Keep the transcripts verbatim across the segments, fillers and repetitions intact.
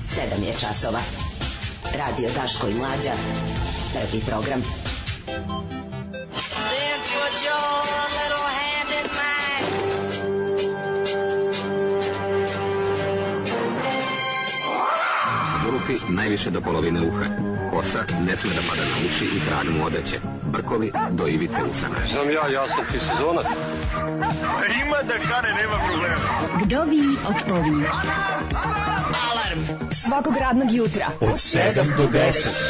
sedam je časova. Radio Daško i Mlađa. Prvi program. Then put your little hand in mine. Zulufi najviše do polovine uha. Kosa ne sme da pada na uši i krag mu odeće. Brkovi do ivice usana. Znam ja, ja sam ti sezonac. Ima da kane, nema problema. Vdovi od povijek. Alarm svakog radnog jutra od sedam do deset.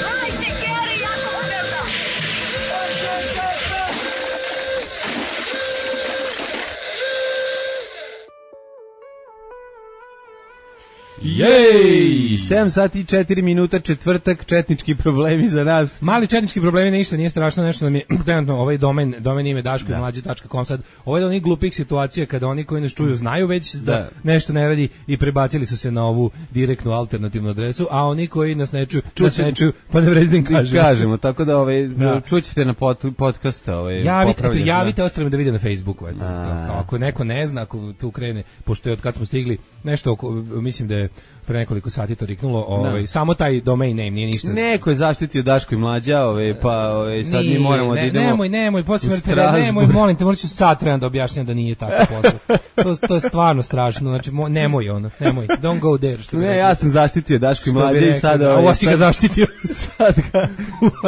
Jej! sedam sati i četiri minuta, četvrtak, četnički problemi za nas. Mali četnički problemi, ništa, nije strašno, nešto nam je trenutno ovaj domen, domen ime daško i mlađe tačka com sad. Ovo je onih glupih situacija kada oni koji nas čuju znaju već da, da nešto ne radi i prebacili su se na ovu direktnu alternativnu adresu, a oni koji nas ne čuju, nas ne čuju, pa ne vredi da im kažemo. Kažemo, tako da ovaj, da. Čućete na pod, podcast ovaj, javite, eto, javite ostavimo da vide na Facebooku. Eto, to, ako neko ne zna, ako tu krene, pošto je od kad smo stigli, nešto oko, mislim da je pre nekoliko sati to riknulo, ovaj no. Samo taj domain name nije ništa. Neko je zaštitio Daško i Mlađa, ovaj pa ovaj sad nije, mi moramo ne, da idemo. Nemoj, nemoj, posle nemoj, molim te, morat ću sad trebam da objašnjam da nije tako posle. To to je stvarno strašno, znači mo, nemoj ono, nemoj. Don't go there. Što ne, ja sam zaštitio Daško i Mlađa i sada ovaj si ga zaštitio. Sad ga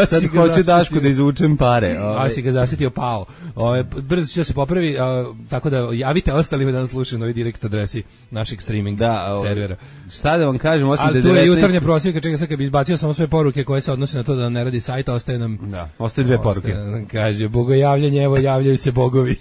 sad hoće Daško da izvučem pare. A si ga zaštitio pao. Ovaj brzo će se popravi, tako da javite ostalima da nas slušaju na ovoj direkt adresi našeg streaming da, servera. Šta da vam kažem, osim ali da devetnaest... tu je jutarnja prosjeka, čega sad kad bi izbacio samo sve poruke koje se odnose na to da ne radi sajta, ostaje nam... Da, ostaje dve poruke. Ostaje, kaže, bogojavljanje, evo javljaju se bogovi.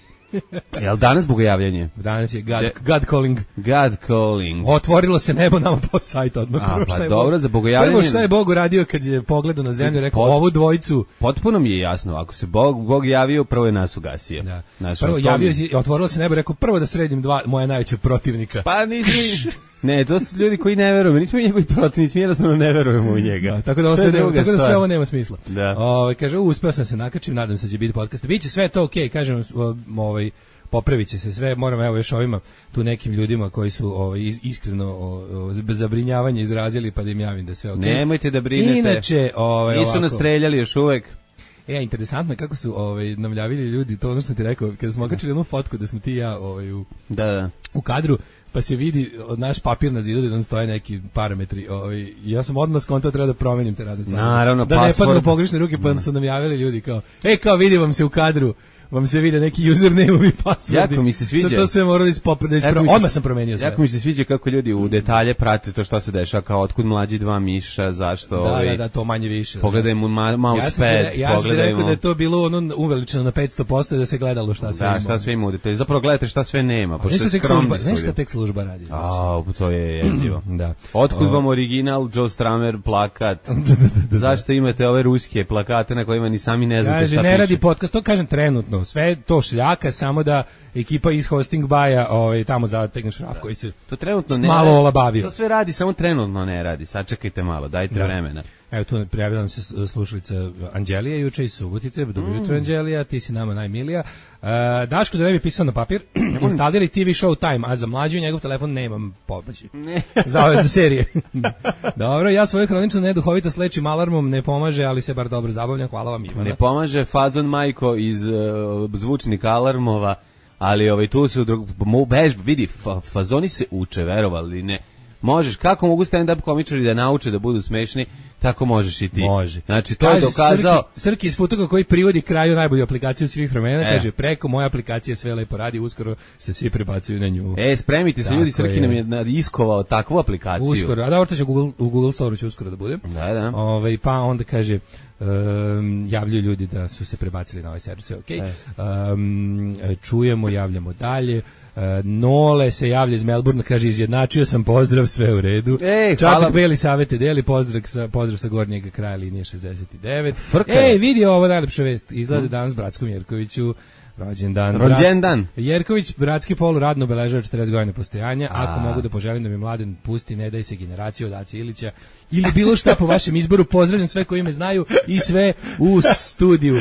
Jel danas bogojavljanje? Danas je God, God calling. God calling. Otvorilo se nebo nama po sajtu odmah. A, pa je dobro, za bogojavljanje... Prvo što je Bog uradio kad je pogledao na zemlju, rekao Pot... ovu dvojicu... Potpuno mi je jasno, ako se Bog, Bog javio, prvo je nas ugasio. Da. Naš, prvo javio si, otvorilo se nebo, rekao prvo da sredim dva moja najveća protivnika. Pa nisi... Ne, to su ljudi koji ne veruju, mi nismo njegovi protivnici, mi jednostavno ne verujemo u njega. Da, tako da, sve, nema, tako da sve ovo nema smisla. Da. Ove, kaže, uspeo sam se nakačim, nadam se da će biti podcast. Biće sve to okej, okay, kažem, ovaj, popravit će se sve, moram evo još ovima, tu nekim ljudima koji su ovaj, iskreno o, o, zabrinjavanje izrazili, pa da im javim da sve okej. Okay. Nemojte da brinete, inače, ovaj, nisu nas streljali još uvek. E, interesantno kako su ovaj, namljavili ljudi, to ono što ti rekao, kada smo okačili jednu fotku da smo ti i ja ovaj, u, da, da. u kadru, pa se vidi od naš papir na zidu da nam stoje neki parametri. Ovaj, ja sam odmah skontao treba da promenim te razne stvari. Naravno, da password. Ne padnu u pogrešne ruke, pa su nam javili ljudi kao, e, kao vidi vam se u kadru, vam se vide neki username i passwordi. Jako mi se sviđa. Sad to sve morali ispopre, da ispravim. Odmah sam promenio sve. Jako mi se sviđa kako ljudi u detalje prate to što se dešava, kao otkud mlađi dva miša, zašto... Da, ovaj, da, da, to manje više. Pogledaj mu ma, mousepad, ja pogledajmo... Ja sam rekao da je to bilo ono uveličeno na petsto posto da se gledalo šta sve da, ima. Da, šta sve ima u detalje. Zapravo gledate šta sve nema. Znaš šta tek služba, znaš šta tek služba radi? A, to je jezivo. Da. Otkud vam original Joe Stramer plakat? Zašto imate ove ruske plakate na kojima ni sami ne znate šta piše? Ne radi podcast, to kažem trenutno. Sve to šljaka, samo da ekipa iz hosting baja ovaj, tamo zategne šraf koji se to trenutno ne malo olabavio. To sve radi, samo trenutno ne radi. Sačekajte malo, dajte da. vremena. Evo tu prijavila nam se slušalica Anđelija juče iz Subotice. Dobro jutro, mm. Anđelija, ti si nama najmilija. Uh, Daško da ne bi pisao na papir, instaliraj T V Showtime, a za mlađu njegov telefon nemam pomoći. Ne. Za ove za serije. Dobro, ja svoju hronicu neduhovito slečim alarmom, ne pomaže, ali se bar dobro zabavljam, hvala vam Ivana. Ne pomaže fazon majko iz uh, zvučnika alarmova, ali ovaj tu su drug, bež, vidi, fa, fazoni se uče, verovali ne. Možeš, kako mogu stand-up komičari da nauče da budu smešni, tako možeš i ti. Može. Znači, to kaže, je dokazao... Srki, Srki iz Futoga koji privodi kraju najbolju aplikaciju svih vremena, e. kaže, preko moja aplikacija sve lepo radi, uskoro se svi prebacuju na nju. E, spremite se, tako ljudi, Srki je. nam je iskovao takvu aplikaciju. Uskoro, a da, orto će Google, u Google Store će uskoro da bude. Da, da. Ove, pa onda kaže... Um, javljaju ljudi da su se prebacili na ovaj servis, sve okej. Okay. Um, čujemo, javljamo dalje. Uh, Nole se javlja iz Melbourne, kaže izjednačio sam, pozdrav, sve u redu. Ej, Čak hvala. Beli savete deli, pozdrav sa, pozdrav sa gornjeg kraja linije šezdeset devet. Frka. Ej, vidi ovo najlepša vest, izgleda mm. danas Bratskom Jerkoviću. Rođendan. Rođendan. Jerković, bratski pol, radno obeležava četrdeset godina postojanja. A. Ako mogu da poželim da mi mladen pusti, ne daj se generaciju od Aci Ilića ili bilo šta po vašem izboru, pozdravljam sve koji me znaju i sve u studiju.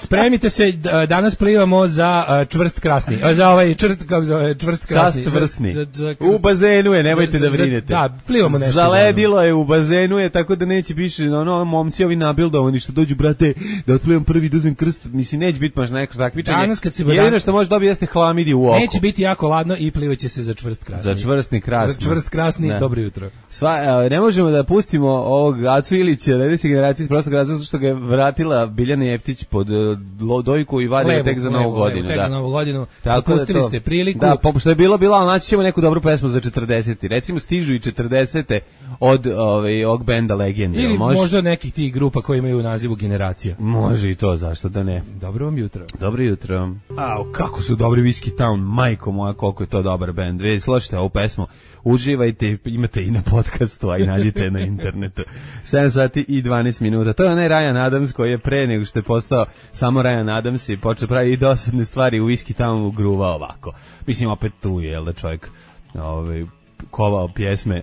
Spremite se, d- danas plivamo za uh, čvrst krasni. Uh, za ovaj čvrst, kako zove, čvrst krasni. Čast vrsni. Za- za- U bazenu je, nemojte za- da za- brinete. Da, plivamo nešto. Zaledilo je u bazenu je, tako da neće više, ono, momci ovi nabildovani što dođu, brate, da otplivam prvi, da uzmem krst, mislim, neće biti baš neko takmičenje. Danas kad se jedino što može dobiti jeste hlamidije u oko. Neće biti jako ladno i plivaće se za čvrst krasni. Za čvrstni krasni. Za čvrst krasni, Da. dobro jutro. Sva, a, ne možemo da pustimo ovog Acu Ilića, sledeće generacije iz prostog razloga zato što ga je vratila Biljana Jeftić pod uh, dojku i vadi ga tek za novu levo, godinu. Tek da. za novu godinu. Tako da Pustili to- ste priliku. Da, pošto je bilo, bila, ali naći ćemo neku dobru pesmu za četrdesete. Recimo, stižu i četrdesete od ovaj, ovog benda Legende. Ili Može? možda nekih tih grupa koji imaju u nazivu Generacija. Može i to, zašto da ne. Dobro vam jutro. Dobro jutro. Au, kako su dobri Whiskey Town, majko moja, koliko je to dobar bend. Vi slušajte ovu pesmu, uživajte, imate i na podcastu, a i nađite na internetu. sedam sati i dvanaest minuta. To je onaj Ryan Adams koji je pre nego što je postao samo Ryan Adams i počeo pravi i dosadne stvari u Whiskey Townu gruva ovako. Mislim, opet tu je, jel da čovjek ovaj, kovao pjesme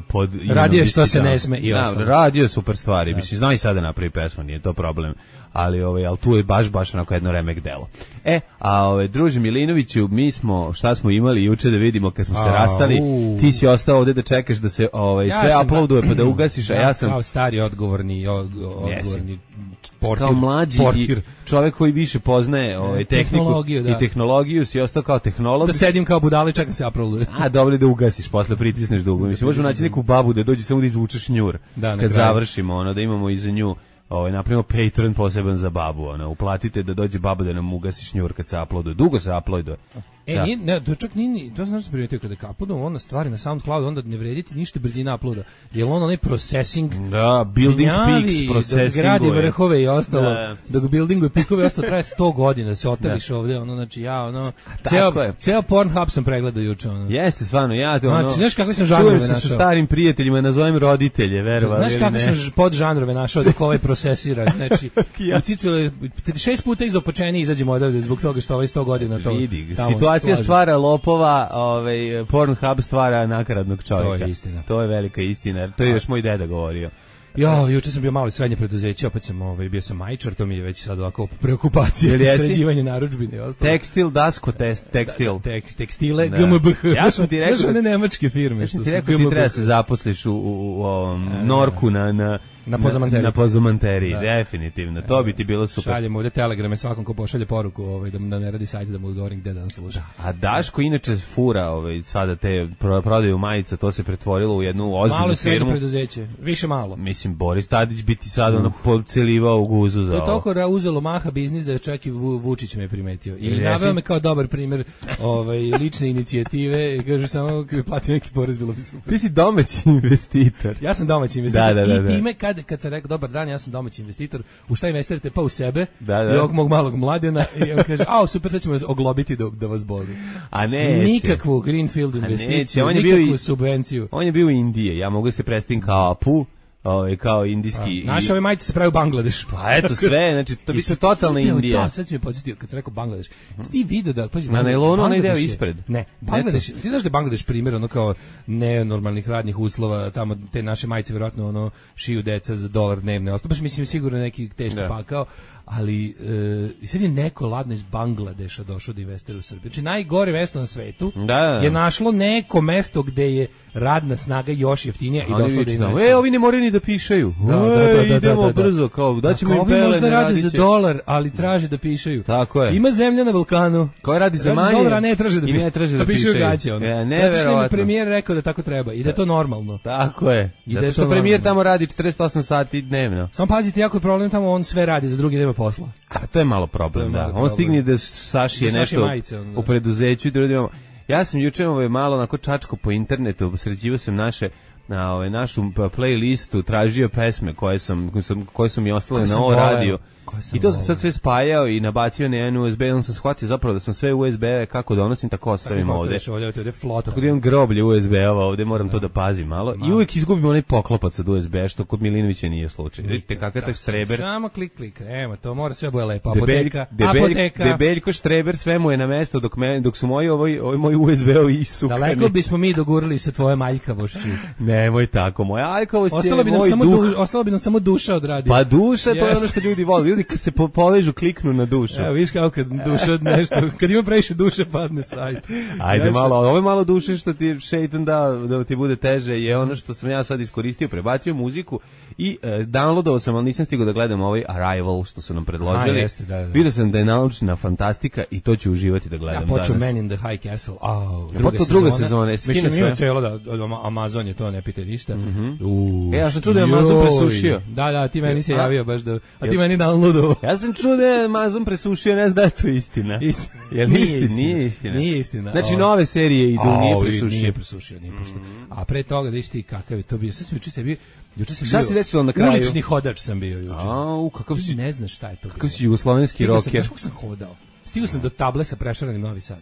pod Radio što se ne sme i da, ostalo. radio je super stvari, mislim, zna i sada napravi pesmu, nije to problem, ali, ovaj, ali tu je baš, baš onako jedno remek delo. E, a ovaj, druže Milinoviću, mi smo, šta smo imali juče da vidimo kad smo se A, rastali, u. ti si ostao ovde da čekaš da se ovaj, Ja sve sam- uploaduje pa da ugasiš, a ja sam kao stari odgovorni, od, odgovorni portir, kao mlađi portir. i čovjek koji više poznaje ovaj, tehniku Tehnologiju, da. i tehnologiju, si ostao kao tehnolog. Da sedim kao budali, čekam se uploaduje. A dobro da ugasiš, posle pritisneš dugo. Mislim, možemo naći neku babu da dođe samo da izvučeš njur. Da, na kad kraju. završimo, ono, da imamo iza nju, ovaj, napravimo Patreon poseban za babu, ono, uplatite da dođe baba da nam ugasiš njur kad se uploaduje. Dugo se uploaduje. E, Da. nije, ne, to čak nije, ni- to znaš što sam primetio kada uploadom onda stvari na SoundCloud, onda ne vrediti ništa brzina uploada. Jer on onaj processing, Da, building gnjavi, peaks, dok processing. gradi vrhove i ostalo, Da. dok buildingu pikove i ostalo traje sto godina, da se oteliš ovde, ono, znači ja, ono, tako ceo, je. ceo Pornhub sam pregledao juče, ono. Jeste, stvarno, ja to, ono, Znači, znaš kakve sam žanrove čujem se sa našao? starim prijateljima, nazovem roditelje, verovali Znaš ili kako ne. sam ž- pod žanrove našao dok ovaj procesira, znači, Ja. uticalo je, šest puta izopočeni izađemo odavde zbog toga što ovaj sto godina to Vidi, tamo situacija slaže. stvara lopova, ovaj, Pornhub stvara nakaradnog čovjeka. To je istina. To je velika istina, to je još moj deda govorio. Ja, juče sam bio malo i srednje preduzeće, opet sam ovaj, bio sam majčar, to mi je već sad ovako preokupacija, Jel jesi? sređivanje narudžbine i ostalo. Tekstil, dasko, test, tekstil. Tek, tekstile, Da. G M B H. Ja sam ti rekao Znaš, one da- nemačke firme. Ja što sam ti su rekao G ti M B H. treba da se zaposliš u, u, u ovom Norku na, na, Na Pozamanteriji. Na Pozamanteriji, Da. definitivno. To bi ti bilo super. Šaljem ovde telegrame svakom ko pošalje poruku ovaj, da, da ne radi sajt, da mu odgovorim gde da nam sluša. A Daško inače fura ovaj, sada te pro- prodaju majica, to se pretvorilo u jednu ozbiljnu Malo i srednje firmu. preduzeće, više malo. Mislim, Boris Tadić bi ti sad ono pocelivao u guzu za To je ovo. toliko ra- uzelo maha biznis da je čak i Vu- Vučić me primetio. I Jesi? naveo me kao dobar primjer ovaj, lične inicijative i kaže samo kad bi platio neki porez bilo bi super. Ti si domaći investitor. Ja sam domaći investitor Da, da, da, i da. time kad, kad sam rekao dobar dan, ja sam domaći investitor, u šta investirate? Pa u sebe Da, da. i ovog mog malog mladena i on kaže, a super, sad ćemo vas oglobiti da, da vas boli. A neće. Nikakvu greenfield A neće, investiciju, on je bio nikakvu i- subvenciju. On je bio u Indije, ja mogu se predstaviti kao Apu, ovaj, kao indijski. Naše ove majice se pravi u Bangladešu. Pa eto sve, znači to bi se totalna Video Indija. To, sad si me podsjetio kad sam rekao Bangladeš. Jesi ti video da pazi, Na nailonu onaj deo Bangladeš je- ispred. Ne, Bangladeš, ti znaš da je Bangladeš primjer ono kao nenormalnih radnih uslova, tamo te naše majice verovatno ono šiju deca za dolar dnevne. Ostalo baš mislim sigurno neki teški Da. pakao, ali e, sad je neko ladno iz Bangladeša došao da investira u Srbiju. Znači najgore mesto na svetu Da, da, da. je našlo neko mesto gde je radna snaga još jeftinija i Oni došlo da viču tamo, investira. e, ovi ne moraju ni da pišaju. Da, da, da, Ej, da, idemo da, da. brzo, kao, daćemo im Ako ovi pelene, možda rade radit za će. dolar, ali traže da pišaju. Tako je. Ima zemlja na Balkanu. Koji radi za Radi manje dolara, ne traže da, i piše- ne traže da pišaju pišaju. gaće. Ono. E, Zato što im je neverovatno. premijer rekao da tako treba i da je to normalno. Tako je. I da Zato je što to premijer normalno. tamo radi četrdeset osam sati dnevno. Samo pazite, jako je problem tamo, on sve radi, za drugi nema posla. A to je malo problem, To je malo da. On problem. stigne da sašije Da sašije nešto majice, ono, da. u preduzeću i drugim. Ja sam juče ovaj malo onako čačko po internetu, sređivao sam naše na ovaj našu playlistu, tražio pesme koje sam koje sam koje su mi ostale Koje na sam ovo voleo, radio. koje sam I to sam voleo. sad sve spajao i nabacio na jedan U S B, on sam shvatio zapravo da sam sve U S B kako donosim tako ostavim ovde. Ostaviš ovdje, ovdje je flota. Tako da imam groblje U S B-ova ovde, moram to da pazim malo. I uvek izgubim onaj poklopac od U S B, što kod Milinovića nije slučaj. Vidite kakav je taj štreber. Samo klik, klik. Evo, to mora sve bude lepo. Debelj, Apoteka, debelj, apoteka. debeljko štreber, sve mu je na mesto dok, me, dok su moji ovaj, ovaj moji U S B-ovi isukani. Daleko bismo mi dogurali sa tvoje maljkavošću. Ne, Nemoj tako, moja aljkavost je Ostalo bi nam moj samo duh. du, ostalo bi nam samo duša od radija. Pa duša, to je ono Jeste. što ljudi vole. Ljudi kad se po, povežu, kliknu na dušu. Evo, viš kao kad duša od nešto, kad ima previše duše padne sajt. Ajde Ja malo, ovo je malo duše što ti šeitan da, da ti bude teže, je ono što sam ja sad iskoristio, prebacio muziku i e, downloadovao sam, ali nisam stigao da gledam ovaj Arrival što su nam predložili. A, jeste, da, da. Vidio sam da je naučna fantastika i to ću uživati da gledam Ja počeo danas. Man in the High Castle, a Pa to druga sezona, skine Mislim, sve. ima cijelo da, od Amazon je to, ne pite ništa. Mhm. U, E, ja sam čuo da je Amazon joj. presušio. Da, da, ti meni se A? javio baš da, a ti Jel- meni downloadovao. Ja sam čuo da je Amazon presušio, ne znam da je to istina. Istina. Jel Nije istina? istina. Nije istina. Nije istina. Znači O. nove serije idu, A, nije ovi presušio. Nije presušio, nije pošto. A pre toga, da viš ti kakav je to bio. Sad sam juče se bio, juče sam Šta bio. se desilo na kraju? Ulični hodač sam bio juče. Au, kakav Ti si, ne znaš šta je to. kakav bilo. si jugoslovenski Stigao sam, rocker. znaš kako sam hodao? Stigao sam do table sa prešaranim Novi Sad.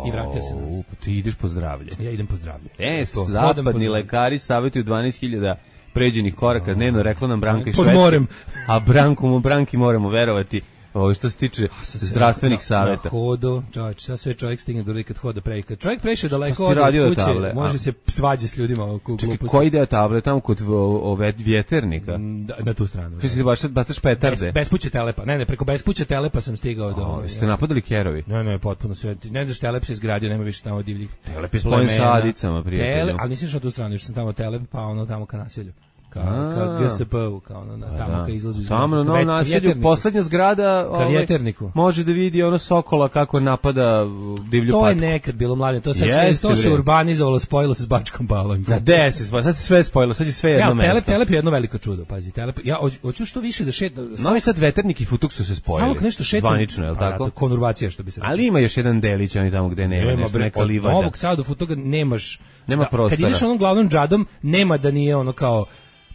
I vratio se nazad. Au, pa ti ideš po zdravlje. Ja idem po zdravlje. E, To, hodam po zapadni zdravlje. lekari savjetuju dvanaest hiljada pređenih koraka dnevno, rekla nam Branka iz Pod Švedske. morem. A Branku mu Branki moramo verovati. Ovo što se tiče Sa- zdravstvenih na- savjeta. Na hodu, čovječ, šta sve čovjek stigne do kad hoda pre. Kad čovjek preše daleko si ti od radio do kuće, table? može A? se svađa s ljudima oko Čekaj, gluposti. koji deo table tamo kod o- ove vjeternika? Da, na tu stranu. Ti si baš bacaš petarde. Bez, bespuće telepa. Ne, ne, preko bespuće telepa sam stigao do... O, Ste napadali kerovi? Ne, ne, potpuno sve. Ti ne znaš, Telep se izgradio, nema više tamo divljih. Telep je spojen sa Adicama, prijatelju. Telep, ali nisam išao tu stranu, još sam tamo Telep, pa ono tamo ka naselju. Ka, A. ka G S P-u, kao ono, na, tamo Da. ka izlazu iz... Tamo na ka novom vet- naselju, vjeterniku. poslednja zgrada ovaj, vjeterniku. može da vidi ono sokola kako napada uh, divlju To je patku. nekad bilo mlađe, to sad Jeste, sve, to se bre. urbanizovalo, spojilo se s Bačkom Palankom. Da, de se spojilo, sad se sve spojilo, sad je sve jedno Ja, mesto. Telep, Telep je jedno veliko čudo, pazi, Telep, ja hoću- hoću što više da šetam, Novi Sad veternik i Futuk su se spojili. stalno nešto šetam. Zvanično, je li Pa, tako? da, konurbacija, što bi se reklo. Ali ima još jedan delić, oni tamo gde nema, Nema, nešto, bre, neka od livada. Novog Sada do Futoga nemaš... Nema da, prostora. Kad ideš onom glavnom džadom, nema da nije ono kao...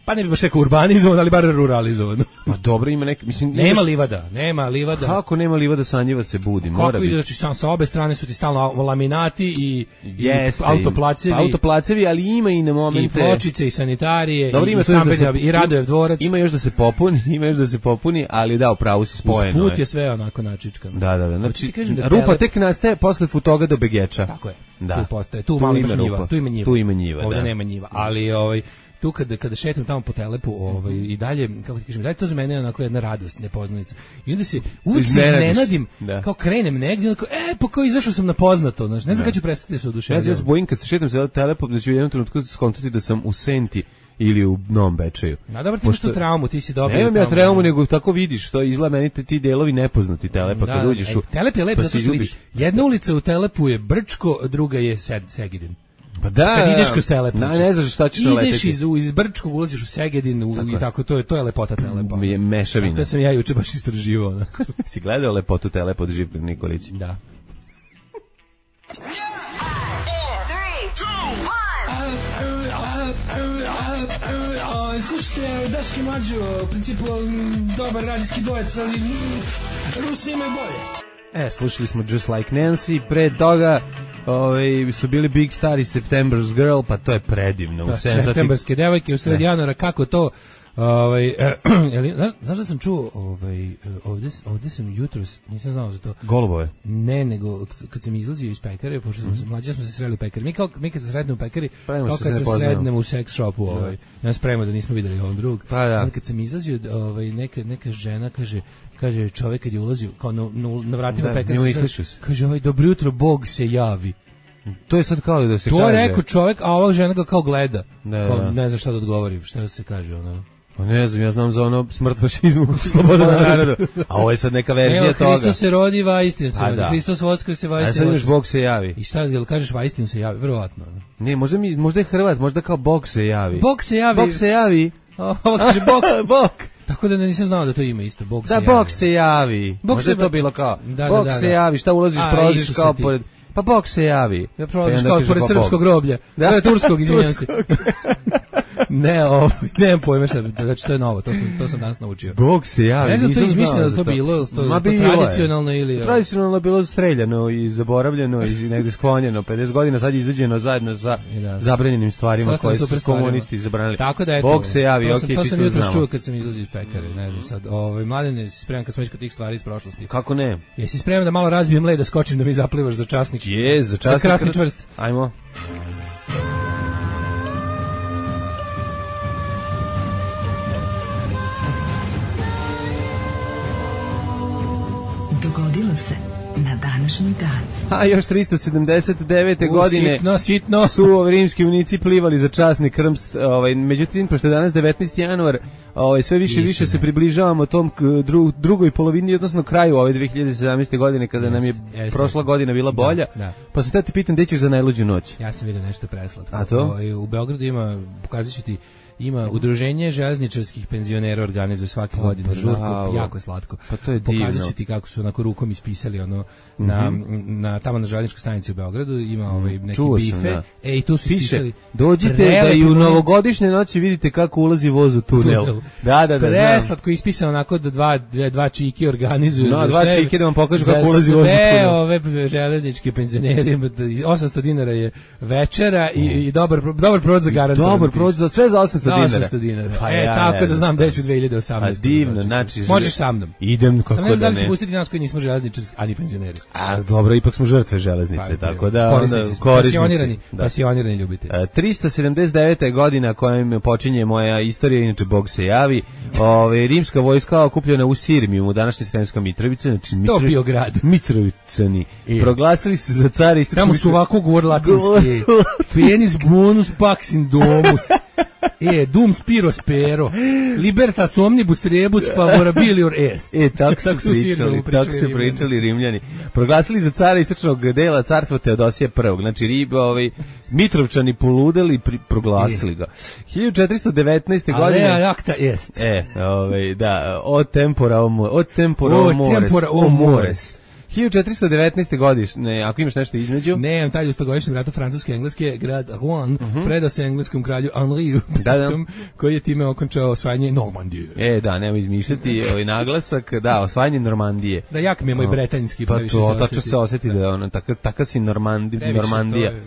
Pa ne bi baš rekao urbanizovan, ali bar ruralizovan. Pa dobro, ima neki, mislim... Nema imaš- livada, nema livada. Kako nema livada, sanjiva se budi, mora Kako biti. ide, znači sam sa obe strane su ti stalno laminati i, Jeste, i autoplacevi, pa autoplacevi, ali ima i na i momente... pločice i sanitarije, Dobro, i, ima i to još da stambenja, se- i Radojev dvorac. Ima još da se popuni, ima još da se popuni, ali da, u pravu si spojeno. Usput je. je sve onako načičkano. Da, da, da. Hoću Znači, ti kažem da rupa Telep- tek nastaje posle Futoga do Begeča. Tako je. Da. Tu postaje, tu, malo ima imaš njiva, rupa. tu ima njiva. Tu ima njiva, Ovdje da. nema njiva, ali ovaj tu kada kada šetam tamo po Telepu, ovaj i dalje kako ti kažem, dalje to za mene je onako jedna radost, nepoznanica. I onda se uvijek se Iznenadiš. iznenadim, Da. kao krenem negdje, onako, e, pa kao izašao sam na poznato, znači, ne znam Da. kad ću prestati da se Ja, oduševljavam. ja se bojim kad se šetam se telepom da ću u jednom trenutku skontati da sam u Senti ili u Novom Bečeju. A dobro, ti imaš tu traumu, ti si dobio. Nemam ja tamo- traumu, nego tako vidiš, to izgleda meni te- ti delovi nepoznati Telepa, Da, kad da, uđeš e, u... Telep je lep pa zato se što ljubiš. vidiš. Jedna ulica u Telepu je Brčko, druga je Sed, Segedin. Pa da, Kad ideš kroz Telep, na, znači, ne znaš šta ćeš ideš naleteti. iz, iz Brčkog, ulaziš u Segedin u, i tako, to je, to je lepota Telepa. Je mešavina. Da sam ja juče baš istraživao. onako. Si gledao lepotu Telepa od Živka Nikolić? Da. Slušajte, Daški Mlađo, u principu m, dobar radijski dvojec, ali mm, Rusi imaju bolje. E, slušali smo Just Like Nancy, pre toga ovaj, su bili Big Star i September's Girl, pa to je predivno. U Da, sedam sati- septembarske devojke u sred Ne. januara, kako to ovaj eh, jeli, znaš, znaš da sam čuo ovaj eh, ovde ovde sam jutros nisam znao za to. Golubove. Ne, nego kad sam izlazio iz pekare, pošto smo se mlađi smo se sreli u pekari. Mi kao mi kad se srednemo u pekari, Spremamo kao se, kad ne se poznajemo. srednemo u sex shopu, ovaj. Ja spremamo da nismo videli on drug. Pa da. Onda kad sam izlazio, ovaj neka neka žena kaže kaže čovjek kad je ulazio kao na, na, na vratima Da, pekare, njemu se islišio sreo- se. kaže ovaj dobro jutro, Bog se javi. To je sad kao da se To kaže. je rekao čovjek, a ova žena ga kao gleda. Da, Kao, da. ne znam šta da odgovori, šta da se kaže ono. Pa ne znam, ja znam za ono smrt fašizmu, sloboda narodu. A ovo je sad neka verzija Evo, toga. Hristos se rodi, va istinu se A, rodi. da. Hristos voskrese, va A istinu sad imaš voskrese. Bog se javi. I šta, jel kažeš va istinu se javi? Verovatno. Ne, možda, mi, možda je Hrvat, možda kao Bog se javi. Bog se javi. Bog se javi. Ovo kaže Bog. Bog. Tako da ne nisam znao da to ima isto. Bog se Da, javi. Bog se javi. Bog Možda se- je to bilo kao, Da, da, Bog da, se da. javi, šta ulaziš, A, prolaziš Isuse kao ti. pored... Pa Bog se javi. Ja prolaziš I onda kao kaže, pored pa srpskog Bog. groblja. Da. Da, turskog, izvinjam se. Turskog. Ne, ovo, nemam pojma šta, znači to je novo, to sam, to sam danas naučio. Bog se javi. Ne znam, to je nisam znao izmišljeno da za to bilo, ili to- Ma to bilo je. tradicionalno ili- Tradicionalno je bilo streljano i zaboravljeno i negde sklonjeno. pedeset godina sad je izveđeno zajedno sa I da. zabranjenim stvarima Sastavno koje super su stvarima. komunisti zabranili. Tako da eto. Bog se javi, to okej, sam, to čisto sam jutros znamo. čuo kad sam izlazio iz pekare, ne znam sad. Ovaj mladene, si spreman kad smo već kod tih stvari iz prošlosti. Kako ne? Jesi spreman da malo razbijem led da skočim da mi zaplivaš za časnik? Je, za časnik. Za krasni čvrst. Ajmo. se na današnji dan. A još tristo sedamdeset devete. U, godine sitno, sitno. su rimski vojnici plivali za časni krst. Ovaj, međutim, pošto je danas devetnaesti januar, ovaj, sve više i više se približavamo tom k, dru, drugoj polovini, odnosno kraju ove dve hiljade sedamnaeste. godine, kada nam je Jeste. prošla godina bila bolja. Da, da. Pa se te pitam, gde ćeš za najluđu noć? Ja sam vidio nešto preslatko. A to? Ovaj, u Beogradu ima, pokazat ću ti, ima udruženje železničarskih penzionera, organizuje svake godine žurku, jako je slatko. Pa to je divno. Pokazat ću ti kako su onako rukom ispisali ono na, mm-hmm. na tamo na železničkoj stanici u Beogradu ima ovaj neki Čuo bife. sam, da. E i tu su ispisali. Dođite da i u novogodišnje noći vidite kako ulazi voz u tunel. tunel. Da, da, da. Preslatko ispisano onako da dva dva, dva čiki organizuju no, za dva sve. čiki da vam pokažu kako ulazi voz u tunel. Sve ove železničke penzioneri, osamsto dinara je večera i, i dobar dobar provod za garantovano. Dobar provod za sve za osamsto dinara. osamsto dinara. Pa e, ja, tako ja, da znam gde ću dve hiljade osamnaeste. A divno, znači... Možeš sa mnom. Idem kako da ne. Sam ne znam da li će pustiti nas koji nismo železničarski, ani penzioneri. A dobro, ipak smo žrtve železnice, pa, tako da... Korisnici, pasionirani, da. pasionirani ljubitelji. Uh, tristo sedamdeset deveta. godina kojom počinje moja istorija, inače Bog se javi. Ove, rimska vojska okupljena u Sirmijumu, današnje Sremska Mitrovica. Znači, Mitro... To bio grad. Mitrovicani. I. Proglasili se za cara istočnog... Tamo su ovako govor latinski. Penis bonus pax in domus. E, dum spiro spero. Libertas omnibus rebus favorabilior est. E, tako, tako su pričali, tako su pričali Rimljani. Proglasili za cara istočnog dela carstva Teodosija prvog. Znači, riba, ovaj, Mitrovčani poludeli, pri, proglasili ga. hiljadu četiristo devetnaeste. godine... Alea acta est. E, ovaj, da, od tempora o, od tempora o, o mores. tempora o mores. hiljadu četiristo devetnaeste. godišnje, ako imaš nešto između... Ne, taj u stogodišnjem ratu Francuske-Engleske, grad Rouen, uh-huh. predao se engleskom kralju Henriju, da, da. koji je time okončao osvajanje Normandije. E, da, nema izmišljati ovaj naglasak, da, osvajanje Normandije. Da, jak mi je moj bretanjski. Pa to, tačno se osjeti da je ono, taka, taka si Normandi, Normandija. Je,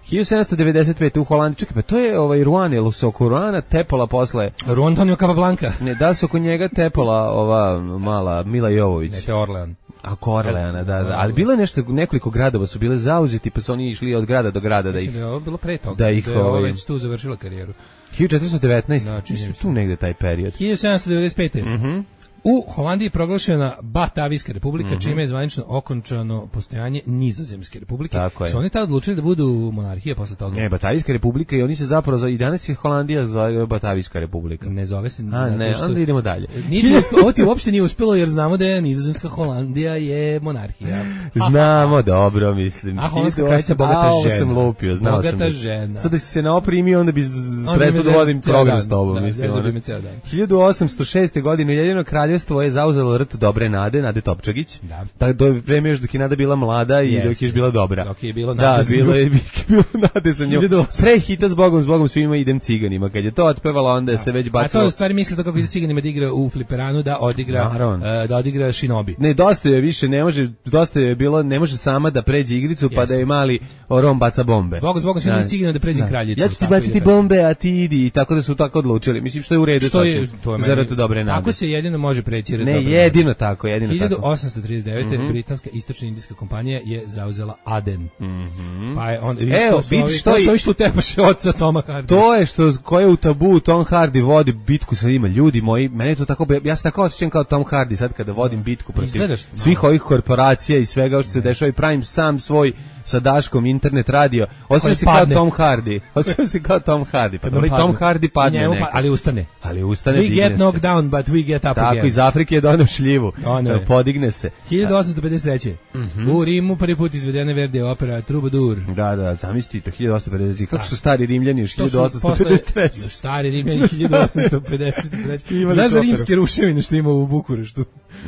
hiljadu sedamsto devedeset pete. u Holandiji, čekaj, pa to je ovaj Rouen, je li se oko Roana tepala posle... Rouen Tonio Capablanca. Ne, da se oko njega tepala ova mala Mila Jovović. Ne, te Orlean. A Korleana, da, da. Ali bilo je nešto, nekoliko gradova su bile zauzeti, pa su oni išli od grada do grada da ih... Da je ovo bilo pre toga, da ih, da je ovo ovaj, već tu završila karijeru. hiljadu četiristo devetnaeste. Znači, tu negde taj period. hiljadu sedamsto devedeset pete. Mhm. Mm U Holandiji je proglašena Batavijska republika, mm-hmm. čime je zvanično okončano postojanje Nizozemske republike. Tako je. Su oni tad odlučili da budu monarhije posle toga? Ne, Batavijska republika i oni se zapravo, i danas je Holandija zove Batavijska republika. Ne zove se. A ne, što... onda idemo dalje. Nije uspelo, ovo ti uopšte nije uspelo jer znamo da je Nizozemska Holandija je monarhija. Znamo, dobro, mislim. A holandska kraljica bogata a, žena. sam lupio, znao bogata sam. žena. Sad da si se naoprimio, onda bi prestao da vodim program s tobom. Da, mislim, da, da, hiljadu osamsto šeste. godine Ujedinjeno kraljevstvo je zauzelo rt Dobre Nade, Nade Topčagić. Da. Tako do vreme još dok je Nada bila mlada i yes. dok je još bila dobra. Dok je bilo Nade. Da, bilo je bilo Nade za njom. Pre hita s Bogom, s Bogom svima idem ciganima. Kad je to otpevala, onda je se već bacilo. A to u stvari misli da kako ide ciganima da igra u fliperanu, da odigra uh, da odigra Shinobi. Ne, dosta je više, ne može, dosta je bilo, ne može sama da pređe igricu, yes. pa da je mali Rom baca bombe. Zbog zbog svima ciganima da pređe kraljicu. Ja ću ti baciti bombe, a ti idi, i tako da su tako odlučili. Mislim što je u redu što je, to je za Dobre Nade. Tako se jedino može preći red. Ne, jedino tako, jedino hiljadu osamsto trideset devete. Mm-hmm. britanska istočna indijska kompanija je zauzela Aden. Mm-hmm. Pa je on Evo, vidiš što je što tepaše oca Toma Hardy. To je što ko je u Tabu Tom Hardy vodi bitku sa njima, ljudi moji, meni to tako, ja se tako osjećam kao Tom Hardy sad kada vodim bitku protiv Izgledaš, svih ovih korporacija i svega što se dešava i pravim sam svoj sa Daškom internet radio. Osjećam se kao Tom Hardy. Osjećam se kao Tom Hardy. Pa ali Tom Hardy padne njemu, neko. Ali ustane. Ali ustane. We get knocked down, but we get up Tako, again. Tako, iz Afrike je doneo šljivu. Ono podigne se. hiljadu osamsto pedeset treće. Mm-hmm. U Rimu prvi put izvedena Verdi opera Troubadour. Da, da, zamislite, hiljadu osamsto pedeset treće. Kako su stari Rimljani još hiljadu osamsto pedeset treće. Stari Rimljani hiljadu osamsto pedeset treće. Znaš za rimske ruševine što ima u Bukureštu?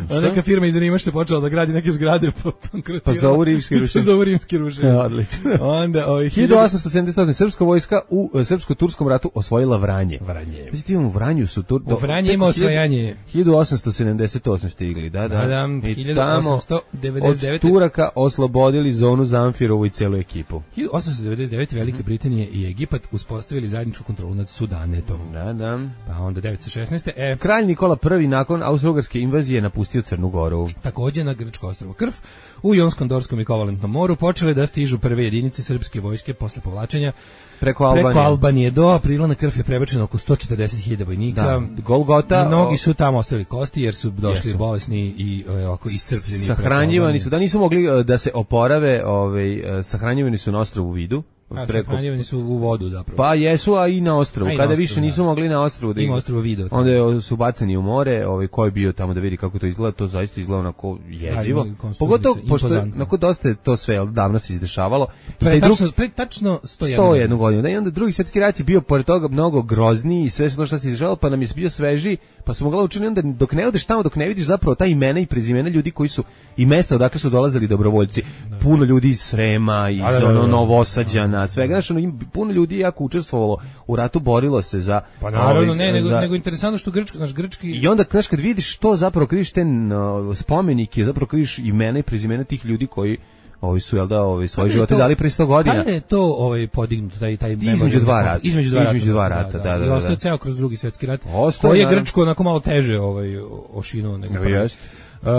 Ona neka firma iz Rima što je počela da gradi neke zgrade pa bankrotirala. Pa zovu rimski ruševine. Pa zovu rimski ruševine. Odlično. Onda ovaj hiljadu osamsto sedamdeset osme. srpska vojska u uh, srpsko-turskom ratu osvojila Vranje. Vranje. Znači u Vranju su tur do, u Vranje ima osvajanje. hiljadu osamsto sedamdeset osme stigli, da, da. da hiljadu osamsto devedeset devete. Od Turaka oslobodili zonu Zamfirovu i celu ekipu. hiljadu osamsto devedeset devete. Velika mm-hmm. Britanija i Egipat uspostavili zajedničku kontrolu nad Sudanetom. Da, da. Pa onda devetsto šesnaeste. E, Kralj Nikola prvi nakon austrougarske invazije napustio Crnu Goru. Takođe na grčko ostrvo Krf u Jonskom, Dorskom i Kovalentnom moru počele je da stižu prve jedinice srpske vojske posle povlačenja preko Albanije. Preko Albanije do aprila na krv je prebačeno oko sto četrdeset hiljada vojnika. Da, Golgota. Mnogi su tamo ostavili kosti jer su došli jesu. bolesni i ovako iscrpljeni. Sahranjivani su, da nisu mogli da se oporave, ovaj, sahranjivani su na ostrvu Vidu. A, sahranjivani su u vodu zapravo. Pa jesu, a i na ostrvu. Kada ostrvu, više nisu da. mogli na ostrvu da ima ostrvo Vido. Onda su bacani u more, ovaj ko je bio tamo da vidi kako to izgleda, to zaista izgleda onako jezivo. Pogotovo pošto nakon dosta je to sve davno se izdešavalo. Pre, tačno, pre tačno sto jedan godina. Da, i onda drugi svjetski rat je bio pored toga mnogo grozniji i sve što što se izdešavalo, pa nam je bio sveži, pa smo mogli učiniti onda dok ne odeš tamo, dok ne vidiš zapravo ta imena i prezimena ljudi koji su i mesta odakle su dolazili dobrovoljci. Da. Puno ljudi iz Srema, iz da, da, ono Novosađana, svega, znači ono, puno ljudi jako učestvovalo u ratu, borilo se za pa naravno ne, nego, za... nego interesantno što grčki, naš grčki i onda znaš kad vidiš što zapravo kad vidiš te no, spomenike, zapravo kad vidiš imena i prezimena tih ljudi koji ovi su jel da ovi svoje živote dali pre sto godina. Kada je to ovaj podignuto taj taj između dva rata, između dva rata, između dva rata, da, da, da. I ostao ceo kroz drugi svjetski rat. Koji je Grčko onako malo teže ovaj ošinuo nego prvi. Jest. Uh,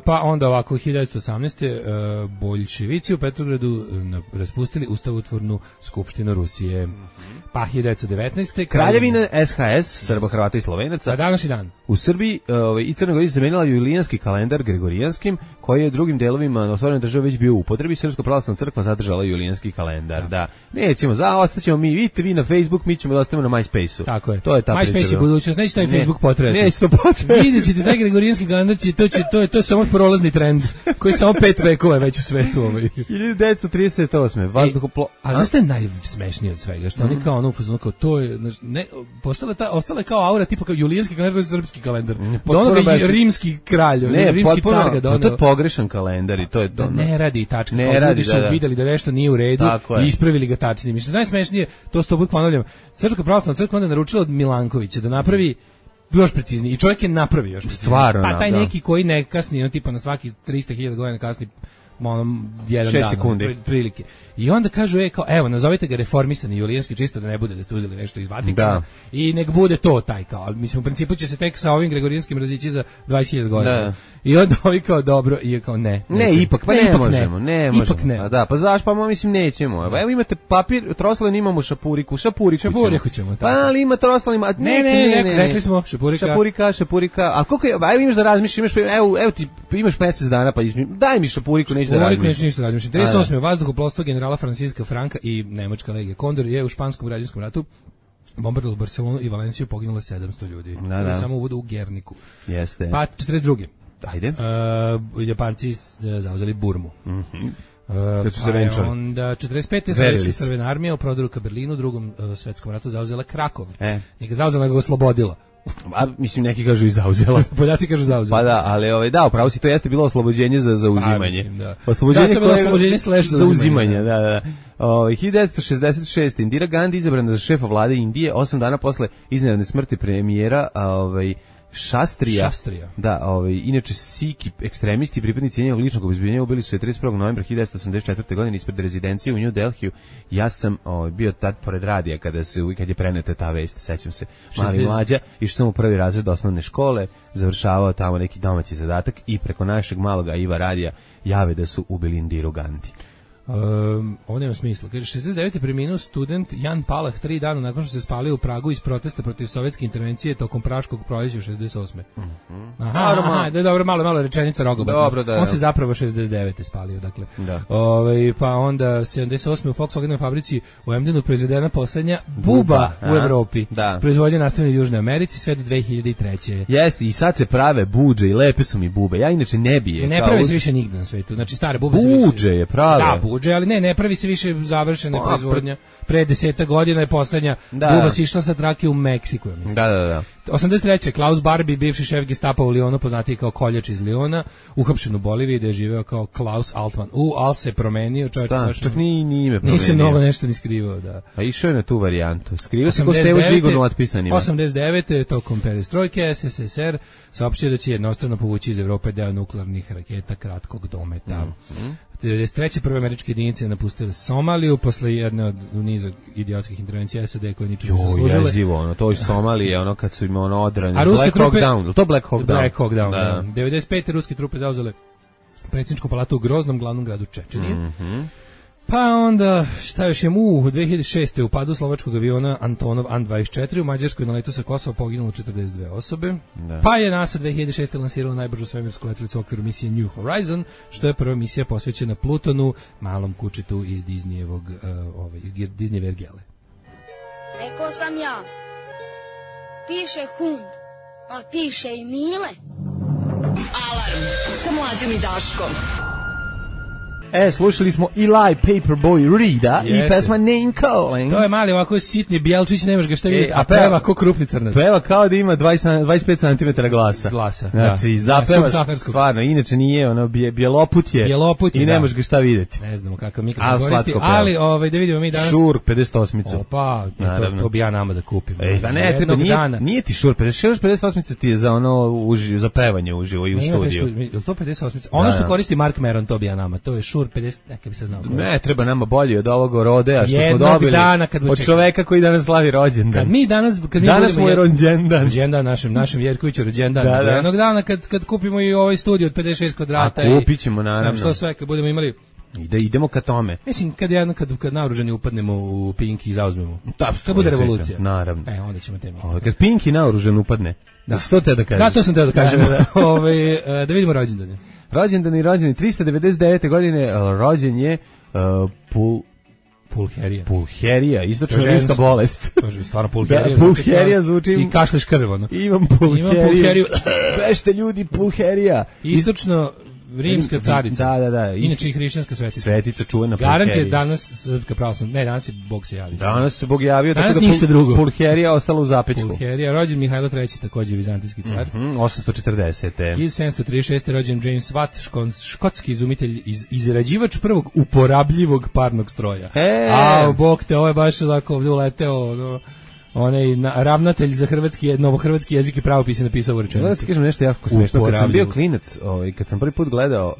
pa onda ovako hiljadu devetsto osamnaeste. Uh, boljševici u Petrogradu uh, raspustili ustavotvornu skupštinu Rusije. Pa hiljadu devetsto devetnaeste. Kraljevina S H S, Srba, Hrvata i Slovenaca. A današnji dan. U Srbiji uh, i Crnoj Gori zamenila julijanski kalendar gregorijanskim, koji je drugim delovima otvorene države već bio u upotrebi. Srpska pravoslavna crkva zadržala julijanski kalendar. Da. da. Nećemo, za ostaćemo mi, vidite vi na Facebook, mi ćemo da ostavimo na MySpace-u. Tako je. To je ta MySpace je budućnost, neće taj ne, Facebook potrebati. Neće to potrebati. Vidjet ćete taj gregorijanski kalendar, će, to, će, to, je, to je samo prolazni trend, koji je samo pet vekova već u svetu. Ovaj. hiljadu devetsto trideset osme. Vazduhoplo... A znaš što je najsmešnije od svega? Što mm. oni kao ono, kao to je, ne, postala ta, ostala kao aura, tipa kao julijanski kalendar, srpski kalendar. Do onoga je rimski kralj, ne, rimski potpuno, car ga doneo. To je pogrešan kalendar i to je to. Da ne radi tačno. Ne kao radi, ljudi su da, da. videli da nešto nije u redu i ispravili ga tačnim. Mislim, najsmešnije, to sto put ponavljam, Srpska pravoslavna crkva onda naručila od Milankovića da napravi još preciznije. I čovjek je napravio još preciznije. Stvarno, pa taj da. neki koji ne kasni, on tipa na svaki trista hiljada godina kasni ono, jedan šest dan, sekundi. Prilike. I onda kažu, e, kao, evo, nazovite ga reformisani julijanski, čisto da ne bude da ste uzeli nešto iz Vatikana. Da. I nek bude to taj, kao, ali mislim, u principu će se tek sa ovim gregorijanskim razići za dvadeset hiljada godina. Da. I onda ovi kao, dobro, i kao, ne. Ne, nećemo. ipak, pa ne, ne možemo, ne, ne možemo. Ipak ne. A da, pa zaš, pa mislim, nećemo. Evo imate papir, troslan imamo šapuriku, šapuriku, šapuriku ćemo. Pa ali ima troslan, ima, ne, ne, ne, ne, rekli smo, šapurika. Šapurika, šapurika, a koliko je, evo imaš da razmišljaš, imaš, evo, evo ti, imaš mesec dana, pa izmi, daj mi šapuriku, neću da razmišljam. trideset osme. Vazduhoplovstvo generala Francisca Franka i nemačka legija Kondor je u španskom građanskom ratu bombardovalo Barcelonu i Valenciju, poginulo sedamsto ljudi. Da, da. Samo uvodu u Gerniku. Jeste. Pa četrdeset druge. Ajde. Uh, Japanci zauzeli Burmu. Mhm. Uh, pa je onda četrdeset pete. Sovjetska crvena armija u prodoru ka Berlinu u drugom uh, svetskom ratu zauzela Krakov. E. Nije ga zauzela, nego ga oslobodila. A mislim neki kažu i zauzela. Poljaci kažu zauzela. Pa da, ali ovaj da, upravo si, to jeste bilo oslobođenje za zauzimanje. Pa, da. Oslobođenje da, to je bilo oslobođenje slash za uzimanje, da, da. O, hiljadu devetsto šezdeset šeste. Indira Gandhi izabrana za šefa vlade Indije osam dana posle iznenadne smrti premijera, a ovaj Šastrija. Šastrija. Da, ovaj inače Siki ekstremisti pripadnici njenog ličnog obezbeđenja ubili su je trideset prvog novembra hiljadu devetsto osamdeset četvrte. godine ispred rezidencije u New Delhiju. Ja sam ovaj, bio tad pored radija kada se kad je preneta ta vest, sećam se. Mali mlađa, išao sam u prvi razred osnovne škole, završavao tamo neki domaći zadatak i preko našeg maloga Iva radija jave da su ubili Indiru Gandhi. Um, ovo nema smisla. Kaže, šezdeset devete. preminuo student Jan Palach tri dana nakon što se spalio u Pragu iz protesta protiv sovjetske intervencije tokom Praškog proljeća u šezdeset osme. Mm-hmm. Aha, aha, da, dobro, malo, malo rečenica rogobatna. Dobro, da, On se zapravo šezdeset devete. spalio, dakle. Da. Ove, pa onda sedamdeset osme. u Volkswagenovoj fabrici u Emdenu proizvedena poslednja buba, buba u Evropi. Da. Proizvodnja nastavljena u Južnoj Americi sve do dve hiljade treće. Jeste, i sad se prave budže i lepe su mi bube. Ja inače ne bije. Ne pravi se više nigde na svetu. Znači stare bube se više. Budže je prave. Da, budže, ali ne, ne pravi se više završena proizvodnja. Pre deseta godina je poslednja buba si išla sa trake u Meksiku. Mislim. Da, da, da. osamdeset treće. Klaus Barbie, bivši šef Gestapa u Lionu, poznatiji kao koljač iz Liona, uhapšen u Boliviji, da je živeo kao Klaus Altman. U, al se promenio, čovjek. Da, čak ni, ni ime promenio. Nisi mnogo nešto ni skrivao, da. A išao je na tu varijantu. Skrivao se ko Stevo Žigon u otpisanima. osamdeset devete. tokom perestrojke S S S R saopštio da će jednostrano povući iz Evrope deo nuklearnih raketa kratkog dometa. Mm-hmm. devedeset treće. prve američke jedinice napustile Somaliju posle jedne od niza idiotskih intervencija S A D koje ničemu nisu služile. Jo, jezivo, ono, to iz Somalije, ono kad su im ono odrani. Black trupe, Hawk Down, to Black Hawk Down? Black Hawk Down, da. da. devedeset pete. ruske trupe zauzele predsjedničku palatu u groznom glavnom gradu Čečenije. Mm-hmm. Pa onda, šta još je u dve hiljade šeste. u padu slovačkog aviona Antonov An dvadeset četiri u Mađarskoj na letu sa Kosova poginulo četrdeset dve osobe. Da. Pa je NASA dve hiljade šeste. lansirala najbržu svemirsku letelicu u okviru misije New Horizon, što je prva misija posvećena Plutonu, malom kučitu iz Disneyevog, uh, ovaj, iz Disneyeve ergele. Rekao sam ja, piše hund, ali piše i Mile. Alarm sa Mlađom i Daškom. E, slušali smo Eli Paperboy Reeda i pesma Name Calling. To je mali ovako sitni Bjelčić, nemaš ga šta vidjeti, e, a peva ko krupni crnac. Peva kao da ima dvadeset, dvadeset pet centimetara glasa. Glasa, znači, da. zapeva stvarno, inače nije, ono, bjeloput je, bjeloput je i nemaš ga šta vidjeti. Ne znamo kakav mikrofon koristi, ali ovaj, da vidimo mi danas... Šur, pedeset osmicu. Opa, to, to bi ja nama da kupim. E, pa ne, treba, nije, nije ti Šur, pedeset osmica ti je za ono, uživo, za pevanje uživo i u studiju. Je to pedeset osmica? Ono što koristi Mark Meron, to bi ja nama, to je Šur pedeset, neka bi se znao. Ne, treba nama bolji od ovog rodea što jednog smo dobili dana kad od čoveka koji danas slavi rođendan. Kad mi danas, kad mi danas mu je rođendan. Rođendan našem, našem Jerkoviću rođendan. Da, da. Jednog dana kad, kad kupimo i ovaj studio od pedeset šest kvadrata. A kupit ćemo, naravno. Što sve, kad budemo imali... Da idemo ka tome. Mislim, kad, jedno, kad, kad naoružani upadnemo u Pinki i zauzmemo. Da, to bude revolucija. Naravno. E, onda ćemo te mi. O, kad Pinki naoružan upadne. Da. Što te da kažeš? Da, to sam te da kažem. Da, da. Ove, da vidimo rođendane. Rođendan i rođeni tristo devedeset devete. godine rođen je uh, Pul Pulherija. Pulherija, istočno-rimska bolest. Kaže, stvarno Pulherija. Da, Pulherija zvuči... I kašleš krv, ono. Imam Pulheriju. Imam Pulheriju. Bešte ljudi, Pulherija. Istočno... Rimska carica. Da, da, da. Inače i hrišćanska svetica. Svetica čuvena Pulherija. Garant je danas srpska pravoslavna. Ne, danas je Bog se javio. Danas se Bog javio, danas tako da ništa drugo. Pulherija ostala u zapećku. Pulherija, rođen Mihajlo treći, takođe vizantijski car. Mm -hmm, osamsto četrdesete. hiljadu sedamsto trideset šeste. rođen James Watt, škotski izumitelj, iz, izrađivač prvog uporabljivog parnog stroja. E. A, Bog te, ovo je baš ovako ovdje uleteo, no. Onaj na, ravnatelj za hrvatski novohrvatski jezik i pravopis je napisao ovu rečenicu. Da ti kažem nešto jako smešno. Kad sam bio klinac, ovaj, kad sam prvi put gledao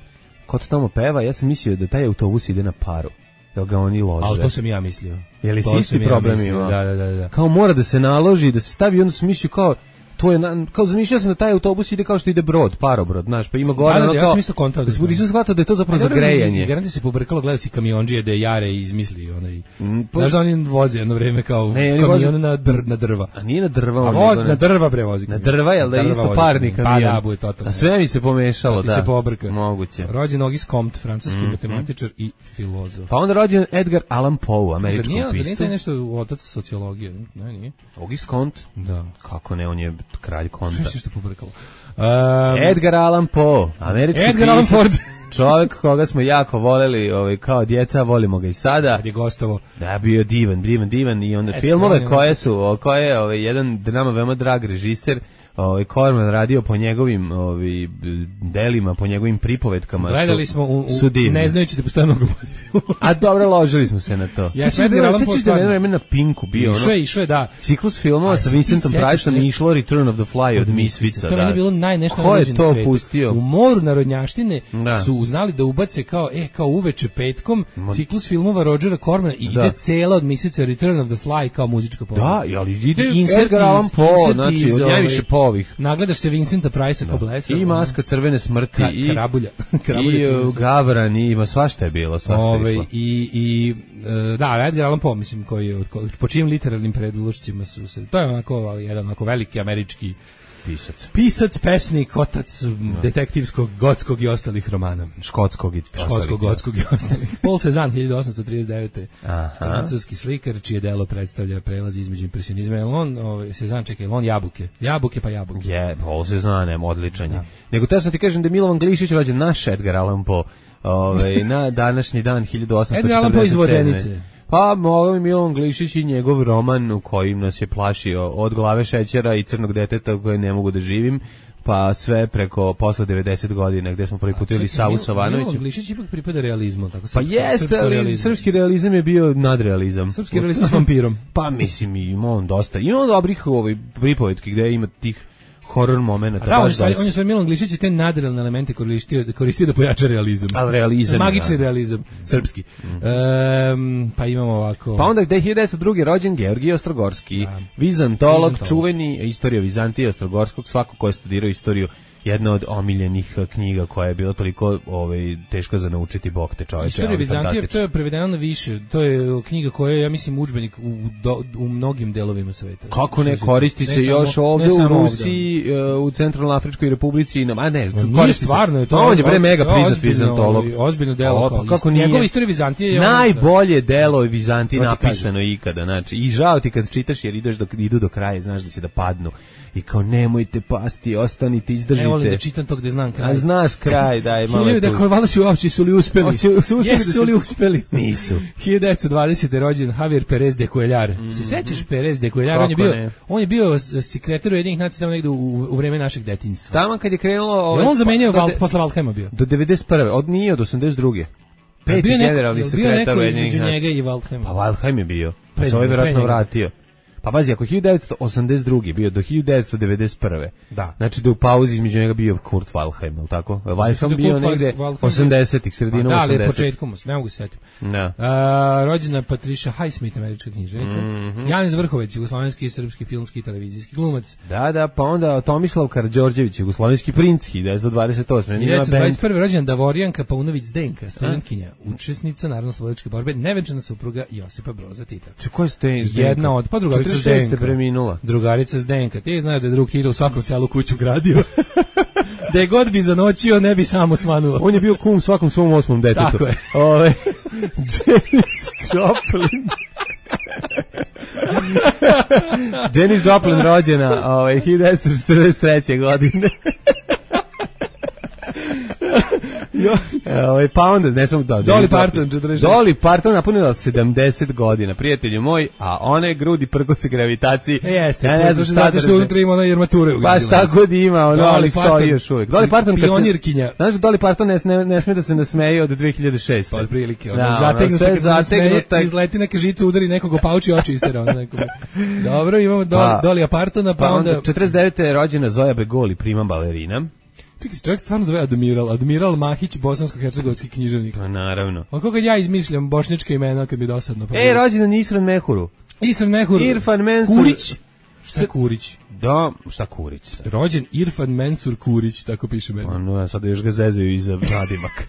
ko to tamo peva, ja sam mislio da taj autobus ide na paru. Jel ga oni lože? Ali to sam ja mislio. Je li si isti problem ima? Da, da, da, da. Kao mora da se naloži, da se stavi, onda sam mislio kao to je na, kao zamišljao sam da taj autobus ide kao što ide brod, parobrod, znaš, pa ima gore da, da, ono ja kao. Sam isto kontao da. Nisam shvatio da je to zapravo za grejanje. Garanti se pobrkalo, gledao si kamiondžije da je Jare izmislio onaj. Mm, znaš da oni voze jedno vreme kao ne, kamion voze... na, dr, na drva. A nije na drva, a voz, na drva bre vozi. Na drva, jel da je isto parni kamion. Pa da, bude totalno. A sve mi se pomešalo, da. Se pobrka. Moguće. Rođen Auguste Comte, francuski mm, matematičar mm. i filozof. Pa onda rođen Edgar Allan Poe, američki pisar. Zar nije nešto otac sociologije? Ne, nije. Auguste Comte? Da. Kako ne, on je kralj Comte. Što pobrkalo. Um, Edgar Allan Poe, američki Edgar Allan Ford. Čovjek koga smo jako voleli, ovaj, kao djeca, volimo ga i sada. Kad je gostovo. Da, bio divan, divan, divan i onda e, filmove koje su, koje ovaj, jedan nama veoma drag režiser, ovaj Corman radio po njegovim ovaj delima, po njegovim pripovetkama. Gledali su, smo u, u su ne znajući da postoje mnogo bolji. A dobro, ložili smo se na to. Ja sam da sećaš da vreme na Pinku bio ono. Išao je, išao je, da. Ciklus filmova sa Vincentom Priceom i išlo Return of the Fly od Misfica, da. To je bilo najnešto Ko je to pustio? U moru narodnjaštine da. Su uznali da ubace kao e kao uveče petkom ciklus filmova Rogera Cormana i da. Ide cela od Misfica Return of the Fly kao muzička pomoć. Da, ali ide Edgar Allan Poe, znači od najviše povih. Nagledaš se Vincenta Price kao blesa. I Maska crvene smrti Ka, i Krabulja. Krabulja i uh, Gavran i ima svašta je bilo, svašta Ove, je išlo. I, i uh, da, Edgar Allan Poe, mislim, koji je, od, po čijim literarnim predlošcima su se, to je onako, jedan onako veliki američki pisac. Pisac, pesnik, otac no. detektivskog, gotskog i ostalih romana. Škotskog i ostalih. Škotskog, gotskog i ostalih. Paul Cézanne, hiljadu osamsto trideset devete. Aha. Francuski slikar, čije delo predstavlja prelaz između impresionizma. Je on, ovaj, Cézanne, čekaj, on jabuke. Jabuke pa jabuke. Je, Paul Cézanne, odličan je. Da. Nego te sam ti kažem da je Milovan Glišić rođen naš Edgar Allan Poe. Ove, na današnji dan hiljadu osamsto četrdeset sedme. Edgar Allan Poe iz Vodenice. Pa, mogao mi Milovan Glišić i njegov roman u kojim nas je plašio od glave šećera i crnog deteta koje ne mogu da živim, pa sve preko posle devedeset godina gde smo prvi put videli Savu Savanovića. Milovan Glišić ipak pripada realizmu, tako pa jeste, ali realizam. Srpski realizam je bio nadrealizam. Srpski realizam s vampirom. Pa mislim, ima on dosta. Ima on dobrih ovaj, pripovetki gde ima tih horror momenata. Da, on, on je svoj Milan Glišić i te nadrealne elemente koristio, koristio da pojača realizam. Ali realizam. Magični da. Realizam, srpski. Mm. Um, pa imamo ovako... Pa onda gde hiljadu devetsto druge. rođen Georgij Ostrogorski, da. Vizantolog, Vizantolog, čuveni, istorija Vizantije Ostrogorskog, svako ko je studirao istoriju jedna od omiljenih knjiga koja je bila toliko ovaj, teško za naučiti, bog te čoveče. Istorija Vizantije, to je prevedeno na više, to je knjiga koja je, ja mislim, udžbenik u, do, u mnogim delovima sveta. Kako ne, koristi se ne još samo, ovde u Rusiji, ovde. U Centralnoafričkoj Republici, a ne, no, koristi stvarno, se. To on je bre mega priznat vizantolog. Ozbiljno delo. O, pa kako nije? Njegova Istorija Vizantije je najbolje delo Vizantije napisano ikada, znači. I žao ti kad čitaš jer ideš dok idu do kraja, znaš da će da padnu. I kao nemojte pasti, ostanite, izdržite. Ne volim da čitam to gde znam kraj. A znaš kraj, daj, malo je tu. Dakle, valjda su uopće, su li uspeli? Jesu li uspeli? Nisu. hiljadu devetsto dvadesete rođen Javier Perez de Cuellar. Mm. Se sećaš Perez de Cuellar? On je bio, ne? on je bio sekretar Ujedinjenih nacija tamo negde u, u vreme našeg detinjstva. Tamo kad je krenulo... Ove, je on zamenio pa, Val, posle Waldheima bio? Do devedeset prve od nije od osamdeset druge Peti generalni sekretar Ujedinjenih nacija. Bio neko između njega i Waldheima. Pa Waldheim je bio. Pa se ovaj vjerojatno vratio. Pa bazi, ako hiljadu devetsto osamdeset druge bio do hiljadu devetsto devedeset prve Da. Znači da u pauzi između njega bio Kurt Waldheim, je li tako? Waldheim bio negde osamdesetih, sredinom osamdesetih. Da, ali početkom, ne mogu se setiti. Da. A, rođena Patricia Highsmith, američka književnica. Mm -hmm. Janis Vrhovec, jugoslovenski, srpski, filmski i televizijski glumac. Da, da, pa onda Tomislav Karađorđević, jugoslovenski princ, hiljadu devetsto dvadeset osme hiljadu devetsto dvadeset prve rođena Davorijanka Paunović Zdenka, studentkinja, učesnica narodnooslobodilačke borbe, nevenčana supruga Josipa Broza Tita. Če ko ste jedna od pa drugarica Zdenka. Preminula. Drugarica Zdenka. Ti znaš da je drug Tito u svakom selu kuću gradio. Da je god bi zanoćio, ne bi samo smanuo. On je bio kum svakom svom osmom detetu. Tako je. Ove, Janis Joplin. Janis Joplin rođena ove, hiljadu devetsto četrdeset treće godine. Ovaj pa onda ne samo da. Dolly Parton četrdeset šest. Dolly Parton napunila sedamdeset godina, prijatelju moj, a one grudi prkose gravitaciji. E, jeste, ja ne znam zato što unutra ima ona armature. Baš tako da ima, ono ali stoji još uvijek. Dolly Parton pionirkinja. Znaš da Dolly Parton ne, ne, ne sme da se nasmeje od dve hiljade šeste. Pa otprilike, ona zategnuta, zategnuta, izleti neka žica, udari nekog, opauči oči istera ona nekome. Dobro, imamo Dolly Partona, pa onda četrdeset devete je rođena Zoja Begoli, prima balerina. Čekaj, se čovjek stvarno zove Admiral, Admiral Mahić, bosansko-hercegovski književnik. Pa naravno. A kako ja izmišljam bošnjačka imena kad mi dosadno. Pa e, rođendan Isran Mehuru. Isran Mehur. Irfan Mensur. Kurić. Šta Kurić? Da, šta Kurić? Rođen Irfan Mensur Kurić, tako piše meni. Ano, ja sad još ga zezaju iza nadimak.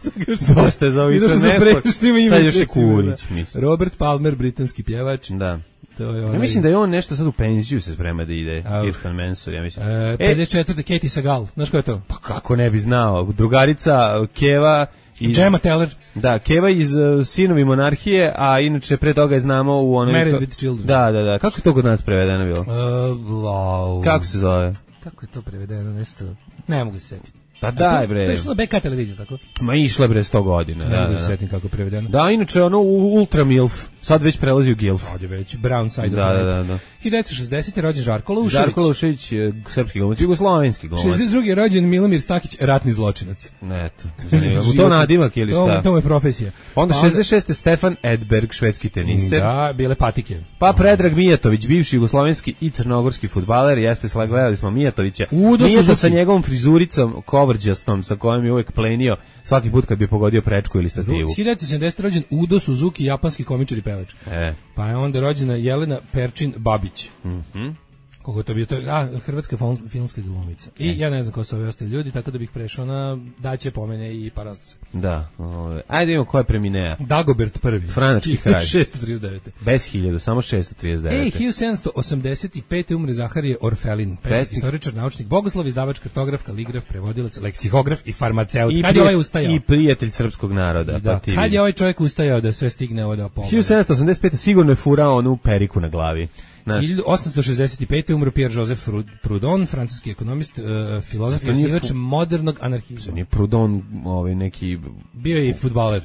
Dosta je za Isran Mehur. Sad još je Kurić, mislim. Robert Palmer, britanski pjevač. Da. To je onaj... Ja mislim da je on nešto sad u penziju se sprema da ide. A, Irfan Mensur, ja mislim. E, pedeset četvrte Katie Sagal, znaš ko je to? Pa kako ne bi znao. Drugarica Keva iz... Gemma Teller. Da, Keva iz uh, Sinovi monarhije, a inače pre toga je znamo u onoj... Married with Children. Da, da, da. Kako je to kod nas prevedeno bilo? Uh, wow. Kako se zove? Kako je to prevedeno, nešto... Ne mogu se setiti. Pa daj bre. To je što na B K televiziju, tako? Ma išla bre sto godina. Ne da, mogu da, se setim kako je prevedeno. Da, inače ono Ultra Milf, sad već prelazi u Gilf. Sad je već Brown Side. Da, da, da, da. hiljadu devetsto šezdesete rođen Žarko Lušević. Žarko Lušević, srpski glumac, jugoslovenski glumac. šezdeset druge rođen Milomir Stakić, ratni zločinac. Eto. U to nadimak ili šta? To, to je profesija. Onda šezdeset šeste Stefan Edberg, švedski teniser. Da, bile patike. Pa Predrag Mijatović, bivši jugoslovenski i crnogorski fudbaler, jeste slagledali smo Mijatovića. Mijata sa njegovom frizuricom kovrđastom sa kojom je uvek plenio svaki put kad bi pogodio prečku ili stativu. hiljadu devetsto sedamdesete rođen Udo Suzuki, japanski komičar i pevač. E. Pa je onda rođena Jelena Perčin Babić. Mhm. Koliko to bio, to je, a, hrvatska filmska glumica. I ja ne znam ko su ovi ostali ljudi, tako da bih prešao na daće pomene i parastase. Da, ove. Ajde imamo ko je preminea. Dagobert prvi. Franački kralj. šesto trideset devete Bez hiljadu, samo šesto trideset devete Ej, hiljadu sedamsto osamdeset pete umre Zaharije Orfelin, pesnik, istoričar, naučnik, bogoslov, izdavač, kartograf, kaligraf, prevodilac, leksikograf i farmaceut. I kad je ovaj ustajao? I prijatelj srpskog naroda. Da, pa kad je ovaj čovjek ustajao da sve stigne ovo da pomogne? hiljadu sedamsto osamdeset pete sigurno je furao onu periku na glavi. Naš. hiljadu osamsto šezdeset pete umro Pierre-Joseph Proudhon, francuski ekonomist, uh, filozof i osnivač fu... modernog anarhizma. Nije Proudhon ovaj neki... Bio je i fudbaler.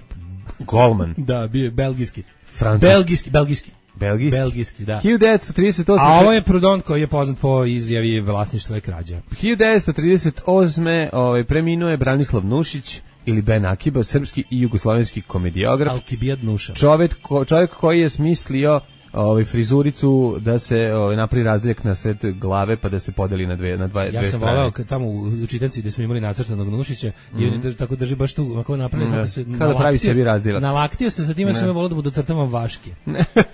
Golman. Da, bio je belgijski. Francuski. Belgijski, belgijski. Belgijski. Belgijski, da. hiljadu devetsto trideset osme A ovo je Proudhon koji je poznat po izjavi vlasništvo je krađa. hiljadu devetsto trideset osme ovaj, preminuo je Branislav Nušić ili Ben Akiba, srpski i jugoslovenski komediograf. Alkibijad Nuša. Čovjek, ko, čovjek koji je smislio ovaj frizuricu da se ovaj napravi razdeljak na sred glave pa da se podeli na dve na dva ja dve sam strane. voleo kad tamo u čitanci gde smo imali nacrtanog Nušića mm -hmm. i on drži, tako drži baš tu kako napravi kako se kada pravi sebi razdeljak. Nalaktio se sa time sam voleo da mu dotrtavam vaške.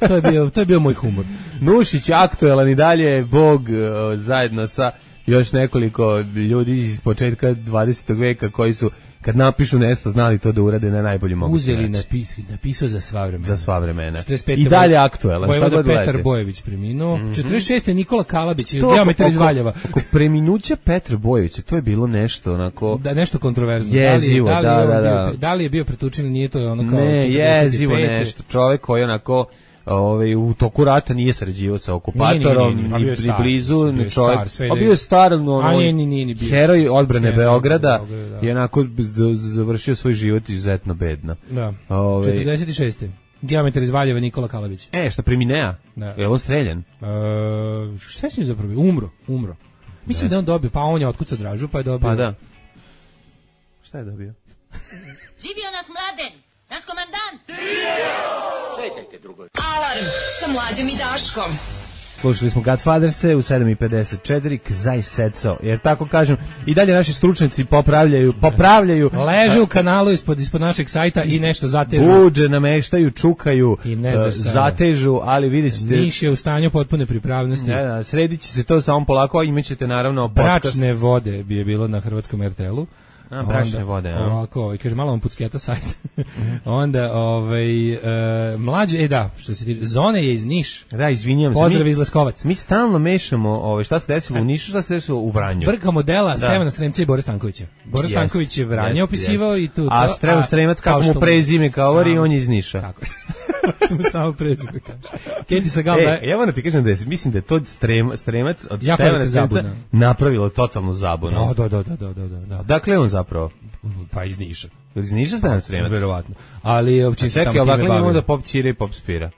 to je bio to je bio moj humor. Nušić aktuelan i dalje bog uh, zajedno sa još nekoliko ljudi iz početka dvadesetog veka koji su kad napišu nešto znali to da urade na najbolji mogući uzeli način. napis, napisao za sva vremena. Za sva vremena. četrdeset pete. I dalje aktuelan. Vojvoda Petar Bojević preminuo. Mm-hmm. četrdeset šeste. Nikola Kalabić iz To Geometar iz oko- Valjeva. Oko preminuća Petra Bojevića, to je bilo nešto onako... Da, nešto kontroverzno. Jezivo, da li, je- da, li da, je on da, bio, da. da li je bio pretučen ili nije, to je ono kao Ne, četrdeset pete. jezivo nešto. Čovjek koji onako ovaj u toku rata nije sarađivao sa okupatorom, Nije, nije, nije, ni nije, ni bio je blizu, star, bio je ni čovjek. star, sve A ide- bio je star, no, A nije, nije, nije ni bio. heroj odbrane Heroj Beograda, Beograda, da. je onako z- završio svoj život izuzetno bedno. Da. Ovaj- četrdeset šeste. Geometar iz Valjeva Nikola Kalabić. E, šta preminea? Da. Je on streljan? E, šta si mi zapravo? Umro, umro. Mislim da je on dobio, pa on je otkucao Dražu, pa je dobio. Pa da. Šta je dobio? Živio nas Mladen, naš komandant. Alarm sa mlađom i Daškom. Slušali smo Godfatherse u sedam i pedeset četiri, Kzaj Seco, jer tako kažem, i dalje naši stručnjaci popravljaju, popravljaju, Leže u kanalu ispod, ispod našeg sajta i nešto zatežu. buđe, nameštaju, čukaju, I ne znaš eh, šta je. zatežu, ali vidjet ćete... Niš je u stanju potpune pripravnosti. Ne, da, sredit će se to samo polako, a imat ćete naravno podcast. Bračne vode bi je bilo na hrvatskom er te el-u. A, bračne Onda, vode, a? Ovako, ovaj, kaže, malo vam pucketa sajt. Onda, ovaj, e, mlađe, e da, što se tiče, Zone je iz Niš. Da, izvinjam se. Pozdrav mi- iz Leskovac. Mi stalno mešamo ovaj, šta se desilo u Nišu, šta se desilo u Vranju. Brka modela Da. Stevana Sremca i Bore Stankovića. Bore Jest, Stanković je Vranje jest, opisivao jest. i tu. A to, Stevan Sremac, kako kao mu što prezime govori, Samo- on je iz Niša. Tako je. To mu samo prezime kaže. Keti Sagal da E, je... ja moram ti kažem da je, mislim da je to strem, Stremac od Jako Stevana velika Sremca zabuna. napravilo totalnu zabunu. Da, da, da, da, da, da, da. Dakle, on zapravo. Pa iz Niša. Iz Niša Stevan Sremac. Verovatno. Ali uopće se Čekaj, tamo ali time dakle imamo da bavio. pop čira i pop spira.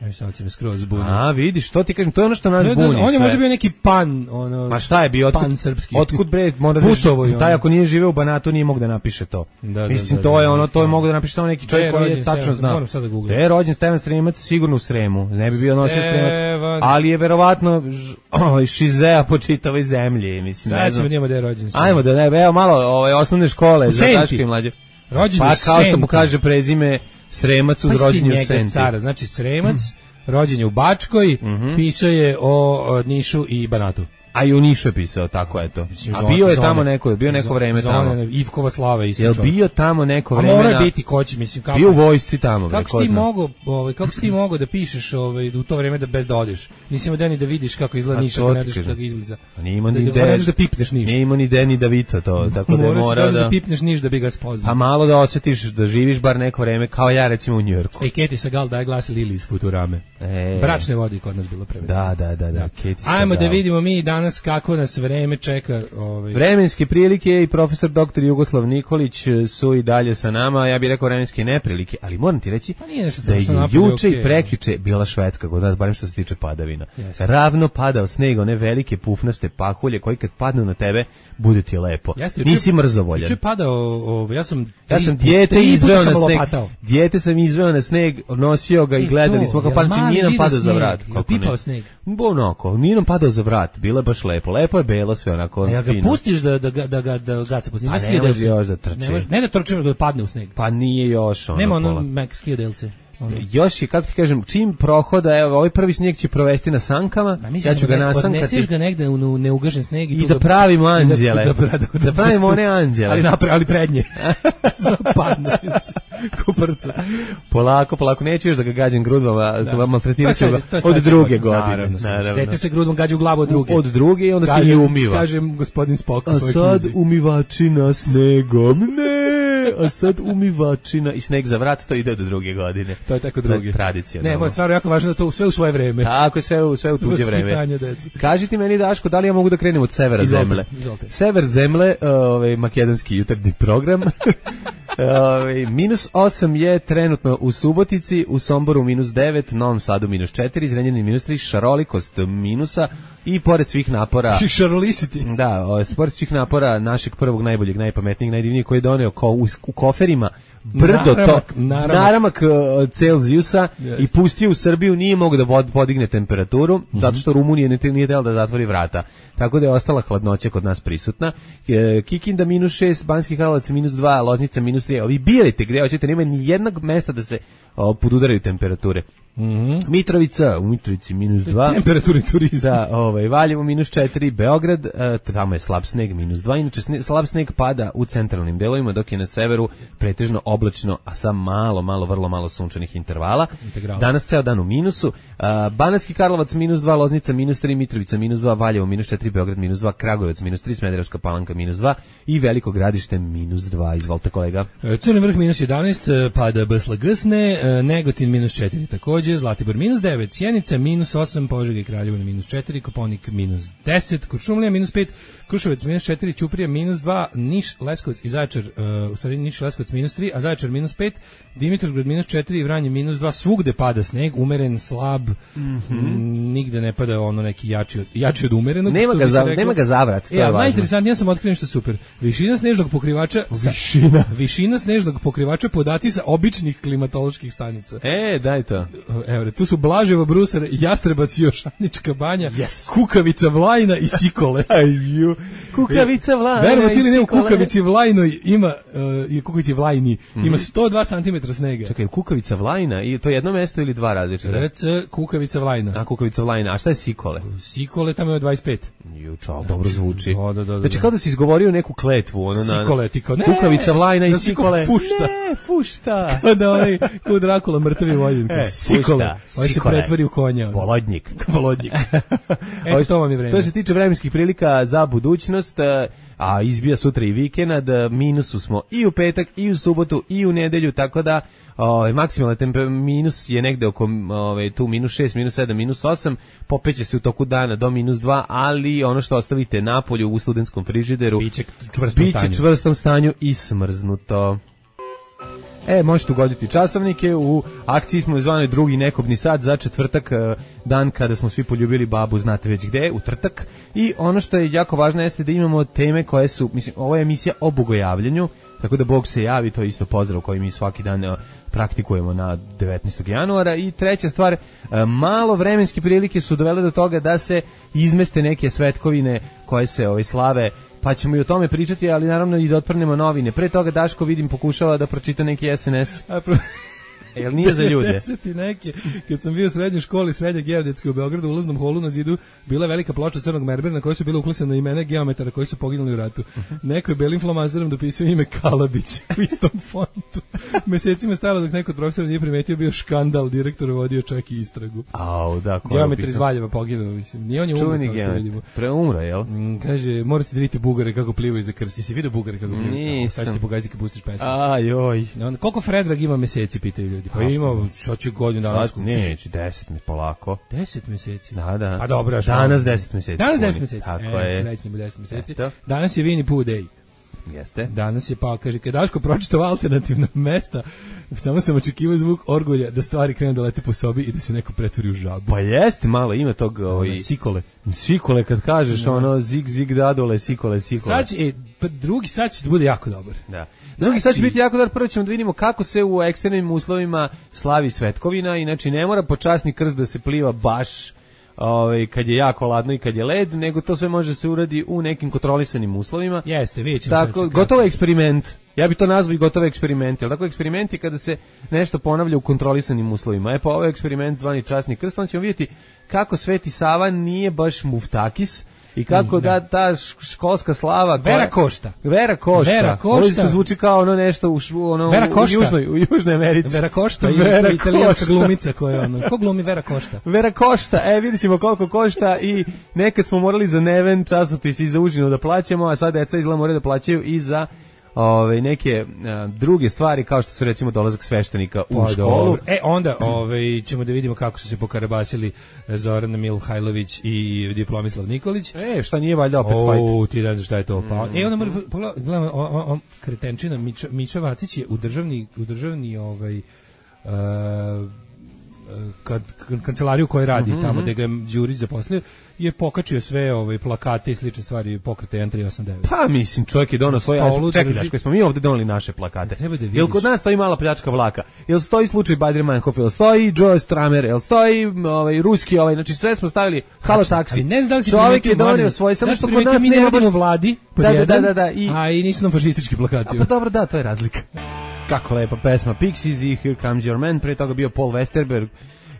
Evo sad će me skroz zbuniti. A, vidiš, to ti kažem, to je ono što nas Da, da, buni on je sve. možda bio neki pan, ono. Ma šta je bio? Otkud, pan srpski. Otkud bre, mora da Putovo je taj ono. ako nije živeo u Banatu nije mogao da napiše to. Da, da, Mislim da, to da, je da, ono, da, to je da. mogao da napiše samo neki Gde čovjek je koji je rođen tačno Stevan? znao. Moram sad da googlam. Gde je rođen Stevan Sremac, sigurno u Sremu. Ne bi bio nosio Sremac, Stevan. ali je verovatno ž- ovaj, šizea po čitavoj zemlji, mislim. ne Sad znam. ćemo njima da je rođen. Ajmo da ne, evo malo ovaj osnovne škole U za Senti. Daške i mlađe. Rođen Pa u kao što mu Senti. kaže prezime Sremac uz Pa rođenje u njega Senti. cara, znači Sremac, rođen je u Bačkoj, Mhm. pisao je o, o Nišu i Banatu. A i u Nišu je pisao, tako eto. Mislim, A zone- bio je zone. tamo neko, bio neko Zo- vreme zone, tamo. Ivkova slava isto Jel čovjek. bio tamo neko A vreme? mora na- biti ko će, mislim, kako... Bio u vojsci tamo, bre, Kako si ko ti zna. mogao, ovaj kako si ti mogao da pišeš ovaj u to vreme da bez da odeš? Nisi imao deni da vidiš kako izgleda A Niš, to ako ti ne znaš kažem. kako izgleda. Pa nije imao Da- ni da- de- moraš da pipneš Niš. Nije imao ni Deni Davito to, tako da je Moraš morao da, da da... pipneš Niš da bi ga spoznao. Pa malo da osjetiš da živiš bar neko vreme, kao ja recimo u Njujorku. Ej, Keti Sagal daje glas Lili iz Futurame. E. Bračne vode kod nas bilo prevedeno. Da, da, da, da. Katie Ajmo da Sagal. vidimo mi danas kako nas vreme čeka. Ovaj. Vremenske prilike i profesor doktor Jugoslav Nikolić su i dalje sa nama, ja bih rekao vremenske neprilike, ali moram ti reći Pa nije nešto da je strašno napolje, juče okej. i prekjuče bila Švedska kod nas, barem što se tiče padavina. Jeste. Ravno padao sneg, one velike pufnaste pahulje koji kad padnu na tebe, bude ti lepo. Jeste, juče- Nisi mrzovoljan. Juče je padao, ovaj, ja sam Ja tri sam put- dijete tri puta izveo sam na sneg. lopatao. Dijete sam izveo na sneg, nosio ga i E, gledali to, smo ga, jel pa mali nije nam vidio padao za sneg? vrat. Jel Kako ne? pipao sneg? Bo onako, nije nam padao za vrat, bilo je baš lepo. Lepo je belo sve onako A ja ga fino. pustiš da da ga da ga da ga se A ne može još da trči. Ne može, ne da trči, nego da padne u sneg. Pa nije još ono Nema ono pola. mek skidelce. Ono. Još je, kako ti kažem, čim prohoda, evo, ovaj prvi snijeg će provesti na sankama, Ma mislim ja ću ga da nasankati odneseš ga negde u u neugažen sneg i, i tu da ga- pravimo i da- anđele. Da, da, da, Da pravimo one anđele. Ali napre, ali prednje. Zna padne. Kuprca. Polako, polako, neću još da ga gađam grudvama, da. maltretirat ću To je ga sve- to je od sledeća druge godina. godine. Naravno, naravno. Naravno. Dete se grudom gađa u glavu od druge. Od druge i onda se i Kažem- umiva. Kažem gospodin Spock u A svojoj sad knjizi. umivačina snegom, ne, a sad umivačina i sneg za vrat, to ide do druge godine. To je tako drugi. Tradicionalno. Ne, moj stvarno jako važno da to sve u svoje vreme. Tako je, sve u, sve u tuđe vreme. Vaspitanje dece. Kaži ti meni, Daško, da li ja mogu da krenem od severa Izvolite, zemlje? izvolite. Sever zemlje, ovaj makedonski jutarnji program. Ovaj minus osam je trenutno u Subotici, u Somboru minus devet, Novom Sadu minus četiri, Zrenjaninu minus tri, šarolikost minusa i pored svih napora... Šarolisiti. Da, o, pored svih napora našeg prvog, najboljeg, najpametnijeg, najdivnijeg koji je doneo ko, u, u koferima brdo Naramak, to, naramak. naramak uh, Celzijusa Yes. i pustio u Srbiju, nije mogao da bod, podigne temperaturu, Mhm. zato što Rumunija nije, nije tela da zatvori vrata. Tako da je ostala hladnoća kod nas prisutna. E, Kikinda minus šest, Banski Karlovac minus dva, Loznica minus tri. Ovi birajte gde hoćete, nema ni jednog mesta da se o, podudaraju temperature. Mm-hmm. Mitrovica, u Mitrovici minus dva. Temperaturni turizam. Da, ovaj, Valjevo minus četiri, Beograd, e, tamo je slab sneg minus dva, inače sne, slab sneg pada u centralnim delovima, dok je na severu pretežno oblačno, a sa malo, malo, vrlo malo sunčanih intervala. Integrala. Danas ceo dan u minusu. A, Banatski Karlovac minus dva, Loznica minus tri, Mitrovica minus dva, Valjevo minus četiri, Beograd minus dva, Kragujevac minus tri, Smederevska Palanka minus dva i Veliko Gradište minus dva. Izvolite kolega. Crni vrh minus jedanaest, pada Bsla Gsne, Negotin minus četiri takođe, Zlatibor minus devet, Sjenica minus osam, Požega i Kraljevo minus četiri, Koponik minus deset, Kuršumlija minus pet, Kruševac minus četiri, Ćuprija minus dva, Niš, Leskovac i Zaječar, uh, u stvari Niš, Leskovac minus tri, a Zaječar minus pet, Dimitrovgrad minus četiri, Vranje minus dva, svugde pada sneg, umeren, slab, mm-hmm. nigde ne pada ono neki jači od, jači od umerenog. Nema ga, za, nema ga zavrat, to e, je važno. Najinteresantnije, ja sam otkrio nešto super. Višina snežnog pokrivača, višina, višina snežnog pokrivača, podaci sa običnih klimatoloških stanica. E, daj to. Evo, tu su Blaževo, Brusar, Jastrebac, Jošanička banja, yes. Kukavica, Vlajna i Sikole. Aju. Kukavica Vlajna. Verovatno ili ne, u Kukavici Vlajnoj ima uh, Kukavici Vlajni mm-hmm. ima sto dva centimetra snega. Čekaj, Kukavica Vlajna, i to je jedno mesto ili dva različita? R C Kukavica Vlajna. A Kukavica Vlajna, a šta je Sikole? Sikole tamo je dvadeset pet. Ju, čao, dobro zvuči. Da, da, da, da. Znači kao da si izgovorio neku kletvu, ono na Sikole, ti kao, ne, Kukavica Vlajna i Sikole. Fušta. Ne, fušta. Kao da onaj, kao Drakula mrtavi vojin. E, Sikole. Ovo se pretvori u konja. Volodnjik. Volodnjik. Eto, to vam je vreme. To se tiče vremenskih prilika za budućnost, a izbija sutra i vikend, minusu smo i u petak, i u subotu, i u nedelju, tako da o, maksimalna temperatura minus je negde oko ove, tu minus šest, minus sedam, minus osam, popeće se u toku dana do minus dva, ali ono što ostavite napolju u studentskom frižideru biće čvrstom, biće stanju. čvrstom stanju i smrznuto. E, možete ugoditi časovnike, u akciji smo zvanoj drugi nekobni sat za četvrtak, dan kada smo svi poljubili babu, znate već gde, u trtak. I ono što je jako važno jeste da imamo teme koje su, mislim, ovo je emisija o bogojavljanju, tako da Bog se javi, to je isto pozdrav koji mi svaki dan uh, praktikujemo na devetnaestog januara. I treća stvar, uh, malo vremenske prilike su dovele do toga da se izmeste neke svetkovine koje se ovaj, slave, pa ćemo i o tome pričati, ali naravno i da otprnemo novine. Pre toga Daško, vidim, pokušava da pročita neki S N S. E, jel nije za ljude? devedeseti neke, kad sam bio u srednjoj školi, srednje geodetske u Beogradu, u ulaznom holu na zidu bila velika ploča crnog merbera na kojoj su bile uklesane imena geometara koji su poginuli u ratu. Neko je belim flomasterom dopisao ime Kalabić u istom fontu. Mesecima stalo dok neko od profesora nije primetio, bio škandal, direktor vodio čak i istragu. Au, da, geometar iz Valjeva poginuo, mislim. Nije on je umro, kao što vidimo. Preumro, jel? Mm, kaže, morate da vidite Bugare kako plivaju za krst. Si vidio Bugare kako plivaju? Nisam. Sad ćete pogaziti kad pustiš pesmu. Ajoj. Koliko Fredrag ima meseci, pitaju ljudi. Pa ima, što će godinu dana. Neće, deset mi polako. Deset meseci? Da, da. Pa dobro, danas deset meseci. Danas deset meseci. Tako e, je. Srećnimo deset meseci. Eto. Danas je Winnie Pooh Day. Jeste. Danas je, pa kaže, kad Daško pročitao alternativna mesta, samo sam očekivao zvuk orgulja da stvari krenu da lete po sobi i da se neko pretvori u žabu. Pa jeste, malo ima tog... Ovaj, sikole. Sikole, kad kažeš no. ono zig, zig, dadole, sikole, sikole. Sad će, e, drugi sad će da bude jako dobar. Da. Drugi sad će biti jako dobar, prvo ćemo da vidimo kako se u ekstremnim uslovima slavi svetkovina, inače ne mora počasni krst da se pliva baš ovaj kad je jako ladno i kad je led, nego to sve može se uradi u nekim kontrolisanim uslovima. Jeste, vidjet ćemo. Tako, gotovo eksperiment. Ja bih to nazvao i gotovo eksperiment. Jel tako, eksperimenti kada se nešto ponavlja u kontrolisanim uslovima. E pa ovo je eksperiment zvani časni krst, onda ćemo vidjeti kako Sveti Sava nije baš muftakis i kako mm, da ta školska slava koja, Vera Košta. Vera Košta. Vera Košta. Ovo zvuči kao ono nešto u, ono, Vera u, južnoj, u Južnoj Americi. Vera Košta Vera i italijanska Košta. glumica koja ono. Ko glumi Vera Košta? Vera Košta. E, vidjet ćemo koliko košta i nekad smo morali za Neven časopis i za užinu da plaćamo, a sad deca izgleda moraju da plaćaju i za ove neke a, druge stvari kao što su recimo dolazak sveštenika u pa, školu. Dobro. E onda ovaj ćemo da vidimo kako su se pokarabasili Zoran Milhajlović i Diplomislav Nikolić. E, šta nije valjda opet o, fight? O, ti ne znaš šta je to. Pa, mm. E onda mora gledamo on, on kretenčina Mića, Mića Vacić je u državni u državni ovaj uh, kad kancelariju koju radi mm-hmm. tamo gde ga Đurić zaposlio je pokačio sve ove plakate i slične stvari pokreta jedan tri osam devet. Pa mislim, čovjek je donao svoje, čekaj daš, koji smo mi ovdje donali naše plakate. Da jel kod nas stoji mala pljačka vlaka? Jel stoji slučaj Badri Manhof? Jel stoji Joe Stramer? Jel stoji ovaj ruski ovaj? Znači sve smo stavili halo taksi. Ne znam da li si čovjek je donio svoje, samo što kod nas mi nema baš u vladi, da, da, da, da, da, i a i nisu nam fašistički plakati. A pa dobro, da, to je razlika. kako lepa pesma Pixies i Here Comes Your Man, pre toga bio Paul Westerberg.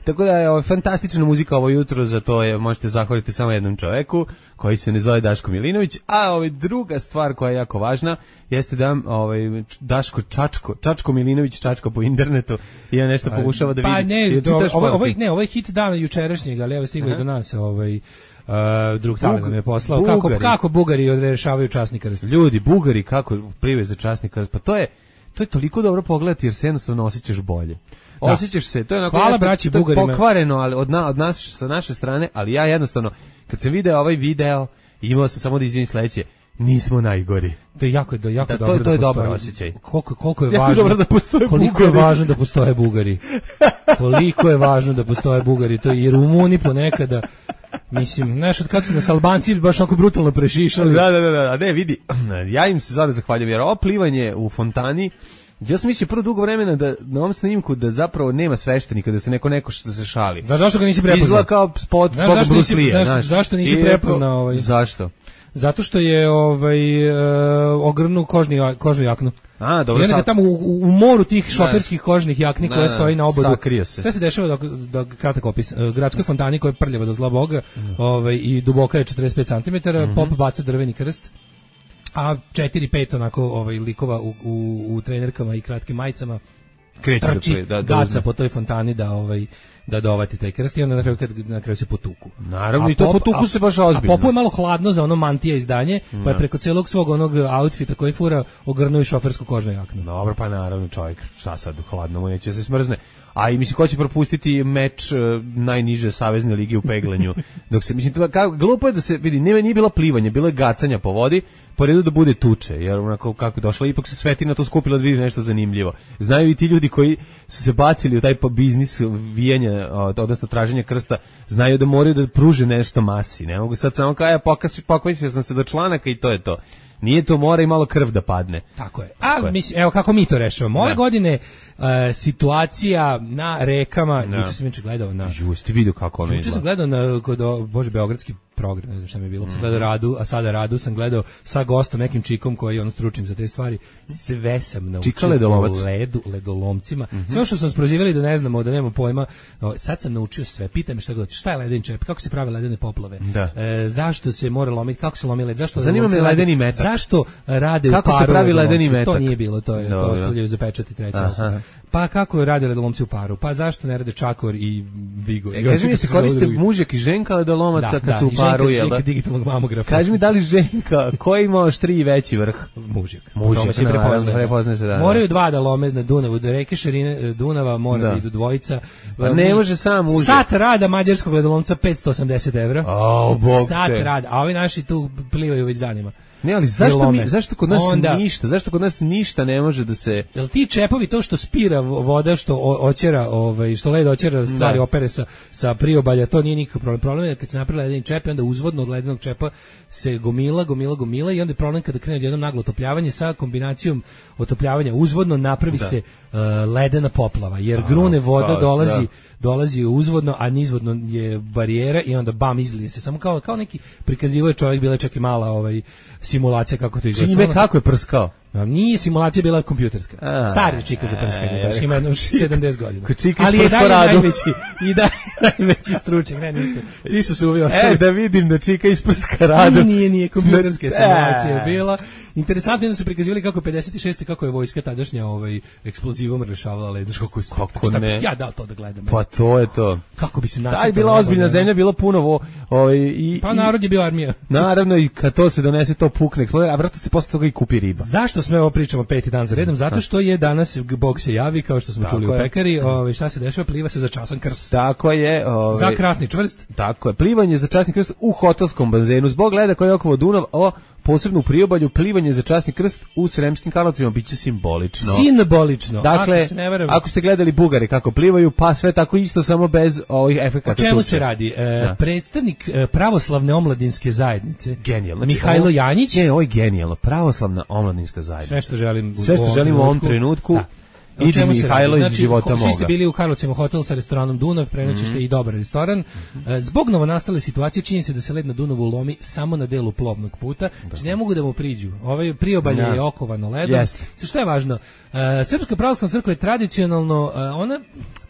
Tako da je ovo, fantastična muzika ovo jutro, za to je, možete zahvaliti samo jednom čoveku koji se ne zove Daško Milinović, a ovaj, druga stvar koja je jako važna jeste da ovaj, Daško Čačko, Čačko Milinović čačka po internetu i ja nešto pokušava da vidi. Pa ne, do, ovo, ovo, ne, ovo je hit dana jučerašnjeg, ali evo stigao i do nas ovaj, uh, drug tale nam je poslao. Kako, kako Bugari odrešavaju časni krst? Ljudi, Bugari kako priveze časni krst, pa to je, to je toliko dobro pogledati jer se jednostavno osjećaš bolje. Da. Osjećaš se, to je onako hvala braći Bugarima. Pokvareno, ali od, na, od nas sa naše strane, ali ja jednostavno kad sam video ovaj video, imao sam samo da izvinim sledeće, nismo najgori. To je jako, da, jako da, dobro to, to da je postoji. dobar osjećaj. Koliko, koliko je jako važno da postoje koliko Bugari. je važno da postoje Bugari. Koliko je važno da postoje Bugari, to je i Rumuni ponekada. Mislim, znaš, od kad su nas Albanci baš onako brutalno prešišali. Da, da, da, da, ne, vidi, ja im se sada zahvaljujem, jer ovo plivanje u fontani, ja sam mislio prvo dugo vremena da na ovom snimku da zapravo nema sveštenika, da se neko neko što se šali. Da, zašto ga nisi prepoznao? Izgleda kao spot znaš, tog zašto Bruce nisi, Lee, zašto, zašto nisi I prepoznao ovaj? Zašto? Zato što je ovaj uh, ogrnu kožni kožnu jaknu. A, dobro. I onda sad... tamo u, u moru tih šoferskih kožnih jakni koje stoji na obodu. Se. Sve se dešava dok, dok kratak opis. Uh, gradskoj fontani koja je prljava do zla boga, mm. ovaj, i duboka je četrdeset pet centimetara, mm-hmm. Pop baca drveni krst. A četiri pet onako ovaj likova u, u, u trenerkama i kratkim majicama kreće trči, da, da, gaca da po toj fontani da ovaj da dovati taj krst i onda na kraju, kad, na kraju se potuku. Naravno, a i to pop, potuku a, se baš ozbiljno. A Popu je malo hladno za ono mantija izdanje, no. Pa je preko celog svog onog outfita koji fura ogrnuo i šofersku kožnu jaknu. Dobro, pa naravno čovjek, šta sad, hladno mu neće se smrzne. A i mislim, ko će propustiti meč uh, najniže savezne lige u peglanju? Dok se, mislim, kako, glupo je da se, vidi, nije, nije bilo plivanje, bilo je gacanja po vodi, po redu da bude tuče, jer onako kako je došlo, ipak se Svetina to skupila da vidi nešto zanimljivo. Znaju i ti ljudi koji su se bacili u taj biznis vijanja, odnosno traženja krsta, znaju da moraju da pruže nešto masi. Ne mogu sad samo kao, ja pokasio sam se do članaka i to je to. Nije to, mora i malo krv da padne. Tako je. A mislim, evo kako mi to rešavamo. Ove godine uh, situacija na rekama, juče sam juče gledao na. Juče vidio kako ono. Juče sam gledao na kod bože beogradski program, ne znam šta mi je bilo. Mm. Sam gledao Radu, a sada Radu sam gledao sa gostom nekim čikom koji je on stručnjak za te stvari. Sve sam naučio o ledu, ledolomcima. Mm -hmm. Sve što smo sprozivali da ne znamo, da nemamo pojma. Sad sam naučio sve. Pitaj me šta god. Šta je ledeni čep? Kako se prave ledene poplave? E, zašto se mora lomiti? Kako se lomi led? Zašto? Zanima me ledeni metak. Zašto rade kako u paru? Se pravi ledeni metak? To nije bilo, to je no, to ostavljaju za pečat i treća. Pa kako rade ledolomci u paru? Pa zašto ne rade Čakor i Vigor? E, kaži mi se koriste mužjak i ženka ledolomaca da, kad da, su u paru, jel da? Digitalnog mamografa. Kaži mi da li ženka, koji ima štri veći vrh? Mužjak. Mužjak, se prepoznaje. Prepoznaje se, da. Moraju dva da lome na Dunavu, do reke širine Dunava mora da, da idu dvojica. Pa ne može sam mužjak. Sat rada mađarskog ledolomca petsto osamdeset evra. O, bog Sat te. rada, a ovi naši tu plivaju već danima. Ne, ali zašto mi, zašto kod nas onda, ništa, zašto kod nas ništa ne može da se... Jel ti čepovi, to što spira voda, što oćera, ovaj, što led oćera stvari da. opere sa, sa priobalja, to nije nikakav problem. Problem je da kad se napravi ledeni čep, onda uzvodno od ledenog čepa se gomila, gomila, gomila i onda je problem kada krene jednom naglo otopljavanje sa kombinacijom otopljavanja uzvodno napravi da. se uh, ledena poplava, jer grune voda da, dolazi, da. dolazi uzvodno, a nizvodno je barijera i onda bam, izlije se. Samo kao, kao neki prikazivo je čovjek, bila čak i mala ovaj, simulacija kako to izgleda. Čime kako je prskao? Nije simulacija bila kompjuterska. A, Stari čika za prskanje, baš ima jedno sedamdeset godina. Ali je dalje najveći, i da najveći stručnjak, ne ništa. Svi su se uvi ostali. E, da vidim da čika isprska radu. Nije, nije, nije kompjuterska simulacija bila. Interesantno je da su prikazivali kako pedeset šeste kako je vojska tadašnja ovaj eksplozivom rešavala led, kako je kako ne. Ja dao to da gledam. Pa to je to. Kako bi se nacrtalo. Taj bila ozbiljna zemlja, bilo puno ovaj i pa narod je bio armija. Naravno i kad to se donese to pukne, a vratno se posle toga i kupi riba. Zašto sve ovo pričamo peti dan za redom? Zato što je danas Bog se javi, kao što smo tako čuli je. u pekari, ovaj šta se dešava, pliva se za časan krst. Tako je, ovaj za krasni čvrst. Tako je, plivanje za časni krst u hotelskom bazenu zbog leda koji je oko Dunav, o posebno u priobalju, plivanje za časni krst u Sremskim Karlovcima biće simbolično. Simbolično. Dakle, ako, ako ste gledali Bugari kako plivaju, pa sve tako isto, samo bez ovih efekata. O čemu tuče. se radi? E, predstavnik e, pravoslavne omladinske zajednice, genijalno. Mihajlo ovo, Janjić. Ne, ovo je genijalno. Pravoslavna omladinska zajednica. Sve što želim, sve što želim u ovom trenutku. Da. O Idi čemu se radi? Mihajlo iz Znači, života ho- Svi ste moga. bili u Karlovcima hotel sa restoranom Dunav, prenoćište Mhm. i dobar restoran. E, Zbog novonastale situacije čini se da se led na Dunavu lomi samo na delu plovnog puta. Znači ne mogu da mu priđu. Ovaj priobalje Da. je okovano ledom. Jeste. Sa šta je važno? E, Srpska pravoslavna crkva je tradicionalno, e, ona,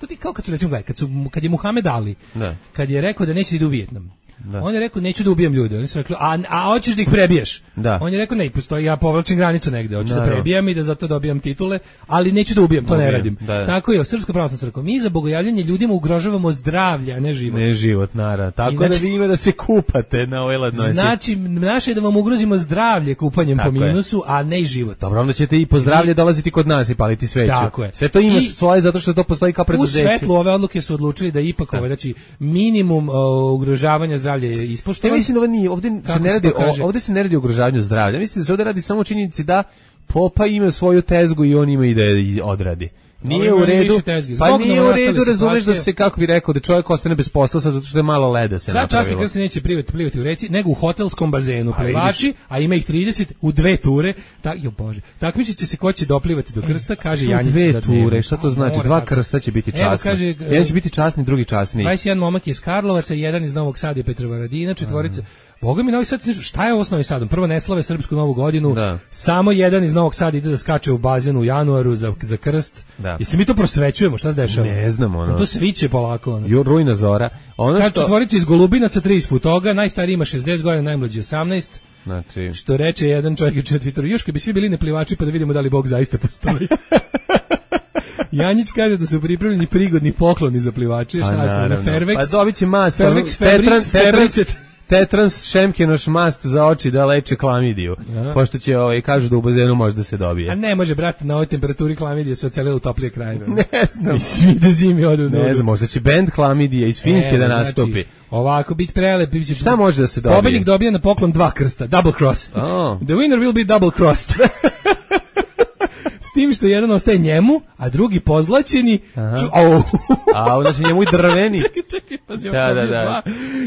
to ti kao kad su recimo, gledaj, kad, su, kad je Muhamed Ali, Da. kad je rekao da neće da ide u Vijetnam. Da. On je rekao neću da ubijam ljude. Oni su rekli a a hoćeš da ih prebiješ. Da. On je rekao ne, postoji ja povlačim granicu negde, hoću da Naravno. prebijam i da zato dobijam titule, ali neću da ubijam, to ne Ubijam, radim. da, da. Tako je, Srpska pravoslavna crkva. Mi za bogojavljanje ljudima ugrožavamo zdravlje, a ne život. Ne život, naravno. Tako I znači- da vi ima da se kupate na ovoj ladnoći. Znači, naše je da vam ugrozimo zdravlje kupanjem Tako po je. minusu, a ne i život. Dobro, onda ćete i po zdravlje dolaziti kod nas i paliti sveću. Tako je. Sve to ima I- svoje zato što to postoji kao U preduzeće. svetlu ove odluke su odlučili da ipak ovaj, znači minimum o, ugrožavanja zdravlja je Ja ispoštovan. mislim da ovo nije, ovdje se Kako ne se radi, to kaže? o, ovdje se ne radi o ugrožavanju zdravlja. Mislim da se ovdje radi samo o činjenici da Popa ima svoju tezgu i on ima i da je odradi. Nije ima u redu, više tezgi. pa Zbog nije u novonastale redu, razumeš da situacije- se, kako bi rekao, da čovjek ostane bez posla sad zato što je malo leda se Sad časni napravilo. krst se neće plivati, plivati u reci, nego u hotelskom bazenu. A Plivači, a ima ih trideset, u dve ture. Tak, jo Bože. Takmičit će se ko će doplivati do krsta, kaže Što Janjić. dve da ture, dnevno. šta to znači? Mora Dva tako. krsta će biti Evo, časni. kaže, Jedan će biti časni, drugi časni. dvadeset jedan momak iz Karlovaca, jedan iz Novog Sada i Petrovaradina, četvorica. Boga mi Novi Sad, nešto- šta je ovo s Novim Sadom? Prvo ne slave srpsku novu godinu, Da. samo jedan iz Novog Sada ide da skače u bazenu u januaru za, za krst. Da. Jesi mi to prosvećujemo, šta se dešava? Ne znam, ono. To sviće polako. Ono. Jo, rujna zora. Ono Kaže što... četvorica iz Golubinaca, tri iz Futoga, najstariji ima šezdeset godina, najmlađi osamnaest. Znači... Što reče jedan čovjek juče na Twitteru, još kad bi svi bili neplivači pa da vidimo da li Bog zaista postoji. Janjić kaže da su pripremljeni prigodni pokloni za plivače, šta su na naravno. Fairvex. Pa dobit će mast. Fairvex, tetran, Fabric, tetran, Fabricet. tetrans šemkenoš mast za oči da leče klamidiju. Aha. Pošto će, ovaj, kažu da u bazenu može da se dobije. A ne može, brate, na ovoj temperaturi klamidije se ocelila u toplije krajeve. Ne znam. I svi da zimi odu u Ne nudu. znam, možda će band Klamidije iz Finske Evo, da nastupi. Znači, ovako, bit prelep. Bit će... Šta može da se dobije? Pobednik dobije na poklon dva krsta, double cross. Oh. The winner will be double crossed. S tim što jedan ostaje njemu, a drugi pozlaćeni. Ču, au. A, znači njemu i drveni. Čekaj, čekaj, pazi, Da, ovo da, je da. dva.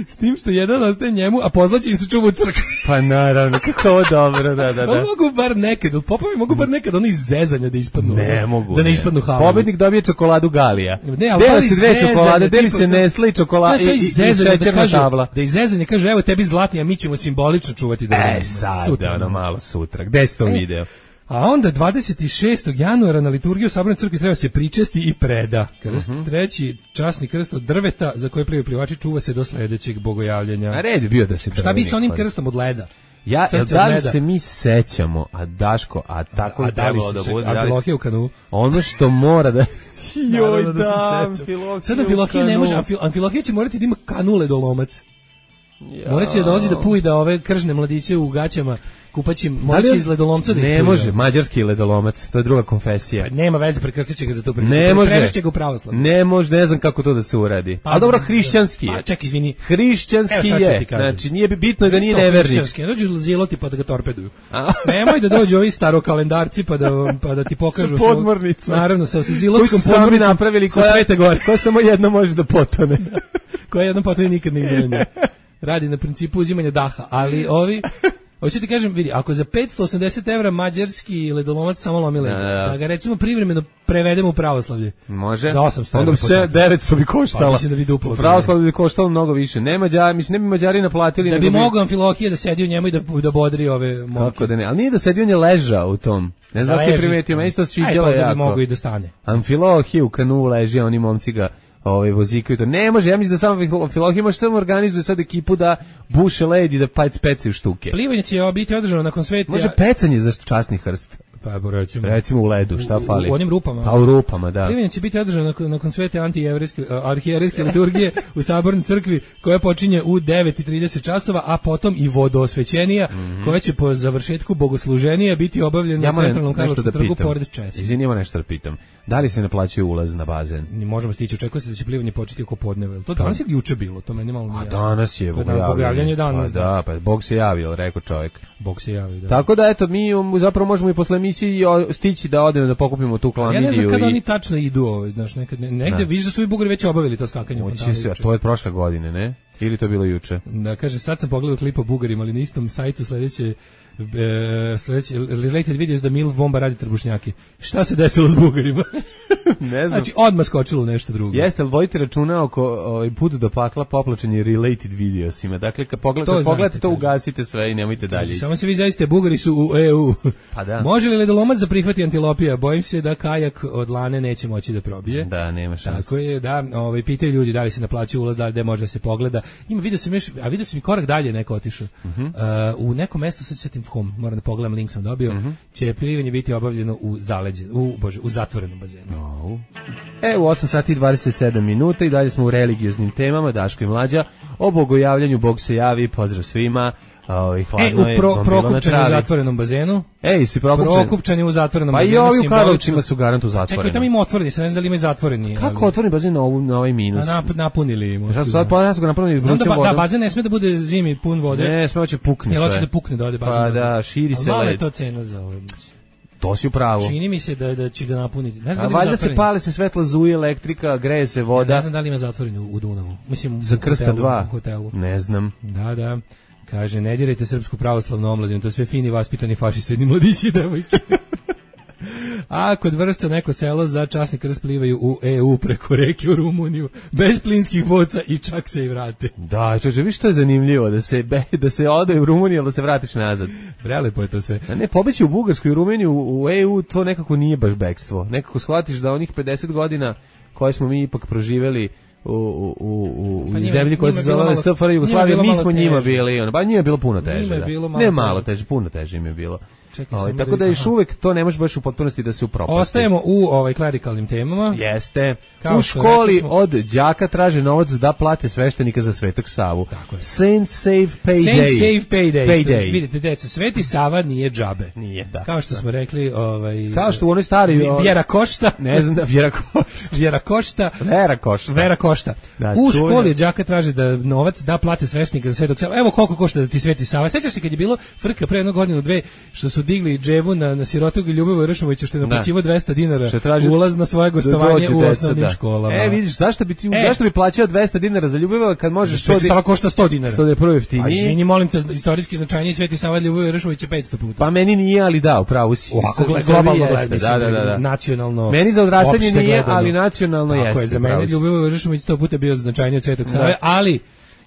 S tim što jedan ostaje njemu, a pozlaćeni su čuva u crkvi. Pa naravno, kako ovo dobro, da, da, Oni da. mogu bar nekad, popovi mogu bar nekad ono iz zezanja da ispadnu. Ne mogu. Da ne ispadnu halovi. Pobednik dobije čokoladu Galija. Ne, ali Dele ali se dve zezanje, čokolade, deli tipa, se da- Nestle i čokolada Znaš, i, i, i, i zezanje da šećerna kažu, tabla. da iz zezanja kaže, evo tebi zlatni, a mi ćemo simbolično čuvati da E, sad, ono malo sutra. Gde si to E, video? A onda dvadeset šestog januara na liturgiju u Sabornoj crkvi treba se pričesti i preda. Krst, Mhm. treći časni krst od drveta za koje plivaju plivači čuva se do sledećeg bogojavljanja. A red bi bio da se Šta bi sa onim drveni krstom od leda? Ja, Srce jel od da li meda. se mi sećamo, a Daško, a tako A je da li trebalo se da se- bude, a da li Amfilohije u kanu? ono što mora da... Joj, Naravno da da, se sećam. Amfilohije Sad u Amfilohije ne kanu. može, Amfil- Amfilohije će morati da ima kanu ledolomac. Ja. Morat će da dolazi da puj da ove kržne mladiće u gaćama kupaćim, Da li moći on- iz ledolomca da ih Ne puj, može, da. mađarski ledolomac, to je druga konfesija. Pa nema veze, prekrstit će ga za to. Ne može. Prevešće ga u pravoslavlje. Ne može, ne znam kako to da se uradi. Pa, A dobro, znam, hrišćanski Pa je. čekaj, izvini. Hrišćanski Evo sad ću ti je. kažem. Znači, nije bi bitno da nije To nevernik. hrišćanski, ne dođu ziloti pa da ga torpeduju. A? Nemoj da dođu ovi starokalendarci pa da pa da ti pokažu Sa podmornicom. Naravno sa sa Koji zilotskom su sami podmornicom napravili sa koja, Svete Gore, koja samo jedna može da potone. koja jednom potom nikad ne ide. Radi na principu uzimanja daha, ali ovi hoću ti kažem, vidi, ako za petsto osamdeset evra mađarski ledolomac samo lomi led, Da, da. da ga recimo privremeno prevedemo u pravoslavlje. Može. Za osamsto Onda evra bi po se satu. devetsto bi koštala. Pa mislim da bi duplo U pravoslavlju bi koštalo mnogo više. Ne Mađari, mislim, ne bi Mađari naplatili. Da nego bi mogao Amfilohije da sedi u njemu i da, da bodri ove momke. Kako da ne, ali nije da sedi, on je ležao u tom. Ne znam da ti leži. primetio, meni se to Aj, sviđalo pa da bi jako. mogao i da stane. Amfilohije u kanu leži, a oni momci ga ovaj, vozikaju to. Ne može, ja mislim da samo Amfilohije može samo organizuje sad ekipu da buše led i da pec pecaju štuke. Plivanje će biti održano nakon sveta. Može pecanje za časni hrst. Pa recimo. Recimo u ledu, šta U- fali? U onim rupama. Pa u rupama, da. Plivanje će biti održano nakon, nakon svete antijevrijske arhijerejske liturgije u Sabornoj crkvi koja počinje u devet i trideset časova, a potom i vodoosvećenija koja će po završetku bogosluženija biti obavljena Ja na moram centralnom nešto da Karlovačkom trgu pitam. pored Česi. Izvini, ima nešto da pitam. Da li se naplaćuje ulaz na bazen? Ni možemo stići, očekuje se da će plivanje početi oko podneva. Jel to danas ili juče bilo? To meni malo nije A jasno. danas je Pa danas bogojavljanje danas. Pa da, pa Bog se javio, rekao čovjek. Bog se javi, da. Tako da, eto, mi um, zapravo možemo i posle emisije o- stići da odemo da pokupimo tu Ja klamidiju. ne znam kada i... oni tačno idu, ovaj, znaš, nekad, ne- negde Da. vidiš da su i Bugari već obavili to skakanje u Moći fontanu se, a juče. to je od prošle godine, ne? Ili to bilo juče? Da, kaže, sad sam pogledao klip o Bugarima, ali na istom sajtu sledeće E, sledeći related videos da Milf bomba radi trbušnjaki. Šta se desilo s Bugarima? Ne znam. Znači odmah skočilo nešto drugo. Jeste li vojite računa oko ovaj put do pakla poplačenje related videosima? Dakle kad pogledate to, pogledate to ugasite sve i nemojte dalje. Samo se vi zaiste, Bugari su u E U. Pa da. Može li ledolomac da prihvati antilopija? Bojim se da kajak od lane neće moći da probije. Da, nema šanse. Tako je, da, ovaj pitaju ljudi da li se naplaćuje ulaz, da li gde može da se pogleda. Ima video sam još, a video sam i korak dalje neko otišao. Uh-huh. Uh, u nekom mestu sad setim kom, moram da pogledam, link sam dobio. Uh-huh. Će plivanje biti obavljeno u zaleđe, u bože, u zatvorenom bazenu. No. E, u osam sati i dvadeset sedam minuta i dalje smo u religioznim temama, Daško i Mlađa, o bogojavljanju, Bog se javi, pozdrav svima. Ovaj hladno e, u pro, Prokupčani u zatvorenom bazenu. Ej, si Prokupčani? Prokupčani u zatvorenom pa bazenu. Pa i ovi u Karlovcima su garant u zatvorenom. Čekaj, tamo ima otvoreni, se ne znam da li ima zatvoreni. Kako ali... otvoreni bazen na, ovu, na ovaj minus? A nap, napunili im. Šta sad pa ja su ga napunili vrućom da, vodom? Da, bazen ne sme da bude zimi pun vode. Ne, sme će pukne sve. Ne, hoće da pukne da ode bazen. Pa da, širi se led. Malo je to cena za ovo. To si u pravu. Čini mi se da da će ga napuniti. Ne znam da li valjda se pale se svetla zuje, elektrika, greje se voda. Ja ne znam da li ima zatvoreni u, u Dunavu. Mislim za Krsta dva. U hotelu. Ne znam. Da, da. Kaže, ne dirajte srpsku pravoslavnu omladinu, to sve fini vaspitani fašisti, mladići i devojke. A kod Vršca neko selo za časni krst plivaju u E U preko reke u Rumuniju, bez plinskih boca i čak se i vrate. Da, čoče, vi što je zanimljivo, da se, be, da se ode u Rumuniju, ali da se vratiš nazad. Prelepo je to sve. A ne, pobeći u Bugarsku i u Rumuniju, u E U, to nekako nije baš bekstvo. Nekako shvatiš da onih pedeset godina koje smo mi ipak proživeli u, u, u, u pa njima, zemlji koja se zove S F R Jugoslavije, mi smo njima bili, ono, ba njima je bilo puno teže. Da. Bilo malo ne malo teže, puno teže im je bilo. Čekaj, o, tako da još uvek to ne može baš u potpunosti da se upropasti. Ostajemo u ovaj klerikalnim temama. Jeste. Kao u školi smo... od đaka traže novac da plate sveštenika za Svetog Savu. Tako je. Saint Save Payday. Saint Save Payday. Payday. Vidite, deco, Sveti Sava nije džabe. Nije, da. Kao što da. smo rekli, ovaj kao što u onoj stari o... Vjera košta. Ne znam da Vjera košta. Vjera košta. Vera košta. Vera košta. Da, u školi od đaka traže da novac da plate sveštenika za Svetog Savu. Evo koliko košta da ti Sveti Sava. Sećaš se kad je bilo frka pre jednu godinu dve što su digli dževu na, na sirotog Ljubivoja Ršumovića što je naplaćivao dvesta dinara ulaz na svoje gostovanje u osnovnim školama. E, vidiš, zašto bi ti, e, zašto bi plaćao dvesta dinara za Ljubivoja kad možeš Sveti Sava košta sto dinara. sto je prvo jeftinije. A izvini, molim te, istorijski značajniji Sveti Sava Ljubivoja Ršumovića petsto puta. Pa meni nije, ali da, upravo si. Globalno gledano, da, da, da, da. Nacionalno. Meni za odrastanje nije, ali nacionalno jeste. Tako je, za mene Ljubivoja Ršumović sto puta bio značajniji od Svetog Save, ali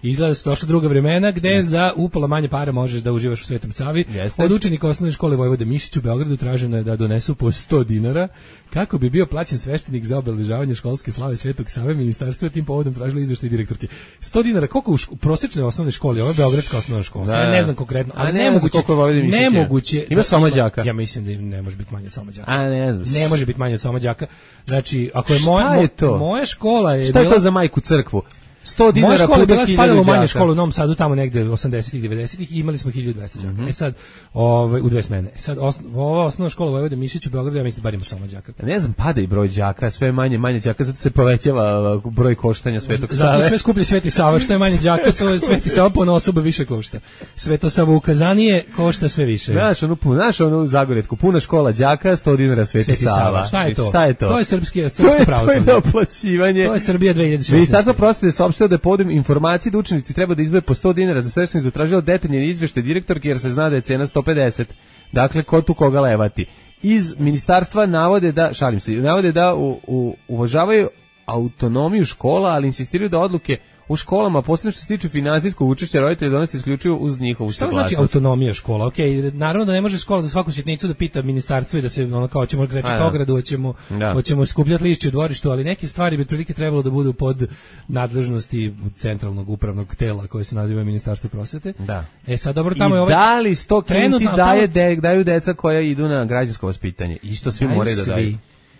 izgleda su došla druga vremena gde za upola manje para možeš da uživaš u Svetom Savi. Jeste. Od učenika osnovne škole Vojvode Mišić u Beogradu traženo je da donesu po sto dinara kako bi bio plaćen sveštenik za obeležavanje školske slave Svetog Save. Ministarstvo je tim povodom tražilo izveštaj direktorke. sto dinara, koliko u ško, prosečnoj osnovnoj školi, ovo je beogradska osnovna škola. Da. Ne znam konkretno, ali ne nemoguće. Nemoguće. Ima samo đaka. Ja mislim da ne može biti manje od samo đaka. A ne znam. Ne može biti manje od samo đaka. Znači, ako je moja je moja škola je šta je to za majku crkvu? sto dinara moja škola je bila spadala u manje đaka. Školu u Novom Sadu, tamo negde osamdesetih devedesetih i imali smo hiljadu dvesta đaka. Mm-hmm. E sad, ovaj u dve smene. E sad osno, ova osnovna škola Vojvode Mišić u Beogradu, ja mislim bar ima samo đaka. Ne znam, pada i broj đaka, sve manje manje đaka, zato se povećava broj koštanja Svetog Save. Zato sve skuplji Sveti Sava, što je manje đaka, sve Sveti Sava po osoba više košta. Sveto Savo ukazanije košta sve više. Znaš, onu pun, znaš onu zagoretku, puna škola đaka, sto dinara Sveti, Sveti Sava. Sava. Šta je to? Šta je to? To je srpski, srpsko pravoslavlje. To je naplaćivanje. To je Srbija dve hiljade šesnaeste. Ministarstvo prosvete saopštilo da je povodom informacije da učenici treba da izdvoje po sto dinara za sveštenik, zatražilo detaljan izveštaj direktorke jer se zna da je cena sto pedeset. Dakle, ko tu koga levati. Iz ministarstva navode da, šalim se, navode da u, u, uvažavaju autonomiju škola, ali insistiraju da odluke u školama, posebno što se tiče finansijskog učešća roditelja, donosi isključivo uz njihovu saglasnost. Šta znači autonomija škola? Okej, okay, naravno da ne može škola za svaku sitnicu da pita ministarstvo i da se ono kao ćemo krečiti ogradu, hoćemo da. hoćemo skupljati lišće u dvorištu, ali neke stvari bi otprilike trebalo da budu pod nadležnosti centralnog upravnog tela koje se naziva Ministarstvo prosvete. Da. E sad dobro tamo I je ovaj da li sto kinti daje de, daju deca koja idu na građansko vaspitanje? Isto svi moraju da daju.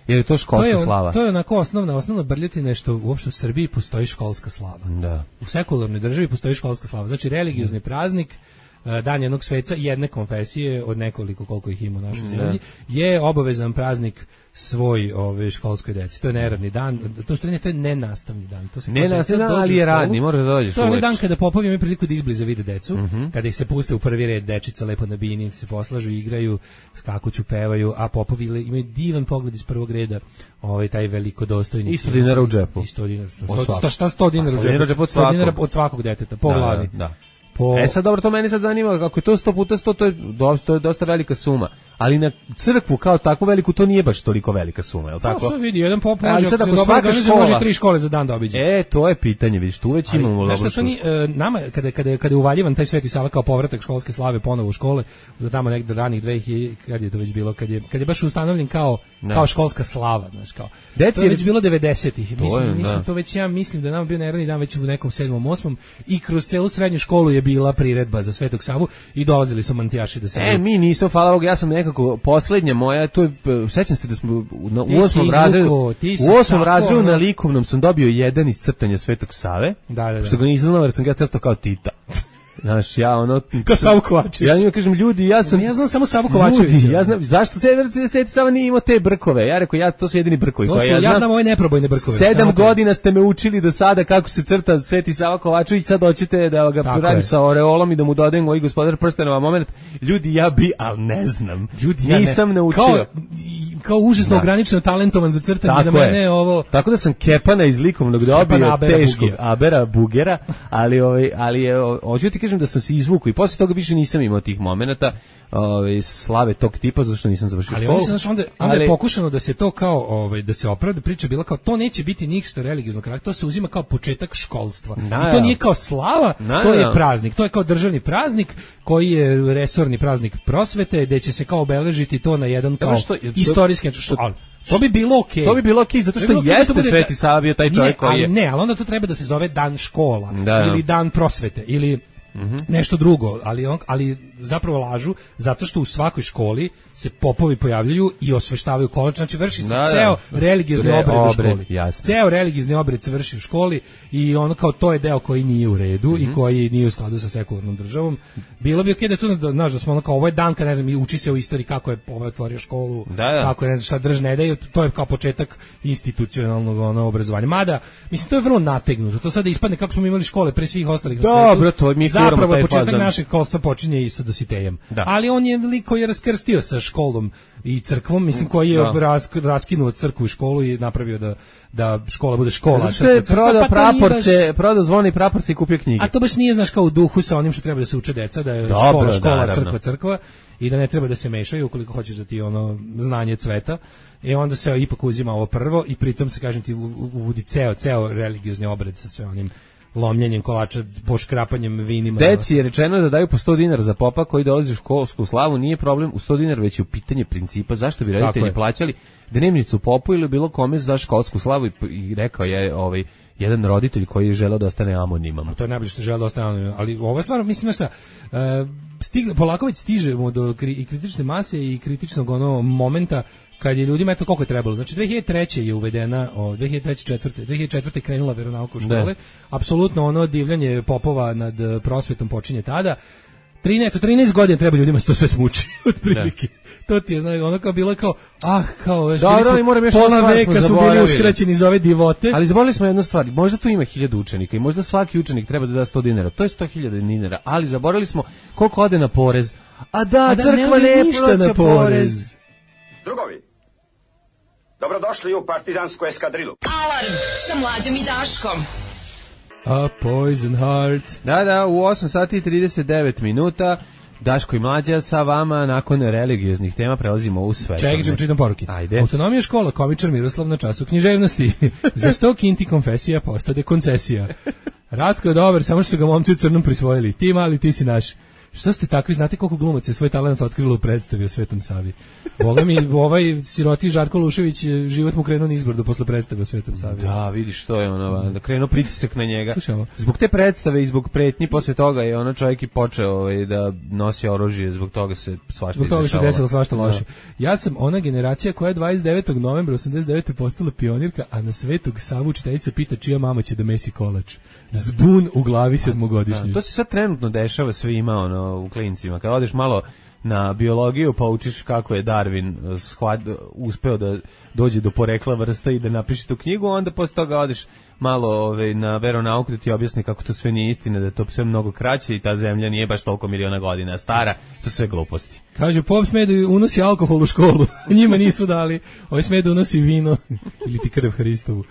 Jer je to školska to je, slava. To je onako osnovna, osnovna brljotina što uopšte u Srbiji postoji školska slava. Da. U sekularnoj državi postoji školska slava. Znači religiozni praznik dan jednog sveca jedne konfesije od nekoliko koliko ih ima u našoj zemlji je obavezan praznik svoj ove školskoj deci. To je neradni dan, to stvarno to je nenastavni dan. To se nenastavni dan, ali je radni, mora da dođeš. To je onaj dan kada popovi imaju priliku da izbliza vide decu, mm-hmm. kada ih se puste u prvi red, dečica lepo na bini, se poslažu, igraju, skakuću, pevaju, a popovi imaju divan pogled iz prvog reda, ovaj taj velikodostojni. Isto dinara u džepu. Isto dinara. Sto, šta sto dinara u džepu? Od sto dinara od svakog deteta, po glavi. Da. Po... E sad dobro, to meni sad zanima, kako je to sto puta sto, to je, dosta, to je dosta velika suma, ali na crkvu kao takvu veliku to nije baš toliko velika suma, je li tako? No, sve vidi, jedan pop može, ako se dobro organizuje, može tri škole za dan da obiđe. E, to je pitanje, vidiš, tu već ali, imamo dobro što. Nama, kada, kada, kada je uvaljivan taj Sveti Sava kao povratak školske slave ponovo u škole, do tamo nekde ranih dve hiljade, kad je to već bilo, kad je, kad je baš ustanovljen kao, kao školska slava, znaš, kao. Deci, to je već bilo devedesetih, mislim, mislim, to već ja mislim da nama bio neradni dan već u nekom sedmom, osmom i kroz celu srednju školu je bila priredba za Svetog Savu i dolazili su mantijaši da se... E, mi nisam, hvala Bogu, ja sam nekako, poslednja moja, to je, sećam se da smo na, u osmom razredu, u osmom razredu na likovnom sam dobio jedan iz crtanja Svetog Save, da, da, da. što ga nisam znao jer sam ga crtao kao Tita. Znaš, ja ono... Kao Savu Kovačević. Ja njima kažem, ljudi, ja sam... Ja znam samo Savu Kovačević. Ljudi, ja znam, zašto Sveti Sava nije imao te brkove? Ja rekao, ja, to su jedini brkovi. To su, ja, ja znam ove neprobojne brkove. Sedam godina ste me učili do sada kako se crta Sveti Sava Kovačević, sad hoćete da ga radim sa oreolom i da mu dodajem moj Gospodar prstenova moment. Ljudi, ja bi, ali ne znam. Ljudi, ja nisam ne. naučio. Kao, kao užasno da. ograničeno talentovan za crtanje, tako za mene je ovo... Tako da sam Kepana iz likovnog dobio teškog Abera Bugera, ali, ovaj, ali je, hoću ti kažem da sam se izvukao i posle toga više nisam imao tih momenata ovaj slave tog tipa zato što nisam završio ali školu. Ali znači onda onda ali, je pokušano da se to kao ovaj da se opravda, priča bila kao to neće biti ništa religioznog karaktera, to se uzima kao početak školstva. Da, i to nije kao slava, da, to je da. praznik, to je kao državni praznik koji je resorni praznik prosvete, gde će se kao obeležiti to na jedan kao što, istorijski što, ali, to bi bilo okej. Okay. To bi bilo okej okay, zato što okay, jeste bude, Sveti Sava bio taj čovjek koji je. Ne, ali onda to treba da se zove dan škola da, ili dan prosvete ili Mm-hmm. nešto drugo, ali on, ali zapravo lažu zato što u svakoj školi se popovi pojavljaju i osveštavaju kolač, znači vrši se da, ceo da. religiozni Re, obred u školi. Jasne. Ceo religiozni obred se vrši u školi i ono kao to je deo koji nije u redu mm-hmm. i koji nije u skladu sa sekularnom državom. Bilo bi okej okay da tu da, znaš, da smo ono kao ovo je dan kad ne znam, uči se u istoriji kako je ovaj otvorio školu, da, da. kako je ne znam šta držne daju, to je kao početak institucionalnog ono obrazovanja. Mada, mislim to je vrlo nategnuto. To sada ispadne kako smo imali škole pre svih ostalih na svetu. Dobro, to mi zapravo početak našeg školstva počinje i sa Dositejem. Da. Ali on je lik koji je raskrstio sa školom i crkvom, mislim koji je rask, raskinuo crkvu i školu i napravio da da škola bude škola. Zato što je prodao praporce, prodao zvone i praporce i kupio knjige. A to baš nije, znaš, kao u duhu sa onim što treba da se uče deca, da je Dobro, škola, škola, naravno. crkva, crkva i da ne treba da se mešaju ukoliko hoćeš da ti ono znanje cveta. I onda se ipak uzima ovo prvo i pritom se, kažem ti, uvodi ceo, ceo religiozni obred sa sve onim lomljenjem kolača, poškrapanjem vinima. Deci je rečeno da daju po sto dinara za popa koji dolazi u školsku slavu, nije problem u sto dinara, već je u pitanje principa zašto bi roditelji plaćali dnevnicu popu ili bilo kome za školsku slavu i, i rekao je ovaj jedan roditelj koji je želeo da ostane anoniman. A to je najbolje što želeo da ostane anoniman, ali ova stvar, mislim šta, uh, stigle, polako već stižemo do kri, i kritične mase i kritičnog ono momenta kad je ljudima eto koliko je trebalo. Znači dve hiljade treće je uvedena, o, dve hiljade treće četvrte dve hiljade četvrte je krenula veronauka u škole. Apsolutno ono divljanje popova nad prosvetom počinje tada. trinaest, trinaest godina treba ljudima se to sve smuči, otprilike. To ti je, znači, ono kao bilo kao, ah, kao, već bili smo, pola veka su bili uskraćeni za ove divote. Ali zaboravili smo jednu stvar, možda tu ima hiljadu učenika i možda svaki učenik treba da da sto dinara, to je sto hiljada dinara, ali zaboravili smo koliko ode na porez. A da, A da crkva ne, ne plaća porez. Drugovi, dobrodošli u partizansku eskadrilu. Alarm sa Mlađom i Daškom. A Poison Heart. Da, da, u osam sati i trideset devet minuta Daško i Mlađa sa vama nakon religioznih tema prelazimo u sve. Čekaj, ćemo čitam poruke. Ajde. Autonomija škola, komičar Miroslav na času književnosti. Za sto kinti konfesija postade koncesija. Ratko je dobar, samo što su ga momci u crnom prisvojili. Ti mali, ti si naš. Što ste takvi, znate koliko glumaca je svoj talent otkrilo u predstavi o Svetom Savi. Boga mi, ovaj siroti Žarko Lušević, život mu krenuo nizbrdo posle predstave o Svetom Savi. Da, vidiš što je ono, da krenuo pritisak na njega. Slušamo. Zbog te predstave i zbog pretnji posle toga je ono čovjek i počeo ovaj, da nosi oružje, zbog toga se svašta zbog toga se desilo svašta loše. Ja sam ona generacija koja je dvadeset devetog novembra osamdeset devete postala pionirka, a na Svetog Savu učiteljica pita čija mama će da mesi kolač. Zbun u glavi sedmogodišnjoj. To se sad trenutno dešava svima, ono, u klincima. Kad odeš malo na biologiju pa učiš kako je Darwin shvat, uspeo da dođe do porekla vrsta i da napiše tu knjigu, onda posle toga odeš malo ove, na veronauku da ti objasni kako to sve nije istina, da je to sve mnogo kraće i ta zemlja nije baš toliko miliona godina stara, to sve gluposti. Kaže, pop sme da unosi alkohol u školu, njima nisu dali, ovaj sme da unosi vino ili ti krv Hristovu.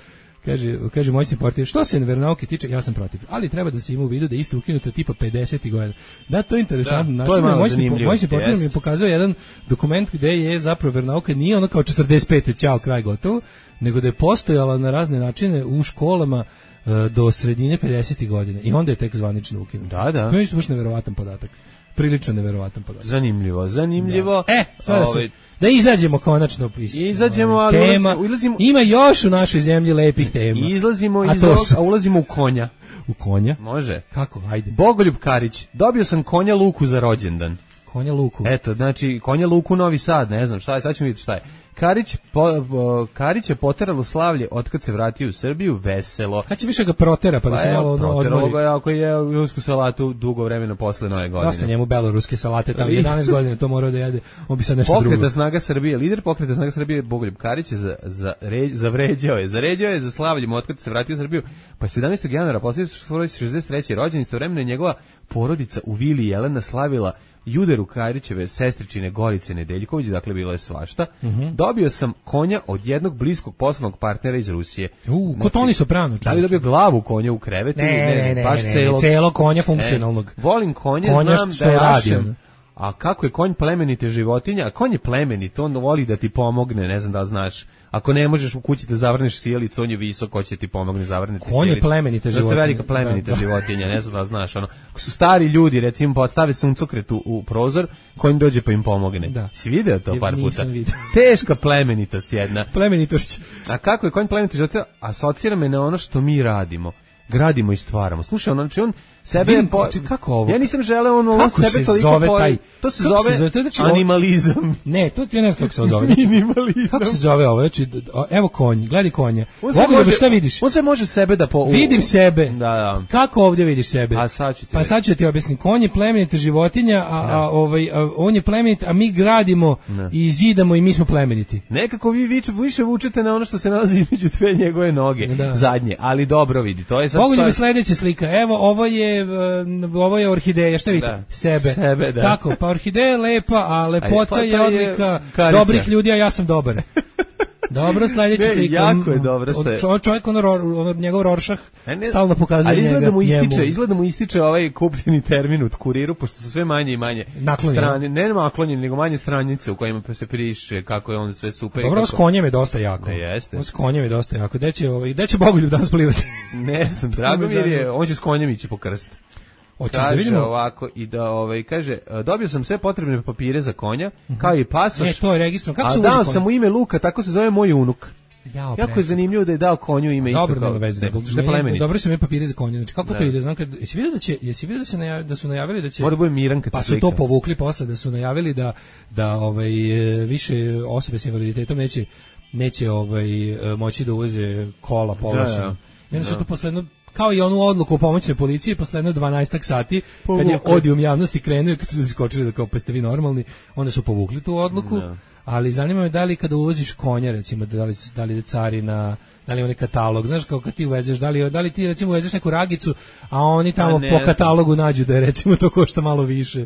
Kaže, kaže moćni portir, što se veronauke tiče, ja sam protiv, ali treba da se ima u vidu da je isto ukinuto tipa pedesetih godina. Da, to je interesantno. Da, to je malo zanimljivo. Moćni portir mi je pokazao jedan dokument gde je zapravo veronauka nije ono kao četrdeset pete ćao, kraj gotovo, nego da je postojala na razne načine u školama uh, do sredine pedesetih godina i onda je tek zvanično ukinuto. Da, da. To je baš neverovatan podatak. Prilično neverovatan podatak. Zanimljivo, zanimljivo. Da. E, sada Ove... da izađemo konačno iz izađemo, ali tema. Ulazimo... Ima još u našoj zemlji lepih tema. Izlazimo iz ovog, a ulazimo u konja. U konja? Može. Kako? Ajde. Bogoljub Karić. Dobio sam konja Luku za rođendan. Konja Luku. Eto, znači konja Luku Novi Sad, ne znam šta je, sad ćemo vidjeti šta je. Karić, po, po, Karić je poteralo slavlje otkad se vratio u Srbiju, veselo. Kad će više ga protera, pa da pa se malo odmori? Proteralo ga je ako je rusku salatu dugo vremena posle nove godine. Dosta njemu beloruske salate, tamo jedanaest godina to morao da jede, on bi sad nešto drugo. Pokreta snaga Srbije, lider pokreta snaga Srbije Bogoljub Karić je za, za, re, zavređao je, zaređao je za slavljem otkad se vratio u Srbiju, pa sedamnaestog januara posle svoje šezdeset treće rođendan, istovremeno je njegova porodica u vili Jelena slavila Juderu Karićeve sestričine Gorice Nedeljković, dakle bilo je svašta. Uh-huh. Dobio sam konja od jednog bliskog poslovnog partnera iz Rusije. U, znači, Toni Soprano. Da li dobio glavu konja u krevetu? Ne, ne, ne, ne, baš ne, celog, celo konja funkcionalnog. E, volim konje, konja znam da je ašem. A kako je konj plemenite životinja? A konj je plemenit, on voli da ti pomogne, ne znam da li znaš. Ako ne možeš u kući da zavrneš sjelicu, on je visok, ko će ti pomogne zavrniti sjelicu. Konj je plemenita životinja. To je velika plemenita da, da. životinja, ne znam da li znaš. Ono. Ako su stari ljudi, recimo, postave suncokret u, u prozor, konj dođe pa im pomogne. Da. Si video to par puta? Teška plemenitost jedna. Plemenitošć. A kako je konj plemenita životinja? Asocira me na ono što mi radimo. Gradimo i stvaramo. Slušaj, on, znači on sebe Vidim, po... kako ovo? Ja nisam želeo on, on sebe se toliko zove po... taj to se zove, se zove? To je, znači, animalizam. Ne, to ti ne znam kako se zove. Minimalizam. Kako se zove ovo? Znači, evo konj, gledaj konja. Ovdje može, šta vidiš? On se može sebe da po... Vidim sebe. Da, da. Kako ovdje vidiš sebe? A sad ću ti Pa sad ću ti objasniti. Konj je plemenita životinja, a, a, ovaj, a on je plemenit, a mi gradimo ne. i zidamo i mi smo plemeniti. Nekako vi vič, više vučete na ono što se nalazi između dve njegove noge, da. zadnje, ali dobro vidi. To je sad Bogoljub sledeća slika. Evo, ovo je ovo je orhideja, šta vidite? Da. Sebe. Sebe, da. Kako? Pa orhideja je lepa, a lepota a je odlika je dobrih ljudi, a ja sam dobar. Dobro, sledeća slika. Jako je dobro što je. Čo, čovjek, ono, ono, njegov Rorschach, stalno pokazuje ali njega. Ali mu ističe, izgleda mu ističe ovaj kupljeni termin u kuriru, pošto su sve manje i manje strane, ne naklonjeni, nego manje stranice u kojima se piše kako je on sve super. Dobro, kako... s konjem je dosta jako. Ne, jeste. S konjem je dosta jako. Gde će, ovaj, gde će Bogoljub danas plivati? Ne znam, Dragomir je, on će s konjem ići po krst. Hoćeš kaže da vidimo ovako i da ovaj kaže dobio sam sve potrebne papire za konja, uh-huh. kao i pasoš. Ne, to je registrovano. Kako se uvozi? A dao sam mu ime Luka, tako se zove moj unuk. Jao, jako je zanimljivo da je dao konju ime isto dobro, kao. Dobro, veze, nego dobro su mi papiri za konja. Znači kako da. to ide? Znam kad jesi vidio da će, jesi vidio da se najavili, da su najavili da će Mora bude miran kad pa su to povukli posle da su najavili da da ovaj više osobe s invaliditetom neće neće ovaj moći da uvoze kola povlašćena. I onda su to posle jedno kao i onu odluku o pomoćnoj policiji posle jedno dvanaestak sati povukli. Kad je odijum javnosti krenuo i kad su iskočili da kao pa ste vi normalni, onda su povukli tu odluku. Da. Ali zanima me da li kada uvoziš konja, recimo, da li, da li je carina, da li je onaj katalog, znaš, kao kad ti uvezeš, da li, da li ti recimo uvezeš neku ragicu, a oni tamo po znam. katalogu nađu da je recimo to košta malo više,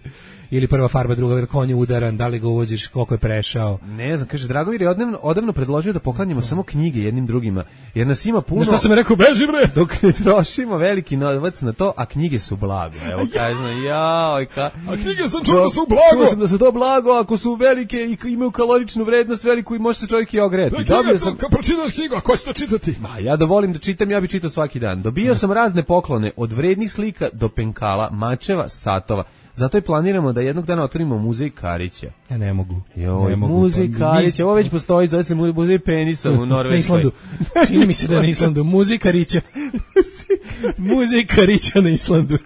ili prva farba, druga, jer konj je udaran, da li ga uvoziš, koliko je prešao. Ne znam, kaže, Dragomir je odavno, odavno predložio da poklanjamo no. samo knjige jednim drugima, jer nas ima puno... Šta sam rekao, beži bre! Dok ne trošimo veliki novac na to, a knjige su blago, evo kažem, jaoj, ka... A knjige sam čuo da su blago! Čuo sam da su to blago, ako su velike i imaju kaloričnu vrednost veliku i može se čovjek i ogreti. Dobio sam... Kad pročitaš knjigu, a ko će to čitati? Ma, ja da volim da čitam, ja bi čitao svaki dan. Dobio sam razne poklone, od vrednih slika do penkala, mačeva, satova. Zato i planiramo da jednog dana otvorimo muzej Karića. Ja ne mogu. Joj, ne mogu. Muzej Karića, ovo već postoji, zove se muzej penisa u Norveškoj. Na Islandu. Čini mi se da je na Islandu. Muzej Karića. Muzej Karića na Islandu.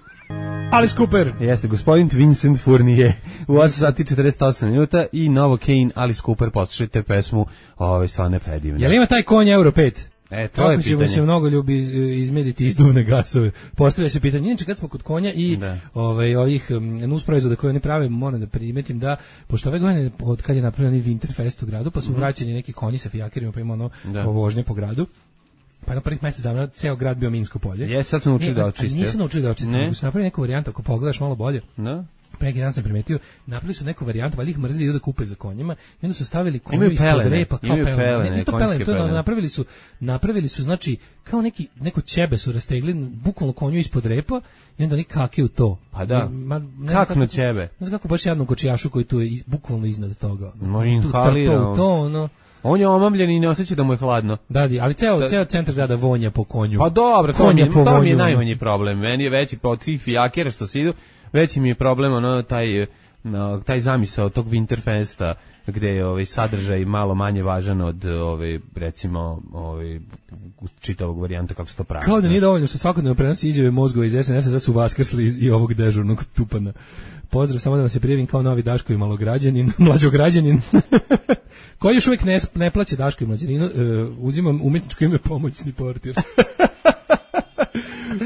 Alice Cooper. Jeste, gospodin Vincent Fournier. U osam sati četrdeset osam minuta i Novo Kane, Alice Cooper, poslušajte pesmu, ove stvarno predivne. Jel ima taj konj Euro pet? E, to je Kako ćemo pitanje. se mnogo ljubi izmjeriti izduvne gasove. Postavlja se pitanje. Inače, kad smo kod konja i ovaj, ovih nus proizvoda koje oni prave, moram da primetim da, pošto ove godine, od kad je napravljen Winterfest u gradu, pa su mm-hmm. vraćeni neki konji sa fijakerima, pa ima ono vožnje po gradu. Pa na prvih mjesec dana ceo grad bio minsko polje. Jes, sad su naučili da očiste. Nisu naučili da očiste, nego su napravili neku varijantu, ako pogledaš malo bolje. Da. Pre neki dan sam primetio, napravili su neku varijantu, valjda ih mrzili idu da kupe za konjima, i onda su stavili konju ispod repa, kao pelene. pelene. Ne, ne to pelene, to je, napravili su, napravili su, znači, kao neki, neko ćebe su rastegli, bukvalno konju ispod repa, i onda oni kake u to. Pa da, Ma, ne kako na ćebe? Ne znam kako baš jednom kočijašu koji tu je iz, bukvalno iznad toga. No, inhalira. To, to, ono... On je omamljen i ne osjeća da mu je hladno. Da, ali ceo, da. ceo centar grada vonja po konju. Pa dobro, to mi je, to mi je najmanji problem. Meni je veći po tih fijakera što se idu, veći mi je problem ono taj, no, taj zamisao tog Winterfesta gde je ovaj sadržaj malo manje važan od ovaj recimo ovaj čitavog varijanta kako se to pravi. Kao da nije dovoljno što svakodnevno prenosi izjave mozgova iz es en es-a, sad su vaskrsli i ovog dežurnog tupana. Pozdrav, samo da vam se prijavim kao novi Daško i malograđanin, mlađograđanin. Koji još uvijek ne, ne plaće Daško i mlađaninu, uh, uzimam umjetničko ime pomoćni portir.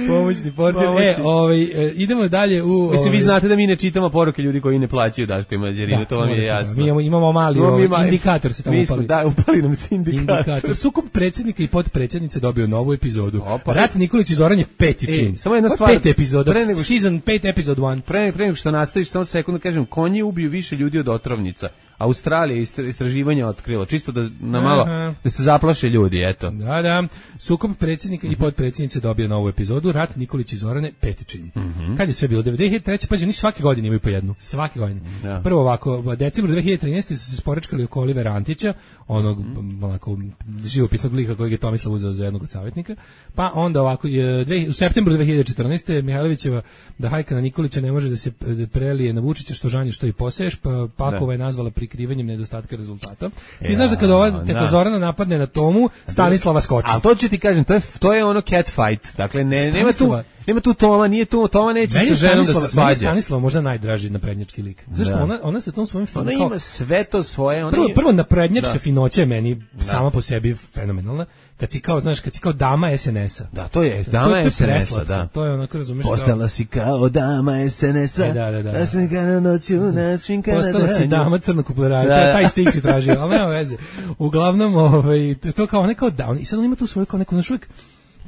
Pomoćni portir. Pomoćni. E, ovaj, e, idemo dalje u... Ovaj... Mislim, vi znate da mi ne čitamo poruke ljudi koji ne plaćaju Daško i mlađaninu, to vam je jasno. Mi imamo, imamo mali ovaj, ima, indikator se tamo upali. Da, upali nam se indikator. indikator. Sukob predsjednika i potpredsjednice dobio novu epizodu. Opa. Rat Nikolić i Zoran je peti čin. E, samo jedna stvar. Pet epizoda. Pre nego što, season pet, episode one. Pre, pre nego što nastaviš, samo sekundu kažem, konji ubiju više ljudi od otrovnica. Australija istraživanja otkrilo, čisto da na malo Aha. da se zaplaše ljudi, eto. Da, da. Sukob predsjednika mm-hmm. i potpredsjednice dobio novu epizodu, Rat Nikolić i Zorane, peti čin. Mm-hmm. Kad je sve bilo? dve hiljade treće. Pa oni svake godine imaju po jednu. Svake godine. Ja. Prvo ovako, decembru dve hiljade trinaeste su se sporečkali oko Olivera Antića, onog mm-hmm. onako živopisnog lika kojeg je Tomislav uzeo za jednog od savjetnika. Pa onda ovako, dve, u septembru dve hiljade četrnaeste. Mihajlovićeva da hajka na Nikolića ne može da se prelije na Vučića, što žanje što i poseješ, pa Pakova je nazvala prikrivanjem nedostatka rezultata. Ti ja, znaš da kada ova teta Zorana napadne na Tomu, Stanislava skoči. A to ću ti kažem, to je to je ono cat fight. Dakle ne nema tu nema tu Toma, nije tu Toma neće sa ženom da se svađa. Stanislava možda najdraži naprednjački lik. Zašto da. ona ona sa tom svojim ona kao, ima sve to svoje, ona prvo, prvo naprednjačka da. finoća je meni da. sama po sebi fenomenalna. Kad si kao, znaš, kad si kao dama es en es-a. Da, to je dama es en es-a, da. To je ono, kako razumiješ. Postala kao... si kao dama es en es-a. E, da, da, da. Da sam kada noću, da sam kada Postala si dama crnokupleraja. Da, da. Taj stik si tražio, ali nema veze. Uglavnom, ovaj, to kao, ne kao da, i sad on ima tu svoju kao neku, znaš, uvijek,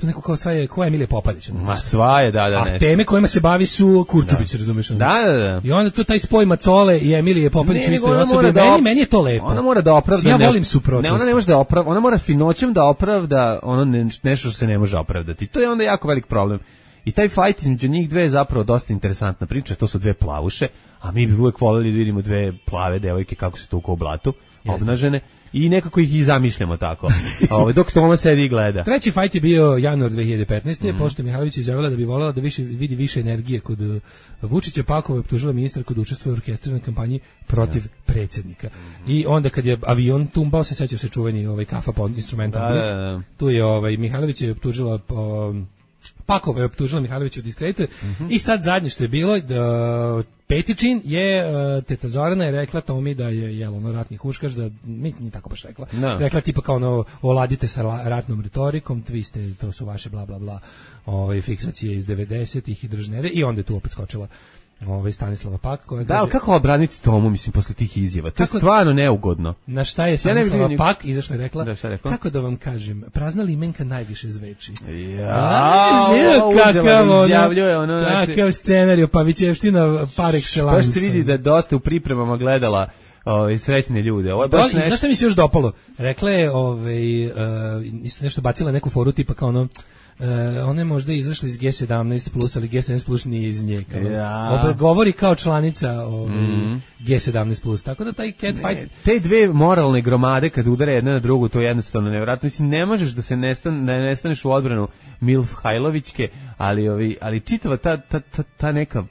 to neko kao sva je, ko je Emilija Popadić. Ma sva je, da, da, nešto. A teme kojima se bavi su Kurčubić, razumiješ? Da, da, da. I onda tu taj spoj Macole i Emilije Popadić u istoj osobi. Da meni, op... meni je to lepo. Ona mora da opravda. Ja ne, volim suprotnost. Ne, ona ne može da opravda, ona mora finoćem da opravda ono ne, nešto što se ne može opravdati. To je onda jako velik problem. I taj fight između njih dve je zapravo dosta interesantna priča, to su dve plavuše, a mi bi uvek voljeli da vidimo dve plave devojke kako se tuku u blatu, obnažene. I nekako ih i zamišljamo tako. Ovaj dok Toma sedi i gleda. Treći fajt je bio januar dve hiljade petnaeste. Mm. Pošto Mihajlović izjavila da bi voljela da više vidi više energije kod uh, Vučića, Pakova je optužila ministar kod učestvuje u orkestriranoj kampanji protiv ja. predsjednika. Mm. I onda kad je avion tumbao, se seća se čuveni ovaj kafa pod instrumentom. Da, da, da. Tu je ovaj Mihajlović je optužila um, Pakova je optužila Mihajlovića od diskredituje. Mm-hmm. I sad zadnje što je bilo, da, peti čin je, uh, teta Zorana je rekla Tomi da je jel, ono ratni huškaš, da mi nije tako baš rekla. No. Rekla tipa kao ono, oladite sa ratnom retorikom, vi ste, to su vaše bla bla bla, ove, fiksacije iz devedesetih i držnede, i onda je tu opet skočila ovaj Stanislava Pak koja da, ali kako obraniti Tomu, mislim, posle tih izjava? To je stvarno neugodno. Na šta je Stanislava ja Pak izašla i rekla, da, rekla? Kako da vam kažem, prazna limenka najviše zveči. Ja, kakav izjavljuje ono, znači, kakav scenarij, Pavićevština par excellence. Baš se vidi da je dosta u pripremama gledala ovaj srećne ljude. Ovo je baš nešto. Znaš šta mi se još dopalo? Rekla je, ovaj, uh, isto nešto bacila neku foru tipa kao ono, Uh, one možda izašli iz G sedamnaest plus, ali G sedamnaest plus nije iz nje. Ja. Obe, govori kao članica ovaj, mm. G sedamnaest plus, tako da taj cat fight... Ne, te dve moralne gromade kad udare jedna na drugu, to je jednostavno nevjerojatno. Mislim, ne možeš da se nestan, da ne staneš u odbranu Milf Hajlovićke, ali, ovi, ali čitava ta, ta, ta, ta neka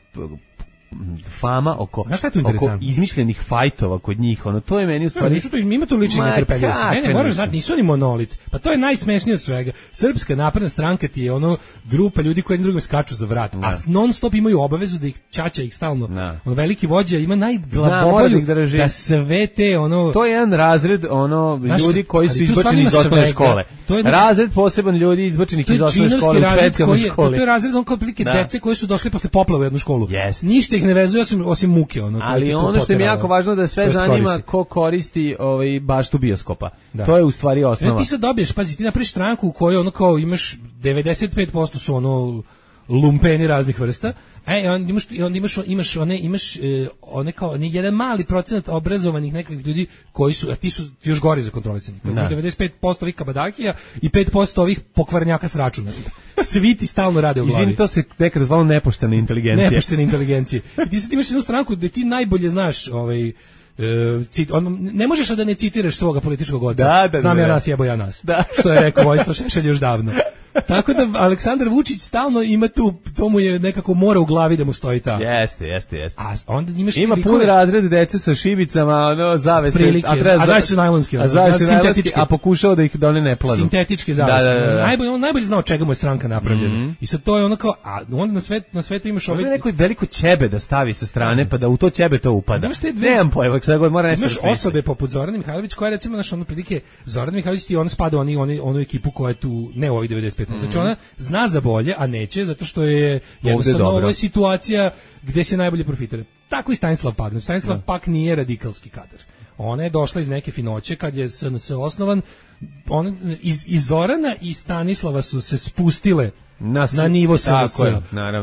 fama oko, oko izmišljenih fajtova kod njih, ono, to je meni u stvari... No, nisu to, ima to ličnih netrpeljivosti. Ne, ne, moraš znati, nisu oni monolit. Pa to je najsmešnije od svega. Srpska napredna stranka ti je ono grupa ljudi koji jednim drugim skaču za vrat, a non stop imaju obavezu da ih čača ih stalno. On veliki vođa ima najglabobolju da, da sve te ono... To je jedan razred ono ljudi koji su izbačeni iz osnovne škole. To je, znači, razred poseban ljudi izbačenih iz osnovne škole u specijalnoj školi. To je razred on kao prilike dece koje su došli posle poplave u jednu školu. Yes. Ništa ih ne vezuje osim, osim muke. Ono, ali ono što mi je jako važno da sve zanima koristi. Ko koristi ovaj, baštu bioskopa. Da. To je u stvari osnova. Ne, ti sad dobiješ, pazi, ti napraviš stranku u kojoj ono kao imaš devedeset pet posto su ono lumpeni raznih vrsta. E, on imaš on imaš imaš one imaš e, one kao ni jedan mali procenat obrazovanih nekakvih ljudi koji su, a ti su ti još gori za kontrolisanje. devedeset pet posto ovih kabadakija i pet posto ovih pokvarnjaka s računa. Svi ti stalno rade u glavi. Izvini, to se nekad zvalo nepoštena inteligencija. Nepoštena inteligencija. I ti sad imaš jednu stranku gde ti najbolje znaš ovaj Cit, on, ne možeš da ne citiraš svoga političkog oca. Da, da, znam da, ja da. nas, jebo ja nas. Da. Što je rekao Vojislav Šešelj još davno. Tako da Aleksandar Vučić stalno ima tu, to mu je nekako mora u glavi da mu stoji ta. Jeste, jeste, jeste. A onda imaš ima pun razred dece sa šibicama, ono zavese, prilike, a, treba, a zavese su najlonski, a zavese su najlonski, a pokušao da ih da one ne planu. Sintetičke zavese. Da, da, da, da. Najbolje, on najbolje znao čega mu je stranka napravljena. Mm -hmm. I sad to je ono kao, a onda na svet, na svetu imaš ovaj neko veliko ćebe da stavi sa strane, mm. pa da u to ćebe to upada. Nemam pojma, šta god mora nešto. Imaš osobe poput Zorana Mihajlović koja recimo naš ono prilike Zoran Mihajlović ti on spada oni oni onu ekipu koja je tu ne u ovih devedeset pet. Mm. Znači ona zna za bolje, a neće zato što je jednostavno ovo je situacija gde se najbolje profitira. Tako i Stanislav Pak. Znači, Stanislav da. Pak nije radikalski kadar. Ona je došla iz neke finoće kad je S N S osnovan. On, iz, iz Zorana i Stanislava su se spustile na, na nivo S N S.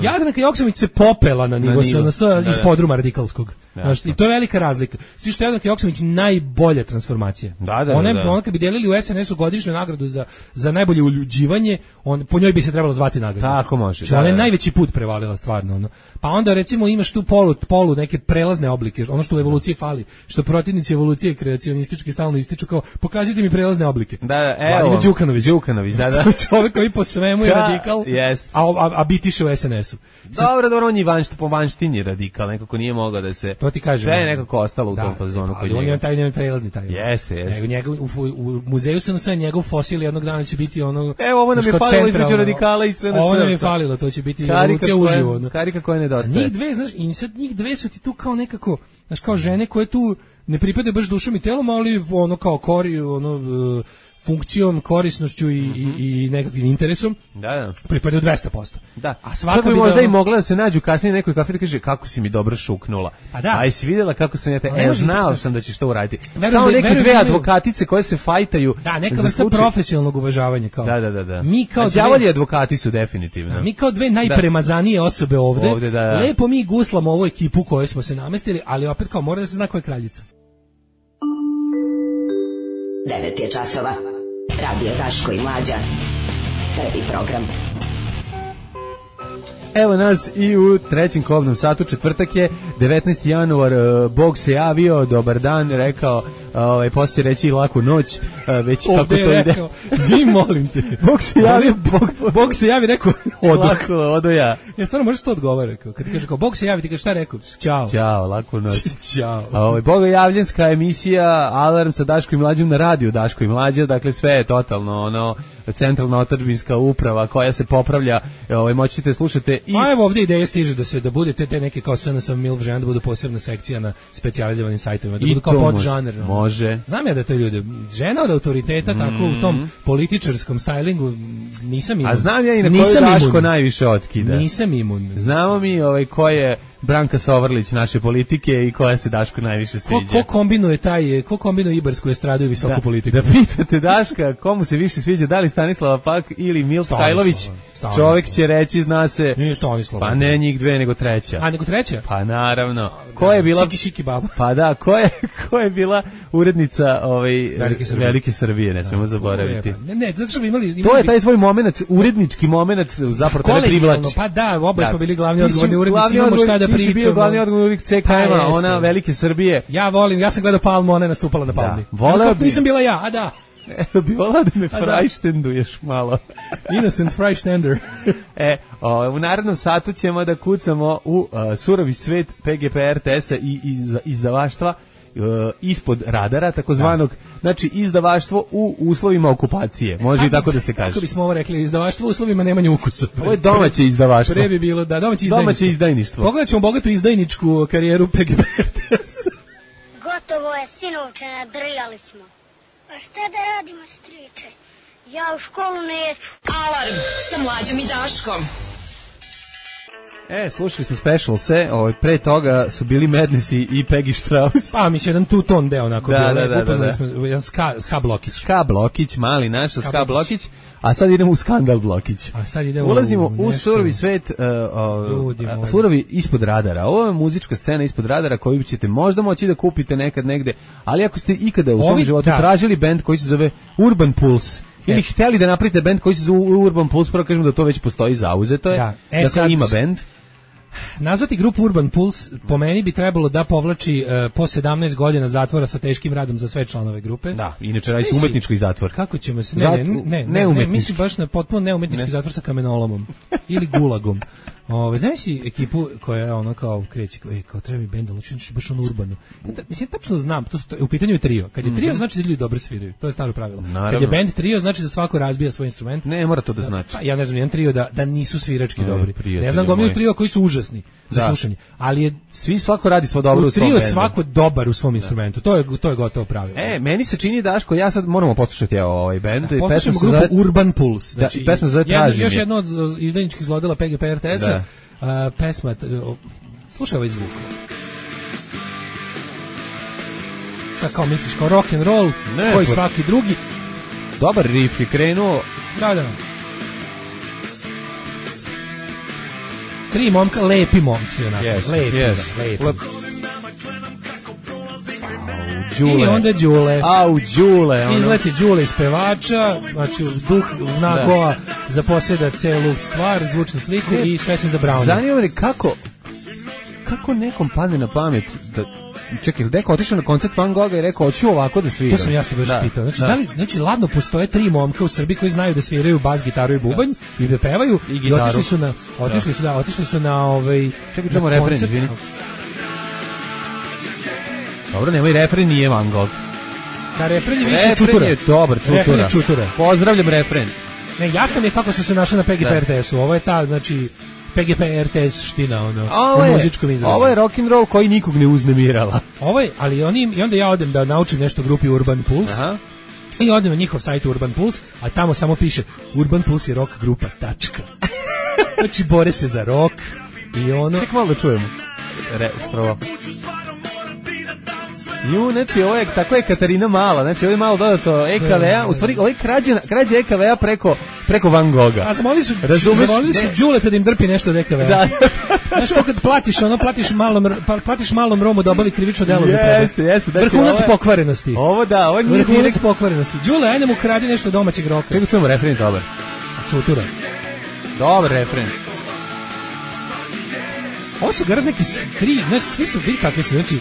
Jadranka Joksimović se popela na nivo S N S iz podruma radikalskog. Znaš, i to je velika razlika. Svi što je Jadranka Joksimović najbolja transformacija. Da, da, ona, da, da. ona kad bi delili u S N S-u godišnju nagradu za, za najbolje uljuđivanje, on, po njoj bi se trebalo zvati nagradu. Tako može. Da, ona je da. najveći put prevalila stvarno. Ono. Pa onda recimo imaš tu polu, polu neke prelazne oblike, ono što u evoluciji fali, što protivnici evolucije kreacionistički stalno ističu kao pokažite mi prelazne oblike. Da, da, evo. Đukanović. Đukanović, da, da. Čovjek koji po svemu je da, radikal, jest. a, a, a bitiše u S N S-u. Dobro, dobro, on je vanšt, po vanštini radikal, nekako nije mogao da se... To ti kažem. Sve je nekako ostalo u da, tom fazonu kod njega. Ali on je taj prelazni taj. Jeste, jeste. Nego njegov, u, u muzeju S N S njegov fosil jednog dana će biti ono... Evo, ovo nam je falilo između radikala i S N S. Ovo nam je falilo, to će biti evolucija uživo. Ono. Karika koja nedostaje. Njih dve, znaš, i sad njih dve su ti tu kao nekako, znaš, kao žene koje tu ne pripadaju baš dušom i telom, ali ono kao kori, ono... Uh, funkcijom, korisnošću i, mm-hmm. i, i nekakvim interesom, da, da. pripadaju dvesta posto. Da. A svaka bi možda da... i mogla da se nađu kasnije nekoj kafi da kaže kako si mi dobro šuknula. Pa da. A jesi vidjela kako sam ja te, e, znao da... sam da ćeš to uraditi. Verujem, kao neke dve advokatice koje se fajtaju. Da, neka vrsta slučaj... profesionalnog uvažavanja. Kao. Da, da, da. da. Mi kao đavolji dve... advokati su definitivno. Da, mi kao dve najpremazanije osobe ovde, ovde da, da. lepo mi guslamo ovu ekipu koju smo se namestili, ali opet kao mora da se zna ko je kraljica. devet je časova. Radio Daško i Mlađa. Prvi program. Evo nas i u trećem kobnom satu, četvrtak je, devetnaesti januar, Bog se javio, dobar dan, rekao, ovaj, poslije reći laku noć, već ovde kako to je ide. Rekao, vi molim te. Bog se javio, Bog, Bog se javi, rekao, odo. Lako, odo ja. Ja stvarno možeš to odgovara, rekao. Kad ti kaže kao, Bog se javi, ti kaže šta rekao? Ćao. Ćao, laku noć. Ćao. Ovaj, bogojavljenska emisija, Alarm sa Daško i Mlađom na radiju Daško i Mlađa, dakle sve je totalno, ono, centralna otadžbinska uprava koja se popravlja, ovaj, moćete slušate i... A evo ovdje ideja stiže da se, da bude te, te neke kao S N S milf žena, da budu posebna sekcija na specijalizovanim sajtovima, da budu kao podžanr. Može. Znam ja da to ljude, žena od autoriteta, mm. tako u tom političarskom stylingu, nisam imun. A znam ja i na koju Daško najviše otkida. Nisam imun. Znamo mi ovaj, ko je Branka Sovrlić naše politike i koja se Daško najviše sviđa. Ko, ko kombinuje taj, ko kombinuje ibarsku estradu i visoku da, politiku? Da pitate Daška komu se više sviđa, da li Stanislava Pak ili Milf Kajlović, čovjek će reći, zna se, nije Stanislava. Pa ne njih dve, nego treća. A nego treća? Pa naravno. Ko je bila... Šiki, šiki baba. Pa da, ko je, ko je bila urednica ovaj, Velike Srbije, Velike Srbije ne smemo zaboraviti. Ne, ne, zato što bi imali, imali... To je taj tvoj moment, urednički moment, zapravo tebe privlači. Pa da, oba smo bili glavni odgovorni urednici, imamo šta da pričamo. Ti si bio glavni odgovorni urednik C K M-a, ona Velike Srbije. Ja volim, ja sam gledao Palmu, ona je nastupala na Palmi. Da. Voleo bi... Nisam bila ja, a da. E, bi volao da me frajštenduješ malo. Innocent frajštender. E, o, u narednom satu ćemo da kucamo u uh, surovi svet P G P R T S-a i iz, izdavaštva uh, ispod radara, takozvanog, da. Znači izdavaštvo u uslovima okupacije, može kako, i tako da se kaže. Kako bismo ovo rekli, izdavaštvo u uslovima nemanja ukusa. Ovo je domaće izdavaštvo. Pre bi bilo, da, domaće izdajništvo. Domaće izdajništvo. Pogledat ćemo bogatu izdajničku karijeru P G P R T S. Gotovo je, sinovče, nadrljali smo. Pa šta da radimo, striče? Ja u školu neću. Alarm sa Mlađom i Daškom. E, slušali smo Specialse, ovaj, pre toga su bili Madnessi i Peggy Strauss. Pa, mi se jedan two-tone deo onako da, bio, da, da, upoznali da, da. smo jedan ska, ska blokić. Ska blokić, mali naš, ska, ska blokić. blokić, a sad idemo u skandal blokić. A sad idemo Ulazimo u, u surovi svet, uh, uh, surovi ispod radara. Ovo je muzička scena ispod radara koju ćete možda moći da kupite nekad negde, ali ako ste ikada u svom Ovi, životu da. tražili bend koji se zove Urban Pulse, ili hteli da napravite bend koji se zove Urban Pulse, prvo kažemo da to već postoji, zauzeto je, da, e, dakle sad, ima bend. Nazvati grupu Urban Pulse po meni bi trebalo da povlači uh, po sedamnaest godina zatvora sa teškim radom za sve članove grupe. Da, inače radi se umetnički zatvor. Kako ćemo se... Ne, ne, ne, ne, ne, ne mislim baš na potpuno neumetnički ne. zatvor sa kamenolomom ili gulagom. Ove, znaš si ekipu koja je ono kao kreće, kao, e, kao treba mi bend, ali ću baš ono urbano. Da, mislim, tačno znam, to su, u pitanju je trio. Kad je trio, mm-hmm. znači da ljudi dobro sviraju. To je staro pravilo. Naravno. Kad je bend trio, znači da svako razbija svoj instrument. Ne, mora to da znači. Pa, ja ne znam, jedan trio da, da nisu svirački ne, dobri. Ne znam gomilu trio koji su užasni za da. slušanje. Ali je... Svi svako radi svo dobro u, u svom trio bendu. svako dobar u svom da. instrumentu. To je, to je gotovo pravilo. E, meni se čini, Daško, ja sad moramo poslušati ovaj bend. Da, poslušamo grupu zove... Urban Pulse. Znači, da, pesma zove Tražim. Još jedno od izdajničkih zlodela P G P R T S-a. Uh, pesma, uh, slušaj ovaj zvuk. Sad kao misliš, kao rock and roll, ne, koji svaki drugi. Dobar riff je krenuo. Da, da. Tri momka, lepi momci, onako. Yes, lepi, yes. da, lepi. Lep. Đule. I onda Đule. A, u Đule. Ono. Izleti Đule iz pevača, znači duh Nagoa da. zaposjeda celu stvar, zvučnu sliku ne. i sve se za Browna. Zanima me kako, kako nekom padne na pamet da... Čekaj, neko otišao na koncert Van Gogha i rekao, hoću ovako da sviram. To sam ja se baš da, pitao. Znači, da. da li, znači, ladno postoje tri momka u Srbiji koji znaju da sviraju bas, gitaru i bubanj da. i da pevaju i, i otišli su na, otišli da. su, da, otišli su na ovaj... Čekaj, čujemo refren, izvini. Dobro, nemoj, refren nije Van Gogh. Da, refren je više refren čutura. Je dobar, čutura. Refren je čutura. Pozdravljam refren. Ne, jasno mi je kako su se našli na P G P R T S-u. Ovo je ta, znači, P G P R T S ština, ono, ovo u muzičkom izrazu. Ovo je rock and roll koji nikog ne uznemirala. Ovo je, ali oni, i onda ja odem da naučim nešto u grupi Urban Pulse. Aha. I odem na njihov sajt Urban Pulse, a tamo samo piše Urban Pulse je rock grupa, tačka. Znači, bore se za rock i ono... Ček malo da čujemo. Re, strova. Ju, znači, ovo je, tako je Katarina Mala, znači, ovo je malo dodato E K V A, u stvari, ovo je krađa, krađa E K V A preko, preko Van Gogha. A zamolili su, zamolili su Đuleta da im drpi nešto od E K V A. Da. Znaš, kako kad platiš, ono, platiš malom, platiš malom Romu da obavi krivično delo za tebe. Jeste, jeste. Vrhunac pokvarenosti. Ovo da, ovo nije... Vrhunac pokvarenosti. Đule, ajde mu kradi nešto domaćeg roka. Čekaj, čujemo refren, dobar. Čutura. Dobar refren. Ovo su garant neki tri, znaš, svi su bili kakvi su, znači,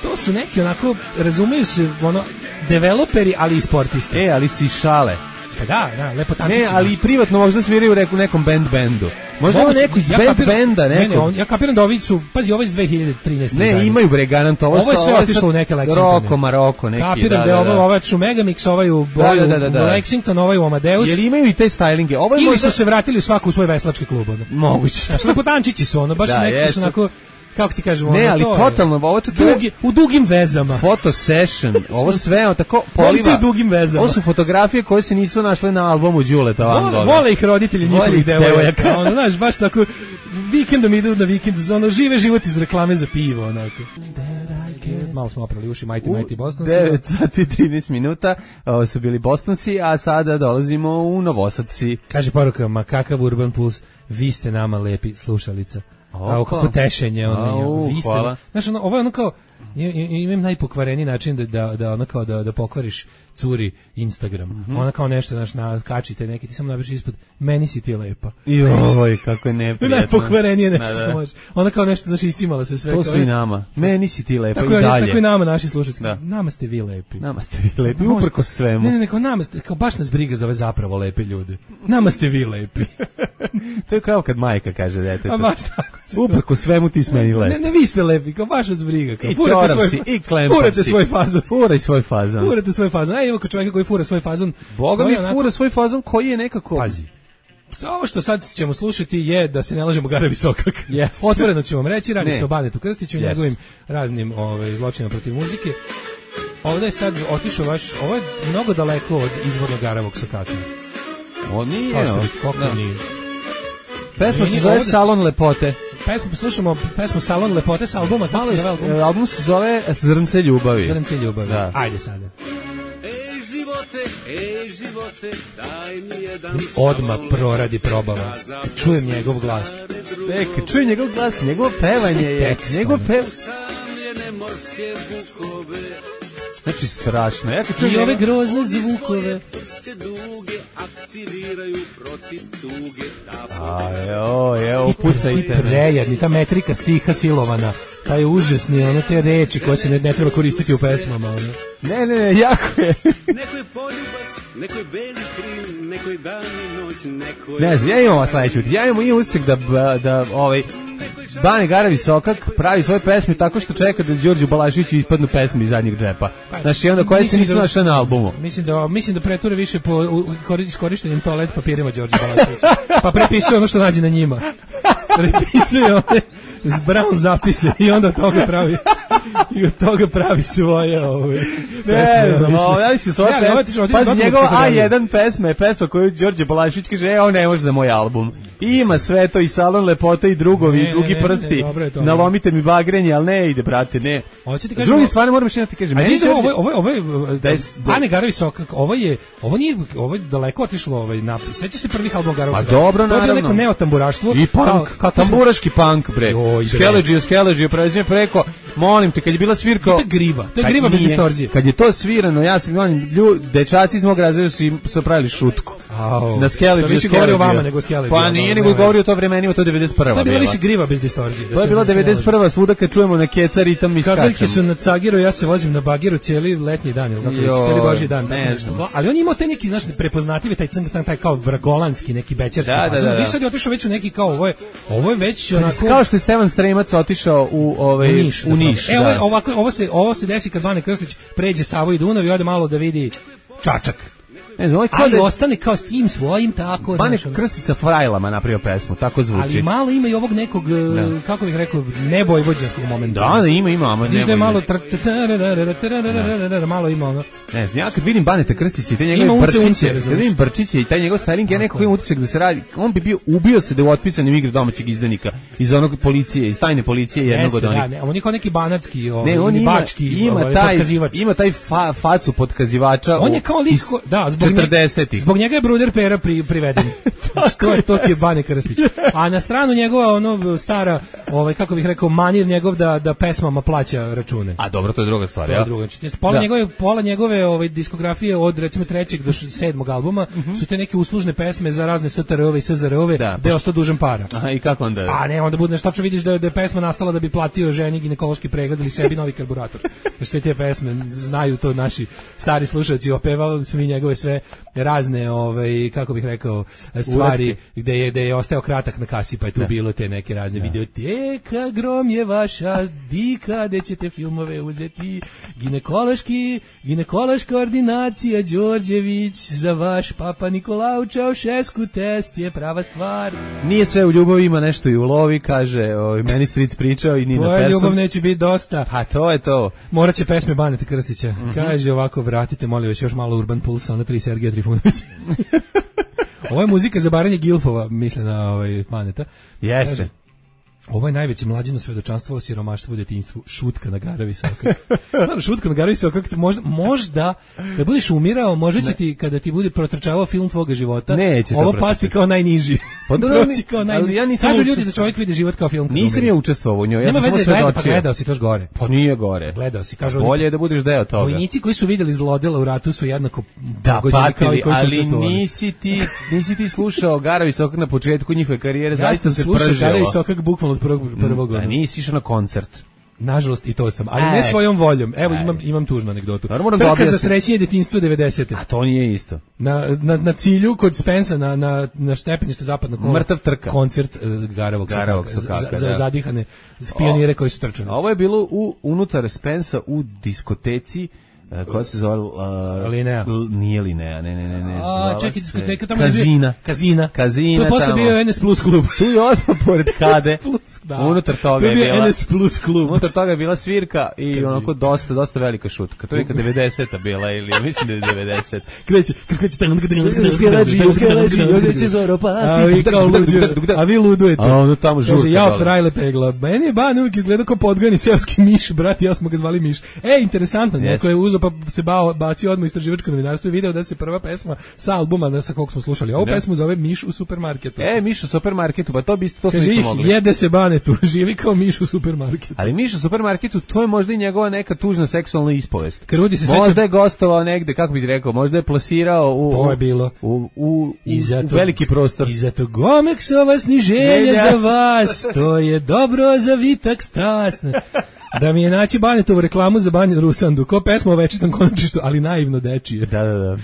to su neki onako, razumeju se, ono, developeri, ali i sportisti. E, ali si šale. Pa da, da, lepo tančići. Ne, ali i privatno možda sviraju u nekom band bendu. Možda ovo neko iz ja band kapiram, benda, neko. Ne, ne, on, ja kapiram da ovi su, pazi, ovo je iz dve hiljade trinaeste. Ne, zadnje. Imaju bre garant, ovo, ovo je sve otišlo u neke Lexingtone. Roko, Maroko, neki, kapiram da, da, da, da. da. Ovo je su Megamix, ovaj u boju, da, da, da, da. Lexington, ovaj u Amadeus. Jer imaju i te stylinge. Ovo je ili možda... su se vratili u svaku u svoj veslački klub. Ono. Moguće. Znači, lepo tančići su, ono, baš da, neki su onako... Kako ti kažemo? Ne, ono, ali to totalno, ovo čak dugi, u dugim vezama. Foto session, ovo sve tako poliva. u dugim vezama. Ovo su fotografije koje se nisu našle na albumu Đuleta Van Gogha. Vole ih roditelji njihovih devojaka. Ono, znaš, baš tako, vikendom idu na vikend, ono, žive život iz reklame za pivo, onako. Malo smo oprali uši, Mighty Mighty Bostonsi. devet sati trinaest minuta, ovo su bili Bostonsi, a sada dolazimo u Novosadci. Kaže poruka, ma kakav Urban Puls, vi ste nama lepi slušalica. A kako tešenje ono, vi ste. Znaš, ono, ovo je ono kao, imam najpokvareni način da, da, da, ono kao da, da pokvariš curi Instagram. Mm-hmm. Ona kao nešto, znaš, na, kačite neki, ti samo napiši ispod, meni si ti lepa. Joj, kako je neprijatno. Najpokvarenije nešto što može. Ona kao nešto, znaš, iscimala se sve. To su i nama. Meni si ti lepa tako i dalje. Tako i nama, naši slušatelji. Da. Nama ste vi lepi. Nama ste vi lepi, uprko svemu. Ne, ne, ne, kao nama ste, kao baš nas briga za ove zapravo lepe ljude. Nama ste vi lepi. To je kao kad majka kaže detetu. A baš tako. Uprko svemu ti smeni lepi. Ne, ne, vi ste lepi, kao baš vas briga. Kao, I čorav si, i klempam si. Furate svoj fazon. Furaj svoj fazon. Furate svoj fazon. Aj, evo kod čovjeka koji fura svoj fazon. Boga mi onako... fura svoj fazon koji je nekako... Pazi. Ovo što sad ćemo slušati je da se ne lažemo Gara Visokak. Yes. Otvoreno ću vam reći, radi ne. se o Banetu Krstiću i yes. njegovim raznim ovaj, zločinima protiv muzike. ovde je sad otišao baš, ovo je mnogo daleko od izvornog Garavog Sokaka. On nije, koliko da. nije. Pesma se zove Salon lepote. Pesmu, slušamo pesmu Salon lepote sa albuma, kako se zove album? Album se zove Zrnce ljubavi. Zrnce ljubavi, da. Ajde sada. Ej živote, ej živote, daj mi jedan Odmah proradi probava. Čujem njegov glas. Tek, čujem njegov glas, njegov pevanje je, njegov pev... morske bukove. Znači strašno. Ja kad čujem I ove grozne zvukove. Prste duge aktiviraju protiv tuge. A, evo, evo, pucajte. I prejedni, ta metrika stiha silovana. Taj užasni, ono te reči koje se ne, ne treba koristiti u pesmama. Ono. Ne, ne, ne, jako je. Neko je poljubac, neko je beli krim, neko je dan i noć, neko je... Ne znam, ja imam vas sledeću. Ja imam i utisak da, da, ovaj, Bane Garavi Sokak pravi svoje pesme tako što čeka da Đorđu Balaševiću ispadnu pesme iz zadnjeg džepa. Znači, onda koje se nisu da, našle na albumu. Mislim da, mislim da preture više po iskorištenim toalet papirima Đorđe Balaševića. Pa prepisuje ono što nađe na njima. Prepisuje one s brown zapise i onda od toga pravi i od toga pravi svoje ove pesme. Ne znam, ovo, ja mislim svoje ja, pesme. Pazi, njegova A jedan pesma je pesma koju Đorđe Balašević kaže, e, ovo ne može za moj album. I ima sve to i Salon lepote i drugovi, ne, i drugi ne, ne, prsti. Ne, ne, nalomite mi bagrenje, ali ne ide, brate, ne. Kažem, drugi stvari moram još jedno ti kažem. Meni ovo, ovo, ovo, ovo, Bane Garavi Sokak, ovo je, ovo nije, ovo je daleko otišlo ovaj napis. Sveća se prvih album Garavog Sokaka. Pa dobro, naravno. To je bilo neko neotamburaštvo. I punk, tamburaški punk, bre. Skeleđio, skeleđio, prelazim preko, molim te, kad je bila svirka... To je griva, to je griva bez distorzije. Kad je to svirano, ja sam, molim, ljudi, dečaci iz mog razreda su im su pravili šutku. Au, na skeleđio, to više govori o vama nego skeleđio. Pa nije, nego govori o to vremenima, to je devedeset prva. To je bila više griva bez distorzije. To je bila devedeset prva, svuda kad čujemo na keca ritam i skačemo. Kazaljke su na Cagiru, ja se vozim na Bagiru cijeli letnji dan, ili kako reći, cijeli božji dan. Ne znam. Ali on je imao taj neki, znaš, prepoznatljivi, taj cng, taj kao vragolanski, neki bečarski. Da, da, da. Vi sad je otišao već u neki kao, ovo je, ovo je već onako... Kao što je Stevan Stremac otišao u, ovaj, u Niš. U Niš e, ovo, ovako, ovo, se, ovo se desi kad Bane Krstić pređe Savu i Dunav i ode malo da vidi Čačak. Ne znam, ali da... ostane kao s tim svojim tako. Bane Krstić sa frajlama napravio pesmu, tako zvuči. Ali malo ima i ovog nekog, da. kako bih rekao, nebojvođanskog momenta. Da, da, ima, ima. Vidiš da je malo malo ima ono. Ne znam, ja kad vidim Baneta Krstića i te njegove Brčiće, kad vidim Brčiće i taj njegov styling, ja nekako imam utisak da se radi, on bi bio, ubio se da je u otpisanim igri domaćeg izdanika, iz onog policije, iz tajne policije jednog od onih. Ne, on je kao neki banatski, ovaj, bački, ima taj, ima taj facu potkazivača. On je kao lik, da, zbog četrdesetih. Zbog njega je Bruder Pera pri, priveden. to je to ti je Bane Krstić. A na stranu njegova ono stara, ovaj kako bih rekao, manir njegov da da pesmama plaća račune. A dobro, to je druga stvar, ja. To je druga. Znači, pola da. njegove pola njegove ovaj diskografije od recimo trećeg do sedmog albuma mm -hmm. su te neke uslužne pesme za razne S T R-ove i S Z R-ove, da, gde je ostao dužan para. Aha, i kako onda? A ne, onda bude nešto što vidiš da je, da je pesma nastala da bi platio ženi ginekološki pregled ili sebi novi karburator. Sve te pesme znaju to naši stari slušaoci, opevali su mi njegove sve razne, ovaj, kako bih rekao, stvari Uletke. gde je, gde je ostao kratak na kasi, pa je tu da. bilo te neke razne da. videoteka, grom je vaša dika, gde ćete filmove uzeti, ginekološki, ginekološka ordinacija Đorđević, za vaš papa Nikolao Čaušesku test je prava stvar. Nije sve u ljubavi, ima nešto i u lovi, kaže, ovaj, meni stric pričao i Nina Persson. Tvoja ljubav neće biti dosta. Pa to je to. Morat će pesme Baneta Krstića. Mm -hmm. Kaže ovako, vratite, molim vas, još malo Urban Pulsa, ona tri Sergeja Trifunović. Ovo je muzika za baranje gilfova, misle na ovaj Baneta. Jeste. Kaže, ovo je najveće mlađino svedočanstvo o siromaštvu u detinjstvu, šutka na Garavi Sokak. Stvarno, šutka na Garavi Sokak, možda, možda, kad budeš umirao, možda će ti, kada ti bude protrčavao film tvoga života, neće ovo pasti kao najniži. Pa da, kao najniži. Ja Kažu ljudi da čovjek vidi život kao film. Nisam ja učestvovao u njoj, ja sam samo svedočio. Pa gledao si toš gore. Pa nije gore. Gledao si, kažu. Bolje je da budeš deo toga. Vojnici koji su vidjeli zlodela u ratu su jednako da, pogođeni kao i koji su učestvovali. Ali nisi ti, nisi ti slušao Garavi Sokak na početku njihove karijere, zaista se pržilo. Ja sam slušao Garavi Sokak bukvalno od prvog prvog. Da, nisi išao na koncert. Nažalost i to sam, ali e, ne svojom voljom. Evo e. imam imam tužnu anegdotu. Trka da za srećenje detinjstva devedesete. A to nije isto. Na na na cilju kod Spensa na na na stepeništu zapadnog kola. Mrtav trka. Koncert uh, Garavog Sokaka za, za zadihane pionire koji su trčali. Ovo je bilo u unutar Spensa u diskoteci Ko se zove? Uh, Linea. L, nije Linea, ne, ne, ne. ne A, čekaj, diskoteka tamo Kazina. Kazina. Kazina tamo. To je posle bio N S Plus klub. Tu je odmah pored Kade. Plus, da. Unutar toga je bila... N S Plus klub. Unutar toga je bila svirka i Kazina. Onako dosta, dosta velika šutka. To je neka devedeseta bila ili, ja mislim da je devedeset. Kreće, kako će tamo... A vi ludujete. A ono tamo žurka. Kaže, ja frajle pegla. Meni je ban uvijek izgleda kao podgani seoski miš, brat, ja smo ga zvali miš. E, interesantno, neko je uzeo pa se bao, bacio odmah istraživačko novinarstvo i video da se prva pesma sa albuma sa kog smo slušali. Ovu pesmu zove Miš u supermarketu. E, Miš u supermarketu, pa to bi to smo isto mogli. Jede se Banetu, živi kao Miš u supermarketu. Ali Miš u supermarketu, to je možda i njegova neka tužna seksualna ispovest. Krudi se možda seća... je gostovao negde, kako bih rekao, možda je plasirao u, to je bilo. u, u, u, zato, u veliki prostor. I zato Gomeksova sniženje za vas, to je dobro za vitak stas. Da mi je naći Banetovu reklamu za Banju Rusandu, ko pesma o večitom konačištu, ali naivno dečije. Da, da, da.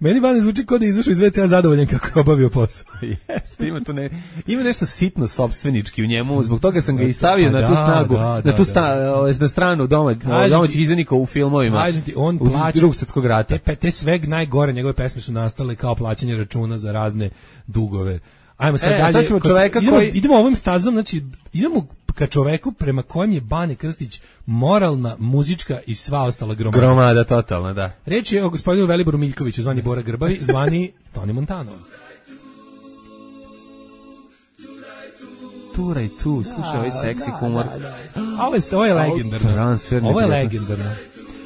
Meni Bane zvuči kao da je izašao iz ve ce a zadovoljan kako je obavio posao. Jeste, ima tu ne, ima nešto sitno sopstvenički u njemu, zbog toga sam ga i stavio na tu snagu, da, da, na tu sta, da. na stranu doma, domaćih izdanika u filmovima. Ti, on u plaća, Drugog svjetskog rata. Te, te sve najgore njegove pesme su nastale kao plaćanje računa za razne dugove. Ajmo sad e, dalje. Sad ćemo čoveka idemo, koji... idemo ovim stazom, znači idemo ka čoveku prema kojem je Bane Krstić moralna, muzička i sva ostala gromada. Gromada, totalna, da. Reč je o gospodinu Veliboru Miljkoviću, zvani Bora Grbavi, zvani Toni Montano. Turaj tu, slušaj ovaj seksi humor. Da, da, da. Ovo je, ovo je legendarno. Ovo je legendarno.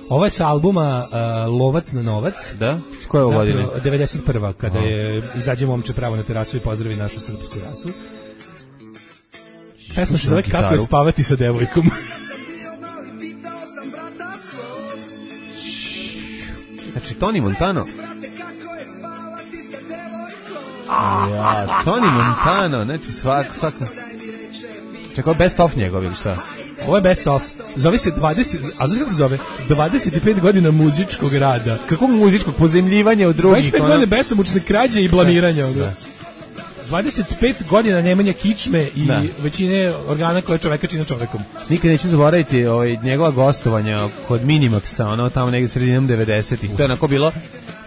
Ovo je s albuma uh, Lovac na novac. Da? S koje ovo godine? devedeset prva kada oh. je izađe momče pravo na terasu i pozdravi našu srpsku rasu. Pesma se zove Kako je spavati sa devojkom. Znači, Toni Montano. Ja, Toni Montano, znači svak, svak... Čekaj, best of njegov ili šta? Ovo je best of. Zove se dvadeset, a znaš kako se zove? dvadeset pet godina muzičkog rada. Kakvog muzičkog? Pozemljivanja od drugih? dvadeset pet godina besomučne krađe i blamiranja. Da. dvadeset pet godina nemanja kičme i da. Većine organa koje čoveka čine čovekom. Nikad neću zaboraviti ovaj, njegova gostovanja kod Minimaxa, ono tamo negdje sredinom devedesetih. To je onako bilo,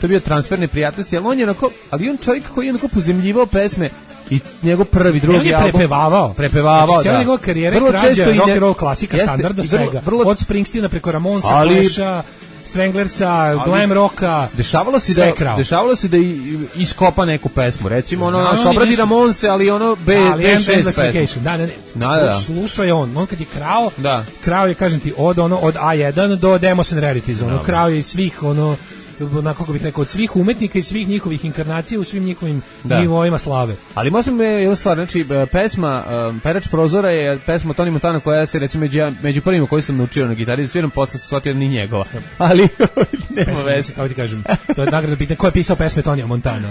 to je bio transfer neprijatnosti, ali on je onako, ali on čovjek koji je onako pozemljivao pesme i njegov prvi, drugi album. Prepevavao. Prepevavao, znači, da. Njegova karijera krađa rock and roll klasika, jeste, standarda svega. Vrlo, vrlo, od Springsteena preko Ramonsa, ali, Clash-a, Stranglersa, glam rocka. Dešavalo se da krao. Dešavalo se da i, iskopa neku pesmu. Recimo ono naš obradi Ramonse, ali ono B B šest pesmu. Da, ne, da, da. Slušao je on, on kad je krao, da. krao je, kažem ti, od ono od A jedan do Demos and Rarities, ono krao je svih ono na kako bih rekao, od svih umetnika i svih njihovih inkarnacija u svim njihovim da. Nivoima slave. Ali možemo je jedna stvar, znači pesma um, Perač prozora je pesma Toni Montana koja se recimo među, među prvima koji sam naučio na gitari da sviram, posle se shvatio ni njegova. Ali nema veze. Kako ti kažem, to je nagrada pitanje ko je pisao pesme Tonija Montana.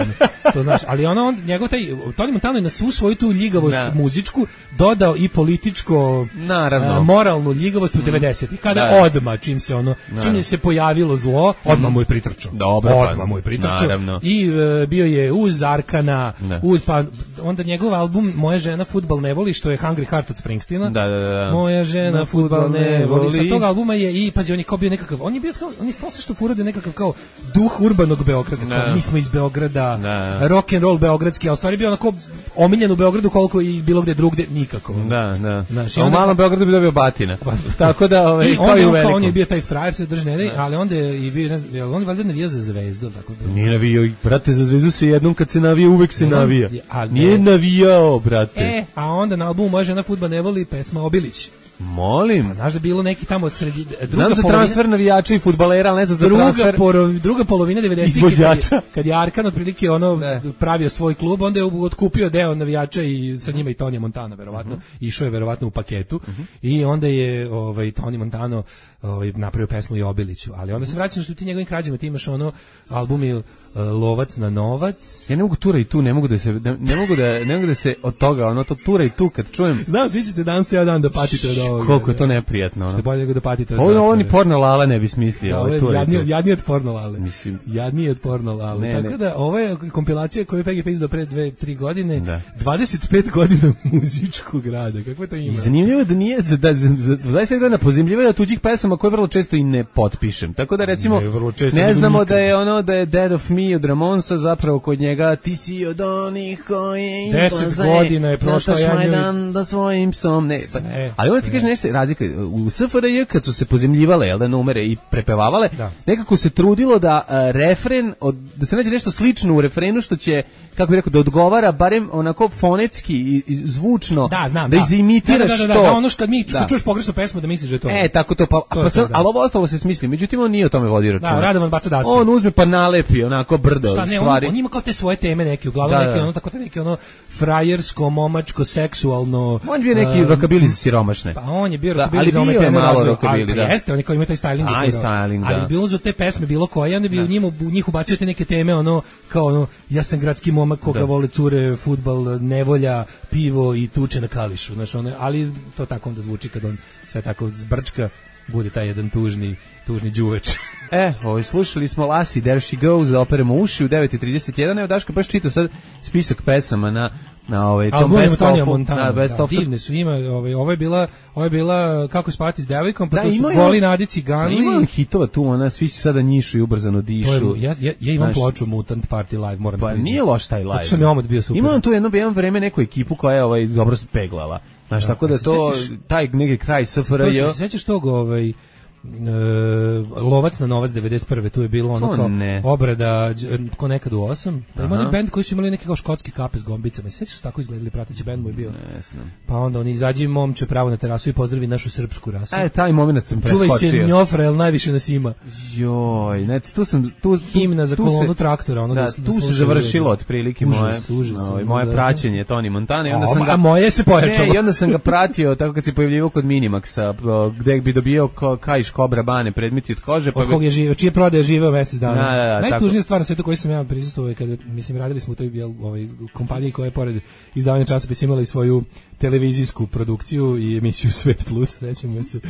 To znaš, ali ono on njegov taj Toni Montana je na svu svoju tu ljigavost da. Muzičku dodao i političko naravno uh, moralnu ljigavost u devedesetih kada da. Odma čim se ono čim se pojavilo zlo, odmah mu je pritrčao. Dobro, odmah mu je pritrčao. I uh, bio je uz Arkana, ne. Uz pa onda njegov album Moja žena fudbal ne voli, što je Hungry Heart od Springsteena. Da, da, da. Moja žena fudbal ne voli. Sa tog albuma je i pazi on je kao bio nekakav, on je bio on je stalno što furade nekakav kao duh urbanog Beograda. Mi smo iz Beograda, da. Rock and roll beogradski, a u stvari bio onako omiljen u Beogradu koliko i bilo gde drugde nikako. Da, da. Znaš, a u malom Beogradu bi dobio batina. Tako da ovaj i kao i u velikom. On je bio taj frajer se drži ne, ali onda je i bio on valjda navija za Zvezdu, tako da. Nije navijao, brate, za Zvezdu se jednom kad se navija, uvek se navija. Nije navijao, brate. E, a onda na albumu Moja žena fudbal ne voli pesma Obilić. Molim. A znaš da bilo neki tamo od sredi druga znam za polovina, transfer navijača i fudbalera, ali ne znam za druga transfer. Poro, druga polovina devedesetih kad, kad je Arkan otprilike ono ne. pravio svoj klub, onda je otkupio deo navijača i sa njima i Tonija Montana verovatno, uh-huh. išao je verovatno u paketu uh-huh. i onda je ovaj Toni Montano ovaj napravio pesmu i Obiliću, ali onda se vraćaš što ti njegovim krađama, ti imaš ono album uh, Lovac na novac. Ja ne mogu tura i tu, ne mogu da se ne, ne mogu da ne mogu da se od toga ono to tura i tu kad čujem. Znam, svi ćete danas ceo dan da patite od ovoga. Koliko je to neprijatno. Što je bolje nego da patite od Ovo zatvora. oni porno lala ne bi smislio. Da, ovaj, ovo to je je jadnije, to. jadnije od porno lale. Mislim. Jadnije od porno lale. Ne, Tako ne. da, ovo je kompilacija koju je P G P izdao pre dve, tri godine. Da. dvadeset pet godina muzičkog rada. Kako je to ima? I zanimljivo je da nije, za, da, za, za dvadeset pet godina pozemljivo je da tuđih pesama koje vrlo često i ne potpišem. Tako da recimo, Ne, vrlo često ne nego znamo nikad. da je ono, da je Dead of Me od Ramonsa zapravo kod njega, ti si od onih koji Deset izlaze, godina je prošlo, nataš ja njoj- Majdan da svojim psom, ne. Pa, Sve, ali onda ti kaže nešto, razlika, u S F R J kad su se pozemljivale, jel da, numere i prepevavale, Da. nekako se trudilo da a, refren, od, da se nađe nešto slično u refrenu što će, kako bih rekao, da odgovara barem onako fonetski i, i zvučno, Da, znam, da da. izimitiraš da, da, da, to. Da, ono što kad mi Da. čuješ pogrešnu pesmu da misliš da je to. E, tako to, pa, To je pa to, sad, da. ali ovo ostalo se smisli, međutim on nije o tome vodio računa. Da, Radovan baca daske. On uzme pa nalepi onako brdo Šta ne, on, stvari. on ima kao te svoje teme neke, uglavnom Da, neke da. ono tako te neke ono frajersko, momačko, seksualno. On je bio neki um, rokabili za siromašne. Pa on je bio Da, rokabili ali za one bio je teme malo razvoja, rockabilly, ali- da. pa jeste, oni kao imaju taj styling. Aj, i furao. styling, da. Ali bi uzu te pesme bilo koje, onda bi u njima u njih ubacio te neke teme, ono, kao ono, ja sam gradski momak koga Da. vole cure, fudbal, nevolja, pivo i tuče na kališu, znaš, ono, ali to tako onda zvuči kad on sve tako zbrčka, bude taj jedan tužni, tužni đuveč. E, ovaj, slušali smo Lassie, There She Goes, da operemo uši u devet i trideset jedan. Evo, Daško, baš čitao sad spisak pesama na, na ovaj, tom Album best Tonija of-u. Montana, Da, best da, of. divne su ima, ovaj, ovo je bila, ovo je bila Kako spati s devojkom, pa Da, to su ima je- Goli nadi Da, cigani. ima on hitova tu, ona, svi se sada njišu i ubrzano To je- dišu. ja, ja, ja imam Znaš, ploču Mutant Party Live, moram Pa da priznam. nije loš taj live. Zato što mi je omot bio super. Ima on tu jedno, jedno vreme neku ekipu koja je ovaj, dobro peglala. Znaš, Da, tako da a se to, sećaš- taj neki kraj S F R To J. se sećaš tog ovaj e, Lovac na novac devedeset prve tu je bilo ono To kao ne. obrada đ- ko nekad u osam. Da ima Aha. onaj bend koji su imali neke kao škotske kape s gombicama. Se sećaš tako izgledali prateći bend moj bio. Ne znam. Pa onda oni izađi momče pravo na terasu i pozdravi našu srpsku rasu. E, taj moment sam Čuvaj preskočio. se njofra, jel najviše nas ima. Joj, znači tu sam tu, tu Himna za tu kolonu se- traktora, ono da, da- da tu se slušaju završilo ljudi. otprilike Užas, moje užas, ovaj, ono, moje da. praćenje Toni Montana i onda A, sam ga a moje se pojačalo. Ne, i onda sam ga pratio tako kad se pojavljivao kod Minimaxa, o, gde bi dobio ko, kajš Kobra Bane predmeti od kože, pa Od kog je živeo, čije prodaje živeo mesec dana. Da, da, da, Najtužnija tako. stvar na svetu koju sam ja prisustvovao je kada, mislim, radili smo u toj jel, ovaj, kompaniji koja je pored izdavanja časopisa imala i svoju televizijsku produkciju i emisiju Svet Plus, sećamo se,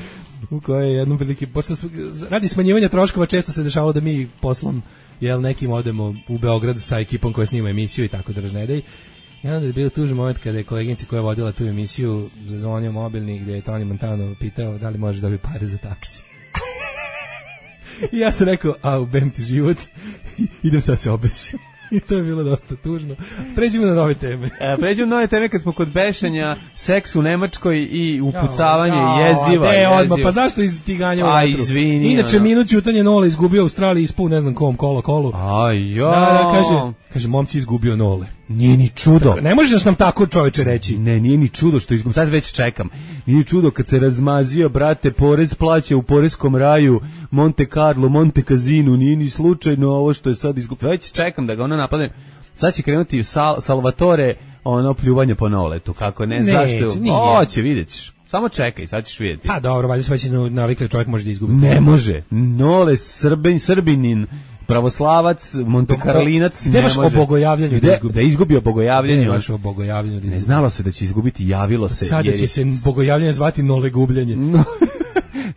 u kojoj je jednom prilike, pošto su- radi smanjivanja troškova često se dešavalo da mi poslom jel, nekim odemo u Beograd sa ekipom koja snima emisiju i tako držnedej. I onda je bio tužan moment kada je koleginica koja je vodila tu emisiju zazvonio mobilni gdje je Toni Montano pitao da li može da bi pare za taksi. I ja sam rekao, a ubem ti život, idem sad se obesim. I to je bilo dosta tužno. Pređimo na nove teme. E, pređemo na nove teme kad smo kod bešanja, seks u Nemačkoj i upucavanje Jao, jeziva. de, jeziva. odmah, pa zašto iz tiganja u A, vatru? izvini, Inače, ono. minut ćutanje Nole izgubio u Australiji, ispao ne znam kom, kolo, kolo. Aj, jo. Da, da, kaže, kaže, momci izgubio Nole. Nije ni čudo. Ne možeš nam tako čoveče reći. Ne, nije ni čudo što izgubio. Sad već čekam. Nije ni čudo kad se razmazio, brate, porez plaća u poreskom raju, Monte Carlo, Monte Casino, nije ni slučajno ovo što je sad izgubio. Već čekam da ga ono napadne. Sad će krenuti Sal, Salvatore, ono pljuvanje po Noletu, kako ne, Neće, zašto? nije. Hoće, vidjet ćeš. Samo čekaj, sad ćeš vidjeti. Pa dobro, valjda su već navikli, čovjek može da izgubi. Ne može. Nole, Srbin, Srbinin, pravoslavac, Montekarlinac, Gde ne baš može. o bogojavljanju da Gde- izgubi? Da izgubi o bogojavljanju. Gde baš o bogojavljanju da Ne izgubi? znalo se da će izgubiti, javilo se. Sada jer će je- se bogojavljanje zvati Nole gubljenje. No,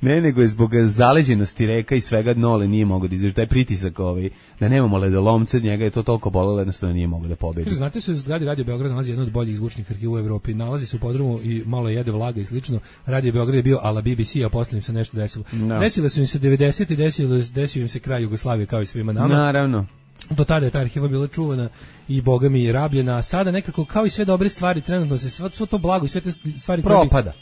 ne, nego je zbog zaleđenosti reka i svega Nole nije mogao da izdrži taj pritisak ovaj, da nemamo ledolomce, njega je to toliko bolelo, jednostavno nije mogao da pobedi. Kaže, znate se, u zgradi Radio Beograd nalazi jedno od boljih zvučnih arhiva u Evropi. Nalazi se u podrumu i malo jede vlaga i slično. Radio Beograd je bio ala B B C, a posle im se nešto desilo. No. Desile su im se devedesete i desilo, desio im se kraj Jugoslavije kao i svima nama. Naravno. Do tada je ta arhiva bila čuvana i boga mi je rabljena, a sada nekako kao i sve dobre stvari, trenutno se svo, svo to blago i sve te stvari koje bi, Propada.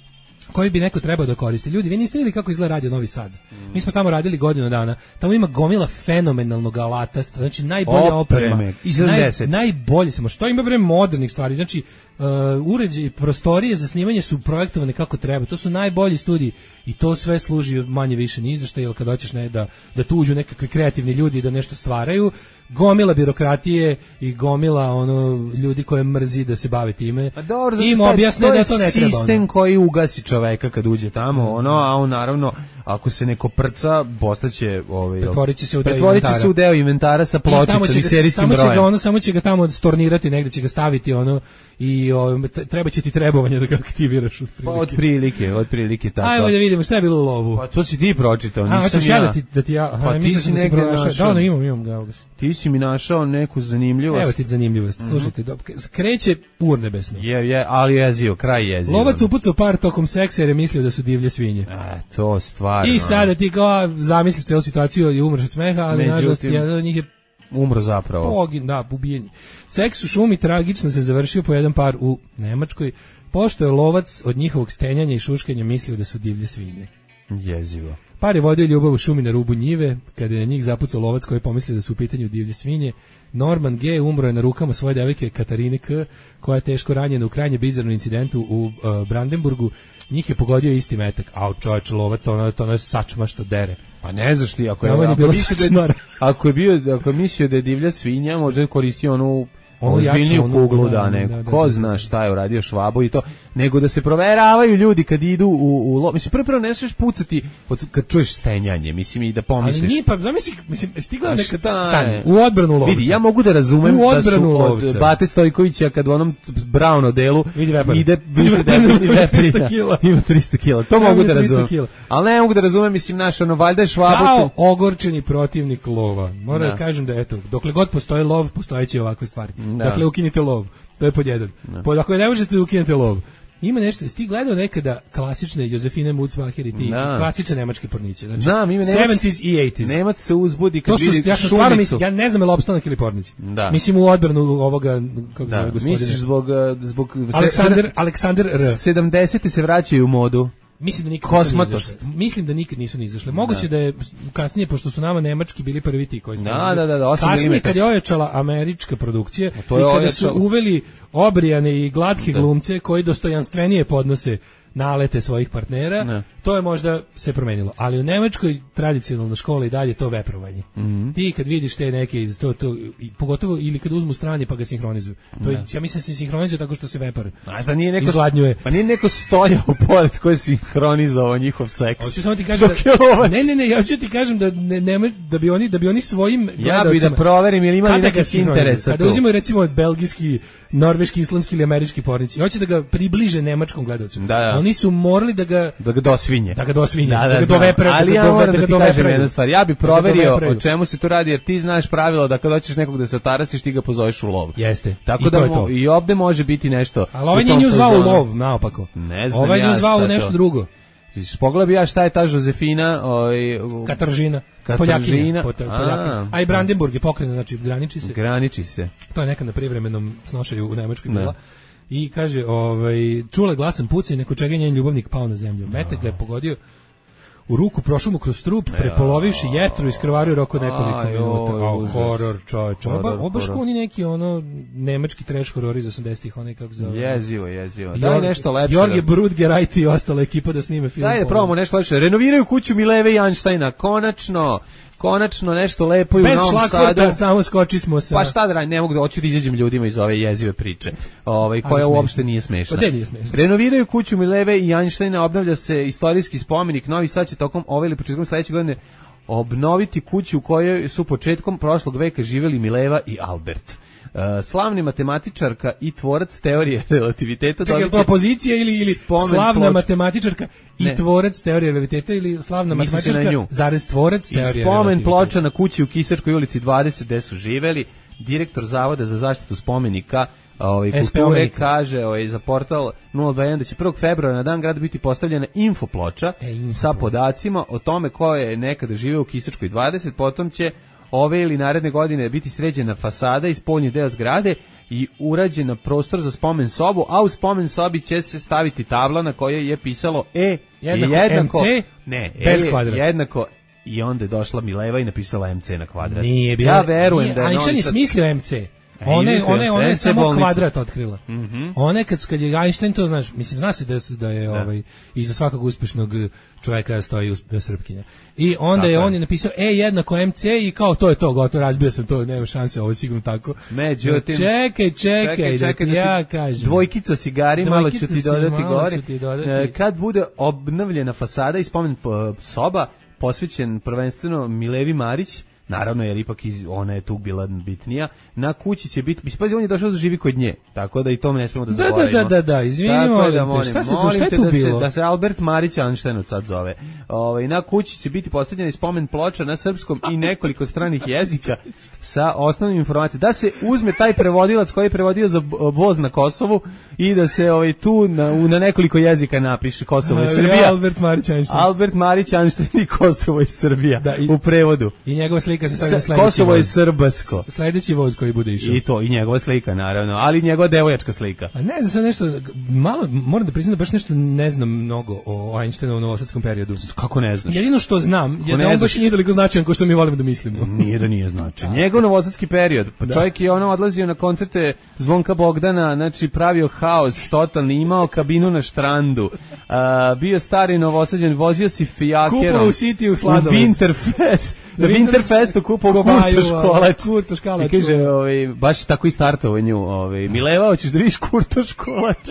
koji bi neko trebao da koristi. Ljudi, vi niste vidjeli kako izgleda Radio Novi Sad. Mi smo tamo radili godinu dana. Tamo ima gomila fenomenalnog alatastva, znači najbolja Opreme. oprema. I sedamdeset. Naj, najbolje samo. Što ima bre modernih stvari? Znači, uh, uređaji, prostorije za snimanje su projektovane kako treba. To su najbolji studiji i to sve služi manje više ni za šta, jer kad hoćeš ne, da, da tu uđu nekakvi kreativni ljudi da nešto stvaraju, gomila birokratije i gomila ono ljudi koje mrzi da se bave time. Pa dobro, im zato taj- objasne to je da to ne treba. ono. sistem koji ugasi čoveka kad uđe tamo, ono, a on naravno, ako se neko prca, postaće ovaj pretvorit će se u deo pretvorit će inventara. se u deo inventara sa pločicom i serijskim samo brojem. Će ga ono, samo će ga tamo stornirati, negde će ga staviti ono i o, treba će ti trebovanje da ga aktiviraš od Pa od prilike, od prilike tako. Ajmo da vidimo šta je bilo u lovu. Pa to si ti pročitao, A, nisam ja. ja. Da ti, da ti ja, pa ti si negde našao. Da, no, imam, imam ga. Ti si mi našao neku zanimljivost. Evo ti zanimljivost. Mm-hmm. Slušajte, do, kreće urnebesno. Je, je, ali jezio, kraj jezio. Lovac upucao par tokom seksa jer je mislio da su divlje svinje. E, to stvarno. I sada ti kao zamisliš celu situaciju i umreš od smeha, ali Međutim, nažalost jedan od njih je umro zapravo. Pogin, da, ubijen. Seks u šumi tragično se završio po jedan par u Nemačkoj, pošto je lovac od njihovog stenjanja i šuškanja mislio da su divlje svinje. Jezivo. Par je vodio ljubav u šumi na rubu njive, kada je na njih zapucao lovac koji je pomislio da su u pitanju divlje svinje. Norman G. umro je na rukama svoje devojke Katarine K., koja je teško ranjena u krajnje bizarnom incidentu u uh, Brandenburgu. Njih je pogodio isti metak. Au, čovječ, lovac, to ono, to ono je sačma što dere. Pa ne znaš ti, ako je, ako, ako, mislio da, ako je bio, ako je mislio da je divlja svinja, možda je koristio onu ozbiljniju kuglu, da, ne, da, da, ko da, zna da, šta je uradio Švabo i to, nego da se proveravaju ljudi kad idu u, u lo... Mislim, prvo prvo ne smiješ pucati od, kad čuješ stenjanje, mislim, i da pomisliš. Ali nije, pa, zamisli, mislim, stigla neka stanje, u odbranu lovca. Vidi, ja mogu da razumem da su od lovca. Bate Stojkovića, kad u onom Browno delu ide, ima trista kila, to mogu da razumem. Ali ne mogu da razumem, mislim, naš, ono, valjda je Švabo kao ogorčeni protivnik lova. Moram da kažem da, eto, dokle god postoji lov, postojeće ovakve stvari. Da. Dakle, ukinite lov. To je pod jedan. Pod, ako ne možete da ukinete lov. Ima nešto, jesi ti gledao nekada klasične Josefine Mutzbacher i ti da. klasične nemačke porniće? Znači, znam, ima sedamdeset i osamdeset. Nemac se uzbudi kad to su, vidi ja sam stvarno mislim, ja ne znam je li opstanak ili pornić. Da. Mislim u odbranu ovoga, kako da. zove gospodine. Misliš zbog... zbog Aleksandar, Aleksandar R. sedamdeseti se vraćaju u modu. Mislim da nikad nisu izašle. Mislim da nikad nisu ni izašle. Moguće da. da je kasnije, pošto su nama nemački bili prvi ti koji su. Da, da, da, da, kasnije kad je ojačala američka produkcija i kada su uveli obrijane i glatke da. glumce koji dostojanstvenije podnose nalete svojih partnera, ne. to je možda se promenilo. Ali u nemačkoj tradicionalnoj školi dalje to veprovanje. Mm-hmm. Ti kad vidiš te neke iz to, to i pogotovo ili kad uzmu strani pa ga sinhronizuju. To je, ja mislim da se sinhronizuje tako što se vepar. Znaš da nije neko pa nije neko stojao pored koji je sinhronizovao njihov seks. Hoću samo ti kažem da, ne, ne, ne, ja ću ti kažem da ne, ne da bi oni da bi oni svojim ja bi da proverim ili ima li neki interes. Kada uzimaju recimo belgijski, norveški, islandski ili američki pornić i hoće da ga približe nemačkom gledaocu. Da, da. Oni su morali da ga da ga dosvinje. Da ga dosvinje. Da, da, da ga dovepre, ali da ja moram da, da ti kažem jednu stvar. Ja bi proverio da o čemu se to radi, jer ti znaš pravilo da kad hoćeš nekog da se otarasiš, ti ga pozoveš u lov. Jeste. Tako I da to je to. I ovde može biti nešto. Ali ovaj nije nju zvao u lov, naopako. Ne znam ovaj ja. Ovaj nju zvao u nešto drugo. Pogledaj ja šta je ta Josefina, ovaj Kataržina, Poljakinja, Poljakinja. A i Brandenburg je pokrenut, znači graniči se. Graniči se. To je nekad na privremenom snošaju u Nemačkoj bila. I kaže, ovaj, čula glasan pucaj, neko čega je njen ljubavnik pao na zemlju. Metak ga je pogodio u ruku, prošao mu kroz trup, prepolovivši jetru, iskrvario rok od nekoliko minuta. Oh, horor, čovječ. Ovo baš kao oni neki, ono, nemački trash horor iz osamdesetih, onaj kako zove. Jezivo, jezivo. Daj nešto lepše. Jorge Brudgerajt i ostala ekipa da snime film. Daj da probamo nešto lepše. Renoviraju kuću Mileve i Einsteina, konačno. Konačno nešto lepo i u Novom Sadu. Bez šlagvorta samo skoči smo sa... Pa šta da radim, ne mogu da hoću da izađem ljudima iz ove jezive priče, ovaj, koja uopšte nije smešna. Pa nije smešna. Renoviraju kuću Mileve i Einsteina, obnavlja se istorijski spomenik, Novi Sad će tokom ove ili početkom sledeće godine obnoviti kuću u kojoj su početkom prošlog veka živjeli Mileva i Albert. Uh, slavni matematičarka i tvorac teorije relativiteta. Čekaj, je to opozicija ili, ili slavna ploč... matematičarka i ne. tvorac teorije relativiteta ili slavna Misli matematičarka zarez tvorac teorije relativiteta? I spomen ploča na kući u Kisačkoj ulici dvadeset gde su živeli. Direktor Zavoda za zaštitu spomenika ovaj, kulture kaže ovaj, za portal nula dva jedan da će prvog februara na dan grada biti postavljena infoploča e, info sa podacima o tome ko je nekada živeo u Kisačkoj dvadeset, potom će ove ili naredne godine biti sređena fasada i spoljni deo zgrade i urađena prostor za spomen sobu, a u spomen sobi će se staviti tabla na kojoj je pisalo E jednako, jednako M C ne, bez E kvadrata. jednako i onda je došla Mileva i napisala M C na kvadrat. Nije bila, ja verujem nije, da je Einstein je sad... smislio M C. One, one, one je samo bolnicu. kvadrat otkrila. Mm-hmm. One kad, kad je Einstein to, znaš, mislim, zna se da, da je da. Ovaj, iza svakog uspešnog čoveka stoji uspe, Srpkinja. I onda tako je on je napisao E jednako M C i kao to je to, gotovo, razbio sam to, nema šanse, ovo je sigurno tako. Međutim, čekaj, čekaj, čekaj, čekaj da ti ja kažem. Dvojkica cigari, malo ću ti dodati gore. Ti dodati. Kad bude obnovljena fasada i spomen soba, posvećen prvenstveno Milevi Marić, naravno jer ipak iz, ona je tu bila bitnija, na kući će biti, mislim, pazi, on je došao da živi kod nje, tako da i to ne smemo da zaboravimo. Da, da, da, da, izvinimo, da, molim, šta se molim šta je te tu da bilo? Se, da se Albert Marić Einstein sad zove. Ovaj, na kući će biti postavljena spomen ploča na srpskom i nekoliko stranih jezika sa osnovnim informacijama. Da se uzme taj prevodilac koji je prevodio za voz na Kosovu i da se ovaj, tu na, na nekoliko jezika napiše Kosovo i Srbija. Albert Marić Einstein. Albert Marić Einstein i Kosovo i Srbija da, i, u prevodu. I njegova slika se stavlja na sledeći Kosovo je srbasko. Sledeći voz koji bude išao. I to, i njegova slika, naravno, ali njegova devojačka slika. A ne znam sad nešto, malo, moram da priznam da baš nešto ne znam mnogo o Einsteinu u novosadskom periodu. Kako ne znaš? Jedino što znam je da on baš nije toliko značajan kao što mi volimo da mislimo. Nije da nije značajan. Njegov novosadski period, pa čovjek je ono odlazio na koncerte Zvonka Bogdana, znači pravio haos, totalni, imao kabinu na štrandu, a, bio stari Novosađan, vozio si fijakerom. Kupao u City u Sladoled. U Winterfest. Na Winterfestu kupao Kurto Školač. Kurto Školač. I kaže, ovaj, baš tako i startovao nju. Ovaj, Mileva, hoćeš da vidiš Kurto Školač?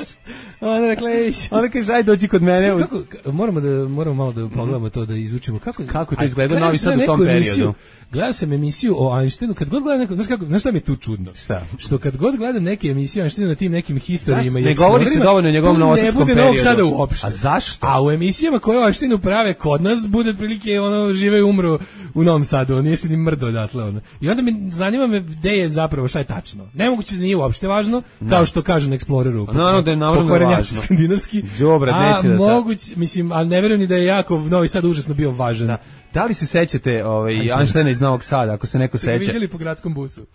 Ona rekla, ejš. Ona kaže, aj dođi kod mene. Kako, moramo, da, moramo malo da pogledamo to, da izučimo. Kako, kako to izgleda Novi Sad u tom periodu? Gledao sam emisiju o Einsteinu, kad god gledam neko, znaš kako, znaš šta mi je tu čudno? Šta? Što kad god gledam neke emisije o Einsteinu na tim nekim historijima i ne govori se dovoljno o njegovom novosadskom periodu. Ne bude Novog Sada uopšte. A zašto? A u emisijama koje o Einsteinu prave kod nas, bude otprilike ono, žive i umru u Novom Sadu, on nije se ni mrdo odatle. Ono. I onda me zanima me gde je zapravo, šta je tačno. Nemoguće da nije uopšte važno, no. Kao što kažu na Exploreru. No, no, da je naravno važno. Skandinavski. Đobra, a da moguće, mislim, ali ne verujem ni da je jako Novi Sad užasno bio važan. Da. Da li se sećate ovaj, Einsteina iz Novog Sada, ako se neko seća? Ste ga vidjeli po gradskom busu.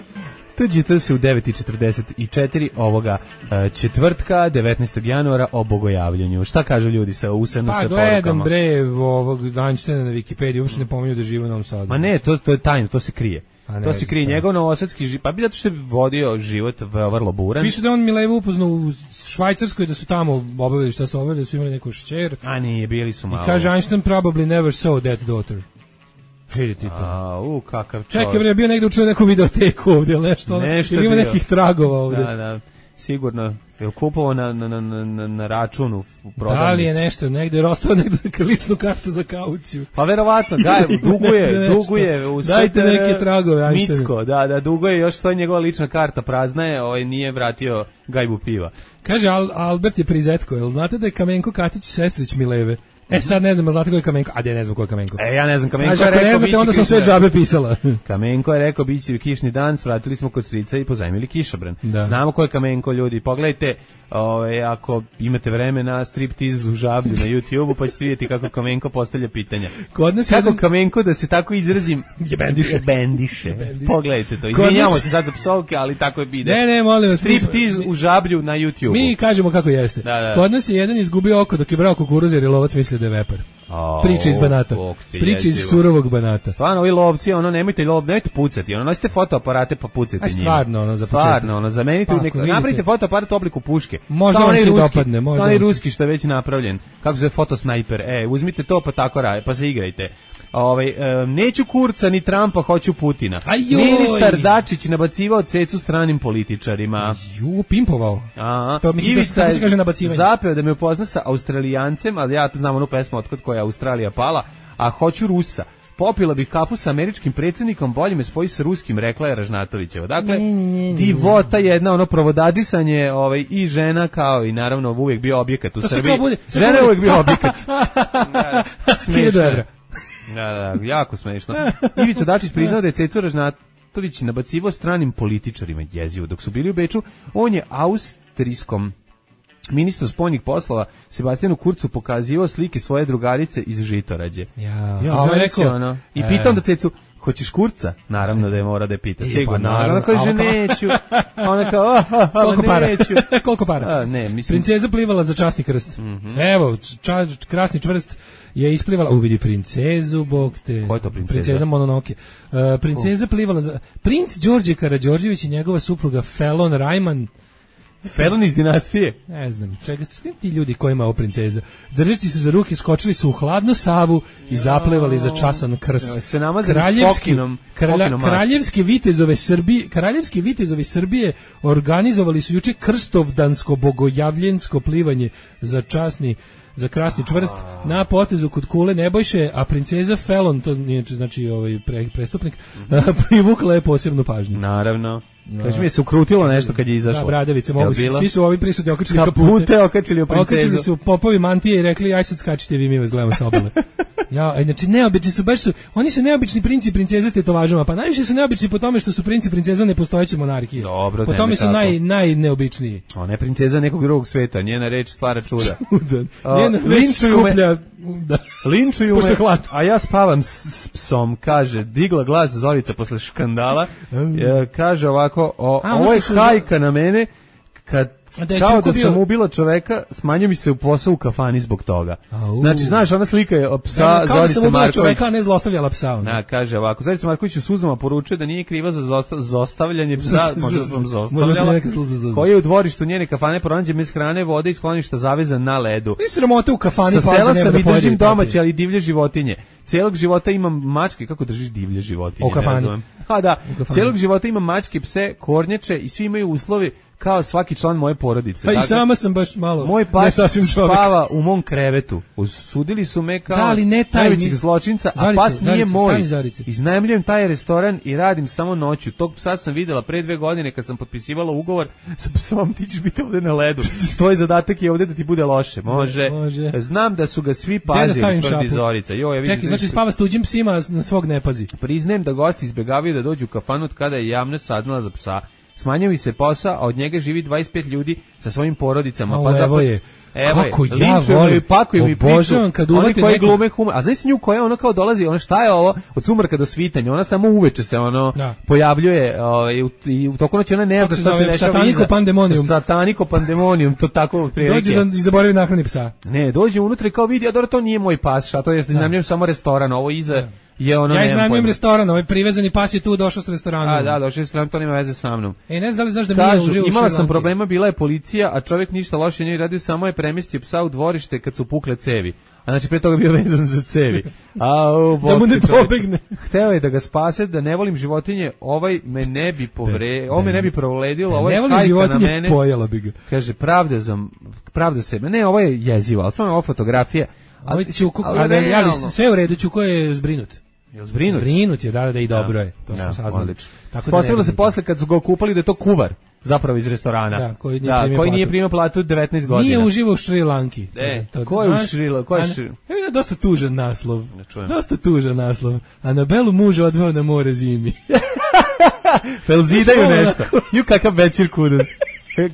Tuđite se u devet i četrdeset četiri ovoga uh, četvrtka, devetnaestog januara o bogojavljanju. Šta kažu ljudi sa U S N S porukama? Pa gledam bre ovog Einsteina na Wikipediji, uopšte ne pominju da žive u Novom Sadu. Ma ne, to, to je tajno, to se krije. Ne, to se krije, njegov novosadski život, pa bi zato što je vodio život vrlo buran. Piše da on Milevu upoznao u Švajcarskoj, da su tamo obavili šta su obavili, da su imali neku šćer. A nije, bili su malo. I kaže Einstein probably never saw that daughter. Vidite to. A, u, kakav čovjek. Čekaj, bre, bio negde učio neku videoteku ovdje, ili nešto. Nešto ili ima bio. nekih tragova ovdje. Da, da, sigurno. Je kupovao na, na, na, na, na računu u prodavnici. Da li je nešto, negde rostao negde ličnu kartu za kauciju. Pa verovatno, da, duguje, duguje. U dajte neke tragove. Micko, da, da, duguje, još stoji njegova lična karta, prazna je, ovaj nije vratio gajbu piva. Kaže, Al, Albert je prizetko, jel znate da je Kamenko Katić sestrić Mileve? E sad ne znam, znate ko je Kamenko? A de ne znam ko je Kamenko. E ja ne znam, Kamenko Kaže, je rekao, ne znate, onda sam sve džabe pisala. Kamenko je rekao, biće kišni dan, svratili smo kod strica i pozajmili kišobran. Da. Znamo ko je Kamenko, ljudi, pogledajte, ove, ako imate vreme na striptiz u Žablju na YouTubeu, pa ćete vidjeti kako Kamenko postavlja pitanja. Kod nas kako jedan... Kamenko, da se tako izrazim, je bendiše. bendiše. Pogledajte to, izvinjamo nas... se sad za psovke, ali tako je bide. Ne, ne, molim vas. Striptiz u Žablju na YouTubeu. Mi kažemo kako jeste. Da, da. Kod nas je jedan izgubio oko dok je brao kukuruz jer je lovac mislio da je vepar. Oh, Priča iz Banata. Priča iz surovog Banata. Stvarno, ovi lovci, ono, nemojte lov, nemojte pucati, ono, nosite fotoaparate pa pucajte njima. Stvarno, ono, za početak. Stvarno, ono, zamenite, pa, neko, napravite fotoaparat u obliku puške. Možda on se dopadne, možda. Onaj ruski što je već napravljen, kako se zove fotosnajper, e, uzmite to pa tako radi, pa se igrajte. Ovaj, e, neću Kurca ni Trumpa, hoću Putina. Ajoj. Ministar Dačić nabacivao cecu stranim političarima. Ju, pimpovao. A, to mislim da se kaže nabacivanje. Zapeo da me upozna sa Australijancem, ali ja znam onu pesmu Otkad koja je Australija pala, a hoću Rusa. Popila bih kafu sa američkim predsjednikom, bolje me spoji sa ruskim, rekla je Ražnatovićeva. Dakle, divota jedna, ono provodadisanje, ovaj, i žena kao i naravno uvijek bio objekat u Srbiji. Žena je uvijek bio objekat. Da, smiješno. Da, da, jako smiješno. Ivica Dačić priznao da je Cecu Ražnatović nabacivo stranim političarima jezivo. Dok su bili u Beču, on je austrijskom ministru spoljnih poslova Sebastijanu Kurcu pokazivao slike svoje drugarice iz Žitorađe. Ja, ja a rekao, ono. I pitam da Cecu, hoćeš Kurca? Naravno da je mora da je pita. Sigurno. Pa naravno. Ona kaže neću. Ona kao, ah, ah, koliko para? Neću. Koliko para? A, ne, mislim. Princeza plivala za časni krst. Mm -hmm. Evo, ča, krasni čvrst je isplivala, uvidi princezu, bog te. Ko je to princeza? Princeza Mononoke. Uh, princeza plivala za... Princ Đorđe Karađorđević i njegova supruga Felon Rajman. Felon iz dinastije? Ne znam, čega su ti ljudi kojima je ovo princeza. Držeći se za ruke, skočili su u hladnu Savu i zaplevali za časan krst. Se namazali kraljevski, fokinom, kralja, fokinom kraljevske vitezove Srbije, kraljevski vitezovi Srbije organizovali su juče krstovdansko bogojavljensko plivanje za časni za krasni čvrst na potezu kod kule Nebojše, a princeza Felon, to nije znači ovaj pre, prestupnik, privukla je posebnu pažnju. Naravno. Kaži mi je se ukrutilo nešto kad je izašlo. Da, bradavice, mogu se, svi su ovi prisutni okačili kapute, okačili o princezu. Okačili su popovi mantije i rekli, aj sad skačite vi, mi vas gledamo sa obale. Ja, znači neobični su, baš su, oni su neobični princi i princeze s tetovažama, pa najviše su neobični po tome što su princi i princeza nepostojeće monarhije. Dobro, po tome su tako. naj, najneobičniji. Ona je princeza nekog drugog sveta, njena reč stvara čuda. Čudan. Njena reč skuplja... Da. Linčuju me, a ja spavam s, s psom, kaže, digla glas Zorica posle škandala, e, kaže ovako, o, a, ovo je hajka na mene, kad Da kao da bio... sam ubila čoveka, smanjio mi se u posao u kafani zbog toga. Au. Znači, znaš, ona slika je psa da, Zorice Marković. Kao da sam ubila čoveka, a ne zlostavljala psa. Ona. Da, kaže ovako, Zorica Marković u suzama poručuje da nije kriva za zosta, zostavljanje psa, možda sam zostavljala, koji je u dvorištu njene kafane pronađe bez hrane, vode i skloništa zavezan na ledu. I sramote u kafani. Sa sela sam i držim domaće, ali divlje životinje. Cijelog života imam mačke, kako držiš divlje životinje? U kafani. Ha da, cijelog života imam mačke, pse, kornjače i svi imaju uslovi kao svaki član moje porodice. Pa dakle, i sama sam baš malo moj pas spava u mom krevetu. Usudili su me kao da, ne najvećeg zločinca, Zorice, a pas Zorice, nije moj. Zorice. Iznajmljujem taj restoran i radim samo noću. Tog psa sam videla pre dve godine kad sam potpisivala ugovor sa psom, ti ćeš biti ovde na ledu. Tvoj zadatak je ovde da ti bude loše. Može. Može. Znam da su ga svi pazili, tvrdi Zorica. Jo, ja vidim. Čekaj, znači spava s tuđim psima, na svog ne pazi. Priznajem da gosti izbegavaju da dođu u kafanu kada je javnost saznala za psa. Smanjio se posao, a od njega živi dvadeset pet ljudi sa svojim porodicama. O, pa evo zapad... je. Evo kako je, ja volim, pakuju mi obožavam kad oni koji neko... glume humor, a znaš s nju koja ono kao dolazi, ono šta je ovo, od sumraka do svitanja, ona samo uveče se ono da. pojavljuje ovaj, i u toku noći ona ne zna šta se dešava iza. Sataniko pandemonium. Sataniko pandemonium, to tako prilike. Dođe da zaboravi nahrani psa. Ne, dođe unutra i kao vidi, a dobro, to nije moj pas, a to je iznajmljujem samo restoran, ovo iza... Da. Je ono ja iznajmljujem restoran, ovaj privezani pas je tu došao s restorana. A da, došao je restoran, to nema veze sa mnom. E, ne znam da li znaš da mi Kažu, je uživo imala sam problema, bila je policija, a čovjek ništa loše nije radio, samo je premestio psa u dvorište kad su pukle cevi. A znači pre toga bio vezan za cevi. A o, da mu ne pobegne. Hteo je da ga spase, da ne volim životinje, ovaj me ne bi povre, ovo me ne bi proledilo, ovo je hajka na mene. Pojela bi ga. Kaže, pravda za pravda sebe. Ne, ovo je jezivo, al samo ova fotografija. Ali Ćuko, ali ja sve u redu, Ćuko je zbrinut. Jel zbrinut? Zbrinut je, da, da i dobro je. To ja, smo saznali. Postavilo se posle kad su ga okupali da je to kuvar, zapravo iz restorana. Da, koji nije, da, primio, koji platu. nije primio platu devetnaest godina. Nije uživao u Šri Lanki. E, ko je u Šri Lanki? Ko je Šri Lanki? Evo je dosta tužan naslov. Dosta tužan naslov. Anabelu muža odveo na more zimi. Fel zidaju nešto. Ju kakav večer kudus.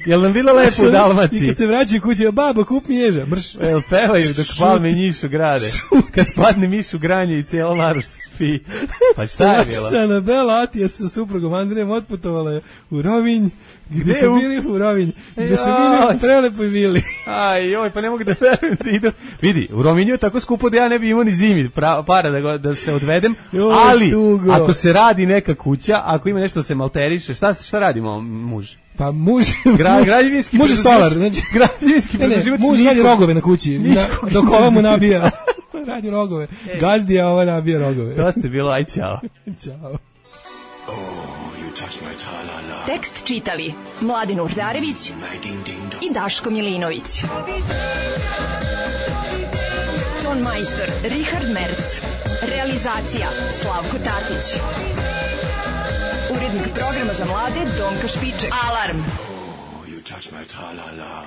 Jel nam bilo lepo u Dalmaciji? I kad se vraćaju kući, babo, kup mi ježa, mrš. Jel pevaju dok palme njišu grade. Kad padne mišu granje i cijela Maruš spi. Pa šta je bilo? Mačica Anabela Atija sa suprugom Andrejem otputovala u Rovinj, gde su bili u Rovinj, gde su bili u prelepoj vili. Aj, joj, pa ne mogu da verujem da idu. Vidi, u Rovinju je tako skupo da ja ne bi imao ni zimi pra, para da, go, da se odvedem, joj, ali tugo. Ako se radi neka kuća, ako ima nešto da se malteriše, šta, šta radimo muž? Pa muž, Gra, građevinski muž je stolar, znači građevinski predživač. Muž radi rogove na kući, na, dok ova mu nabija. Radi rogove. Ej. Gazdija ova nabija rogove. To ste bilo, aj čao. Ćao. Oh, you touch my ta-la-la. Tekst čitali Mladin Urdarević i Daško Milinović. Ton majstor Richard Merc. Realizacija Slavko Tatić. Urednik programa za mlade Donka Špiček. Alarm! Oh, you touch my ta-la-la.